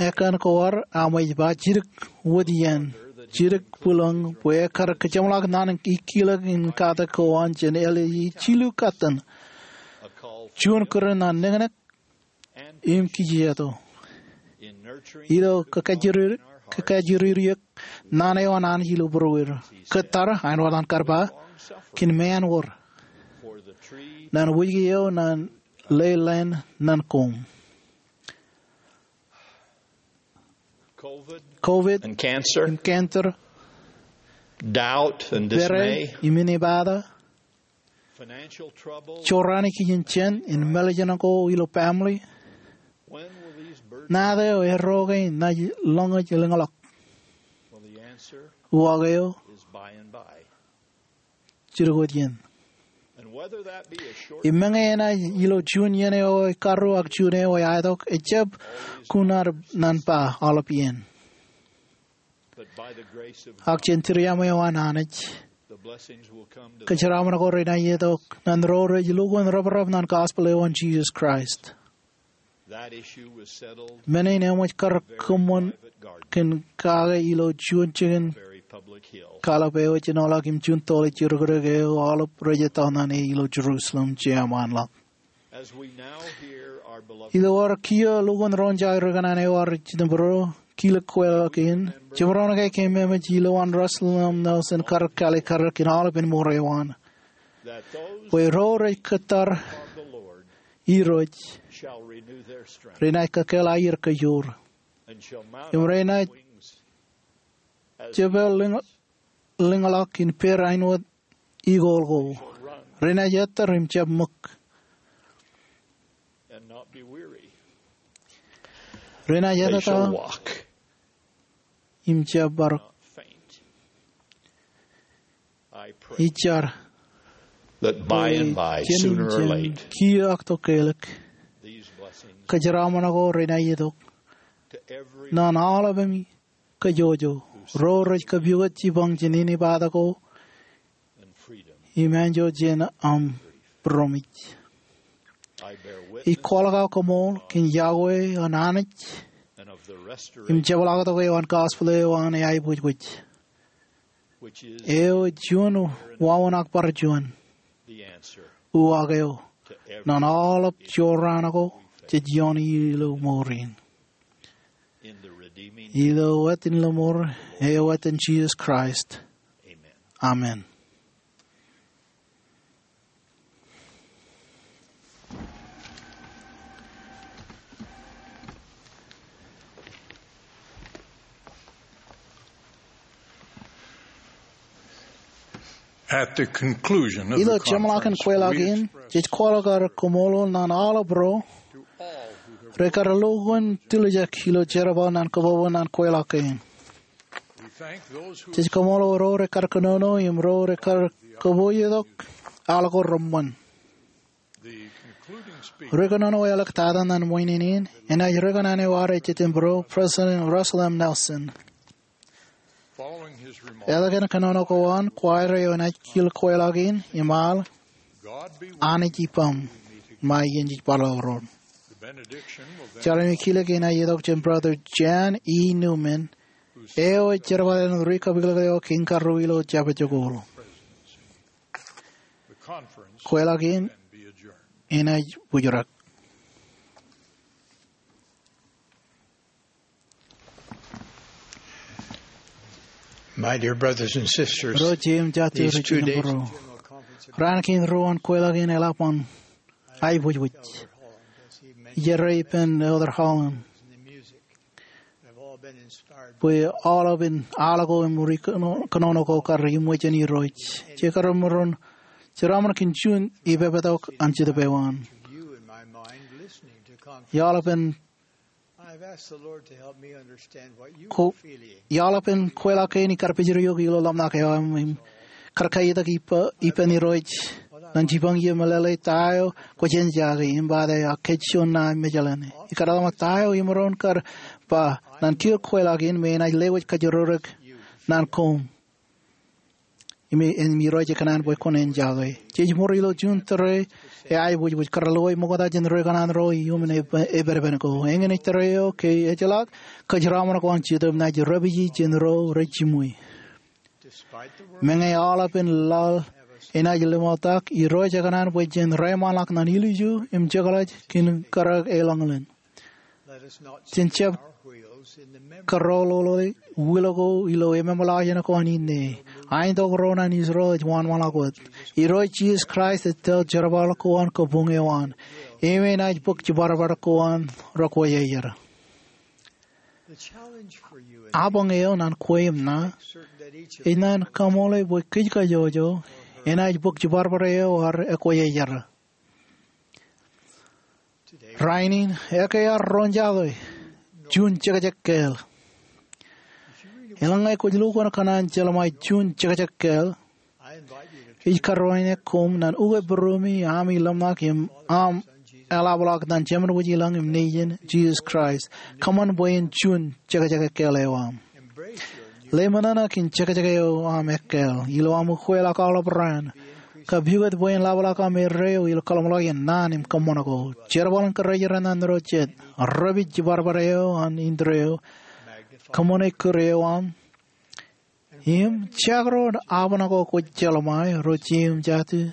ekkā ko ad, Alma ej ba, jidik wōt iien, jidik bwilōñ, bwe ekkar kōjeṃḷọk ñan ikkilōk in katak ko an jān Eli jilu katten. Juon kūr ñan niknik im kijejeto. Ilo kōkajjitōk, kōkajjitōk naan eo an Anij ilo būruod. Kōttar, āinwōt an kar ba, kōn meanwōd. Ñan wōjke eo ñan lewōj leen ñan koṃ. COVID and cancer, im cancer, doubt and dismay, im inepata, financial trouble, jorrāān ikijjien jān in mālejān ko ilo family. When will these burdens, ñāāt eo erro ke enaaj lōñōj lōñḷọk? Well, the answer, uwaak eo, is by and by. Jidik wōt iien. And whether that be a short, im meñe enaaj ilo juon iien eo ej karru ak juon eo ej aetok, ejjab kuṇaad ñan ba aolep iien. But by the grace of, ak jān tūriaṃo eo an Anij, the blessings will come to, kōjeraaṃṃan ko renaaj itok ñan ro rej lukkuun reprep ñan gospel eo an Jisōs Kraist. Men in eṃōj kar kōṃṃan kōn kake ilo juon jikin kaḷap eo ej jinoḷọk im juon toḷ ej jidik eo aolep rej ettā ñan e ilo Jerusalem jeṃaanḷọk. Ilo ad kiiō lukkuun roñjake ri kōṇaan eo ad jitōnbōro, kilik kweilọk in, jemaroñ ke kōmeemej ilowaan Russell M. Nelson kar kaalikkar kōn aolepen mour eo an, bwe ro rej kōttar Irooj renaaj kōkkeḷā aier kōjoor, im renaaj jepel lōñḷọk in pād āinwōt eagle ko. Renaaj ettōr im jab ṃōk. Renaaj ettōr im jab bar. Ij jar bwe jān kiiō ak tokālik, kōjeraaṃṃan ko renaaj itok ñan aolepem kōjwōj, ro rej kōpukot jipañ jān inepata ko im anjọ jān aṃ būroṃōj. Ij kwaḷọk aō koṃṃool kōn iọkwe an Anij im jepḷaaktok eo an gospel eo an eaiboojoj, eo ej juon wāween ak bar juon uwaak eo ñan aolep jorrāān ko jej iooni ilo mour in. Ilo etan Lōṃor eo etan Jisōs Kraist, amen. At the conclusion of the conference, ilo jeṃḷọkin kweilọk in, jej kwaḷọk ad koṃṃool ñan aolep ro rekar lo kōn tiljek ilo jerbal ñan kōbōbōn ñan kweilọk kein. Jej koṃṃool ro rekar kōnono im ro rekar kōpooj tok al ko reṃṃan. Ri kōnono eo ḷọk tata ñan ṃōjin in enaaj ri kōṇaan eo ad ej ippān President Russell M. Nelson. Eḷaññe kōnono ko an, kwaar eo enaaj kil kweilọk in im al, Anij ippaṃ, ṃae iien jej bar ḷọk roñ. Jar im kilōk enaaj itok jān Brother Jan E. Newman, eo ej jerbal in ri kapilōk eo kein karuo ilo jabdewōt. Kweilọk in enaaj bōjrak. My dear brothers and sisters, ro jeiū im jatū ri jibūro, raan kein ruo an kweilọk in eḷap an aiboojoj. Ij errā ippān Elder Holland bwe aolepān al ko im ri kōnono ko kar iṃōj jān Irooj. Jej kar maroñ, jeraṃṃan kōn juon ipepetok an Jetōb eo an. Iaḷ pen Ko, iaḷ pen kweilọk kein ikar pejrioik ilo ḷōmṇak eo aṃ im kar kaiitak ippān Irooj ñan jipañ ie meḷeḷe ta eo kwōj eñjake im ba ta eo ak kōj juon ṇa im mejaḷ ñan e. Ikar ḷōmṇak ta eo imaroñ kar ba ñan kōj kweilọk in me enaaj lewōj kajjirorok ñan koṃ. Im, im Irooj ej kōṇaan bwe kwōn eñjake. Jej ṃōr ilo juon tōre eo aiboojoj kar lowai ṃokta jān ri kōṇaan ro iuṃwin epedepen ko. Eñin ej tōre eo ke ejjeḷọk kōjeraaṃṃan ko an Jetōb naaj repiji jān ro rej jiṃwe. Meñe aolepān laḷ enaaj liṃotak, Irooj ej kōṇaan bwe jen reiṃaanḷọk ñan ilju im jekḷaj kōn karōk eḷaññe ḷein. Jen jab kōrọọlḷọk wūḷ ko ilo ememḷọkjeṇ ko an inne. Aitok ro ñan Israel ej wanwanḷọk wōt. Irooj Jisōs Kraist ej tōl jerbal ko an kabuñ eo an. Im enaaj bōk jibadbad ko an ro kwe aer. Apañ eo ñan kwe im ṇa ej ñan kaṃṃoolol bwe kōj kajjojo enaaj bōk jibadbad eo ad ekwe aer. Rainin, ekkā ad roñjake juon jekjek kāāl. Eḷaññe kwōj lukkuun kōṇaan jeḷā ṃae juon jekjek kāāl, ij karuwaineke koṃ ñan ukwe būruemi ami ḷōmṇak im aṃ eḷapḷọk ñan Jemān Wōj i lañ im Nejin, Jisōs Kraist. Kōṃṃan bwe en juon jekjek kāāl eo aṃ. Ḷōmṇak kōn jekjek eo aṃ kāāl ilo aṃ ukweḷọk aolep raan. Kab pukot bwe en ḷapḷọk aṃ erreo ilo kōḷmānḷọkjeṇ, naan im kōṃṃan ko. Jerbal in kōrā ro jet, repij jibadbad eo an indeeo. Kōṃṃane kūr eo aṃ. Im jekdọọn apañ ko kwōj jeḷā ṃae, ro jeiū im jatū.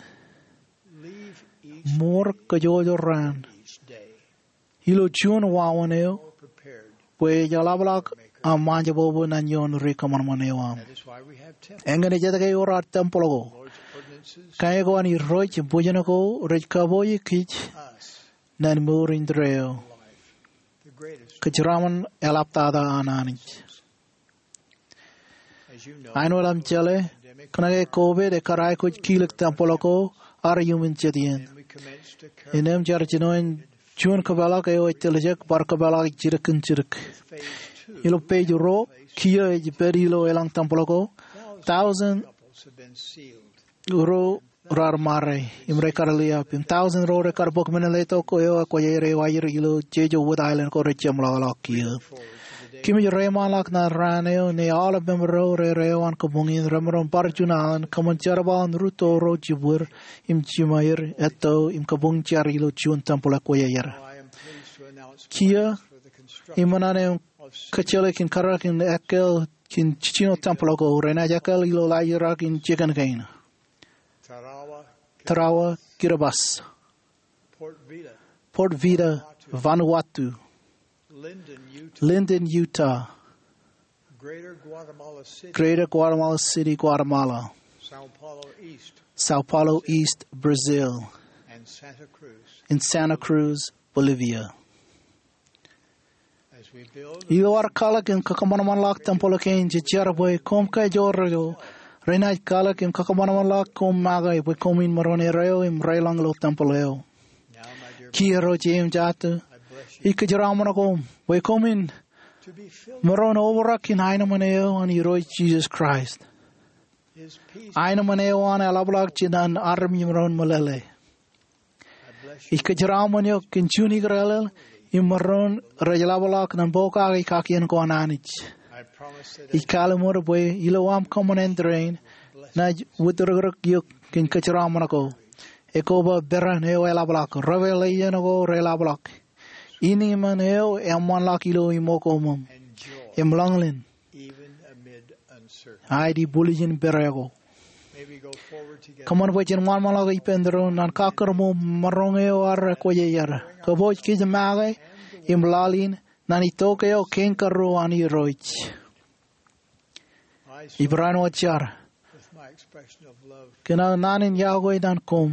Ṃoor kajjojo raan ilo juon wāween eo bwe ej ḷapḷọk aṃ ṃaanjebwebwe ñan ioon ri kōṃanṃan eo aṃ. Eñin ej etke ewōr ad tempel ko. Kain ko an Irooj im bwijin ko rej kapooj kōj ñan mour indeeo. Kōjeraaṃṃan eḷaptata an Anij. Āinwōt aṃ jeḷā, kōnke COVID ekar aikuj kilōk tempel ko ad iuṃwin jet iien. Innām jar jinoin juon kōpeḷḷọk eo ej tiljek bar kōpeḷḷọk jidik kōn jidik. Ilo page ruo, kiiō ej pād ilo elōñ tempel ko, tọujin ro raar ṃare im rekar liab, im tọujin ro rekar bōk men in letok eo ekwe aer eo aer ilo jeje wōt aelōñ ko rej jeṃḷọkḷọk kiiō. Kōmij reiṃaanḷọk ñan raan eo ñe aolep member ro ro eo an kabuñ in remaroñ bar juon aelōñ kōṃṃan jerbal in rūtto ro jibwid im jimeer etto im kabuñ jar ilo juon tempel ekwe aer. Kiiō, iṃōṇōṇō im kōjjeḷā kōn karōk in ekkal kōn jijino tempel ko renaaj ekkal ilo laajrak in jikin kein. Tarawa, Kiribati. Port Vila, Vanuatu. Linden, Utah. Greater Guatemala City, Guatemala. São Paulo East, Brazil. And Santa Cruz, Bolivia. Ilo ad kwaḷọk im kōṃanṃanḷọk tempel kein, jej jar bwe koṃ kajjojo renaaj kwaḷọk im kakōṃanṃanḷọk koṃ make bwe koṃwin maroñ erreo im reḷọñ ilo tempel eo. Kiiō ro jeiū im jatū, ij kōjeraṃṃan koṃ bwe koṃwin maroñ obrak in aenōṃṃan eo an Irooj Jisōs Kraist. Aenōṃṃan eo an eḷapḷọk jān an armej maroñ meḷeḷe. Ij kōjeraṃṃan eok kōn juon ikōrālel im maroñ rej ḷapḷọk ñan pokake kakien ko an Anij. Ij kalimur bwe ilo aṃ kōṃṃan rein, enaaj wūtdikdik eok kōn kōjeraṃṃan ko. Ekoba peran eo eḷapḷọk, reveaḷejen ko reḷapḷọk, iniman eo eṃṃanḷọk ilo iṃōkoṃōṃ, im ḷōñlōñ, aet ibwiljin pere ko. Kōṃṃan bwe jen ṃanṃanḷọk ippān tōre in ñan kakōrṃool maroñ eo an ekwōjarjar. Kōpooj kōj make im laḷ in ñan itok eo kein karuo an Irooj. Ippān wōt jar kōn aō naan in iọkwe ñan koṃ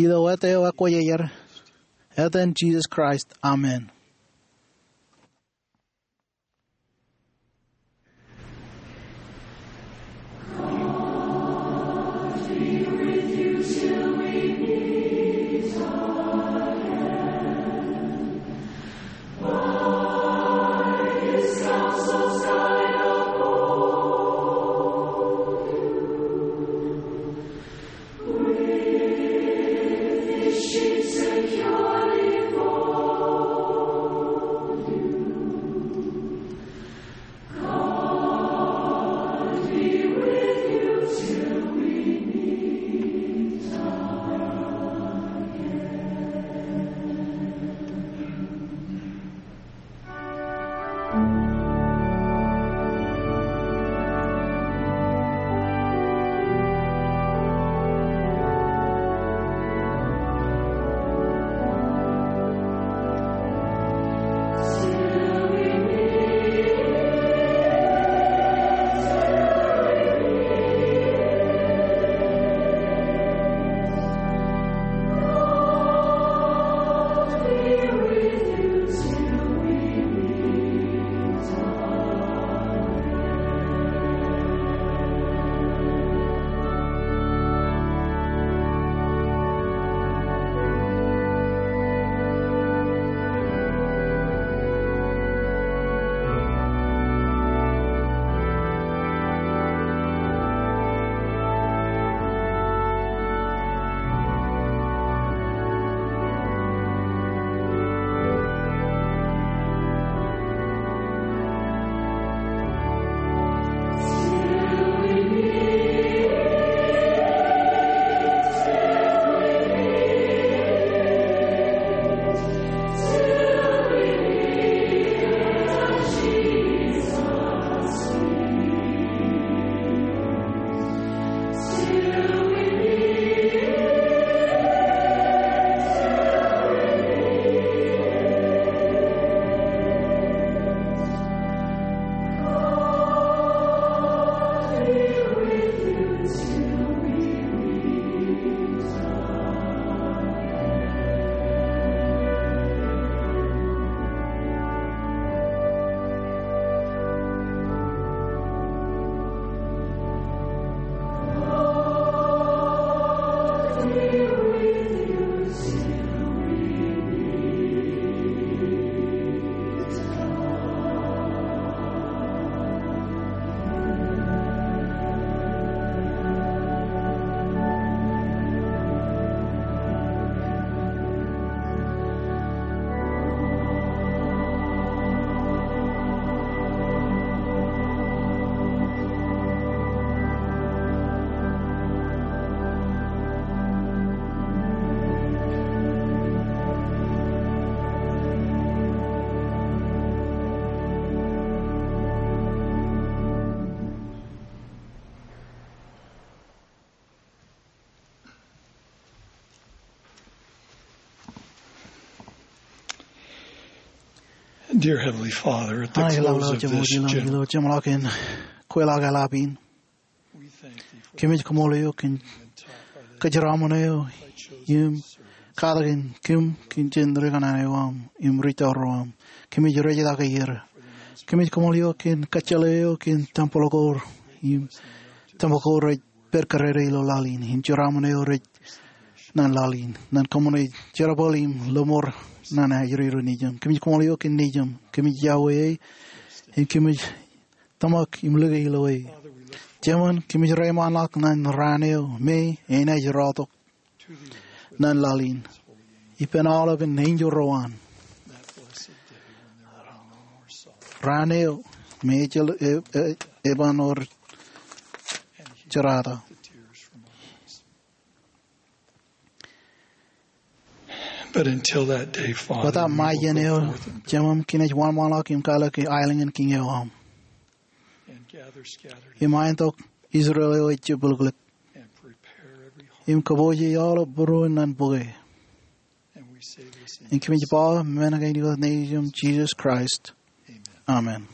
ilo eta eo ekwōjarjar, etan Jisōs Kraist, amen. Dear Heavenly Father, at the close of this general, ilo jeṃḷọkin kweilọk eḷap in, kōmij kaṃṃoolol eok kōn kōjeraaṃṃan eo im katak in kōm kōn jen ri kōṇaan eo aṃ im ri tour ro aṃ. Kōmij rej itok er. Kōmij kaṃṃoolol eok kōn kōjjeḷā eo kōn tempel ko im tōmak ko rej pād kōrā ilo laḷ in, im jeraaṃṃan eo rej naan laḷ in, naan kōṃṃane jerbal im lōṃor naan ajri ro nejūṃ. Kōmij koṃṃool eok kōn nejūṃ. Kōmij iọkwe e, im kōmij tōmak im lōke ilo e. Jemān, kōmij reiṃaanḷọk naan raan eo me enaaj rọọltok naan laḷ in ippān aolepān enjeḷ ro an. Raan eo me ejjeḷọk e, e, eban wōr jerata. But until that day, Father, bōtab ṃae iien eo, Jemem, kōmij wōnṃaanḷọk im kalōke aelōñ in kiiñ eo aṃ, im aentok Israel eo ej jepḷōklōk, im kōpooje aolep būruon naan bōke. Im kōmij ba men kein ilo etan Nejūṃ, Jesus Christ. Amen.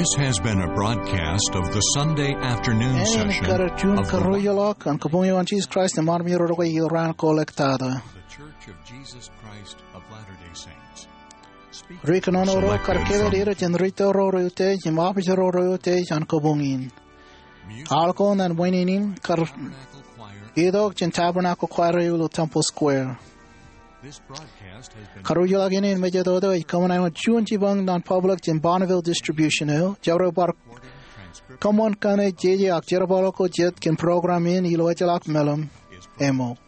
This has been a broadcast of the Sunday afternoon session of the Juun karuijoḷọk an Kabuñ eo an Jesus Christ eṃṃan ro rej itok ilo raan ko ḷọk tata. The Church of Jesus Christ of Latter-day Saints. Ri kōnono ro kar kōtḷọk er jān ri tōl ro rej utiej im opiij ro rej utiej an kabuñ in. Aḷ ko naan wāween in kar itok jān Tabernacle Choir eo ilo Temple Square. Karuijoḷọk in im mejatoto ej kōṃṃan āinwōt juon jipañ naan public jān Bonneville Distribution eo. Jabdewōt bar kōṃṃan kaṇe jeje ak jerbal ko jet kōn program in ilo ejjeḷọk meḷeṃ emmōk.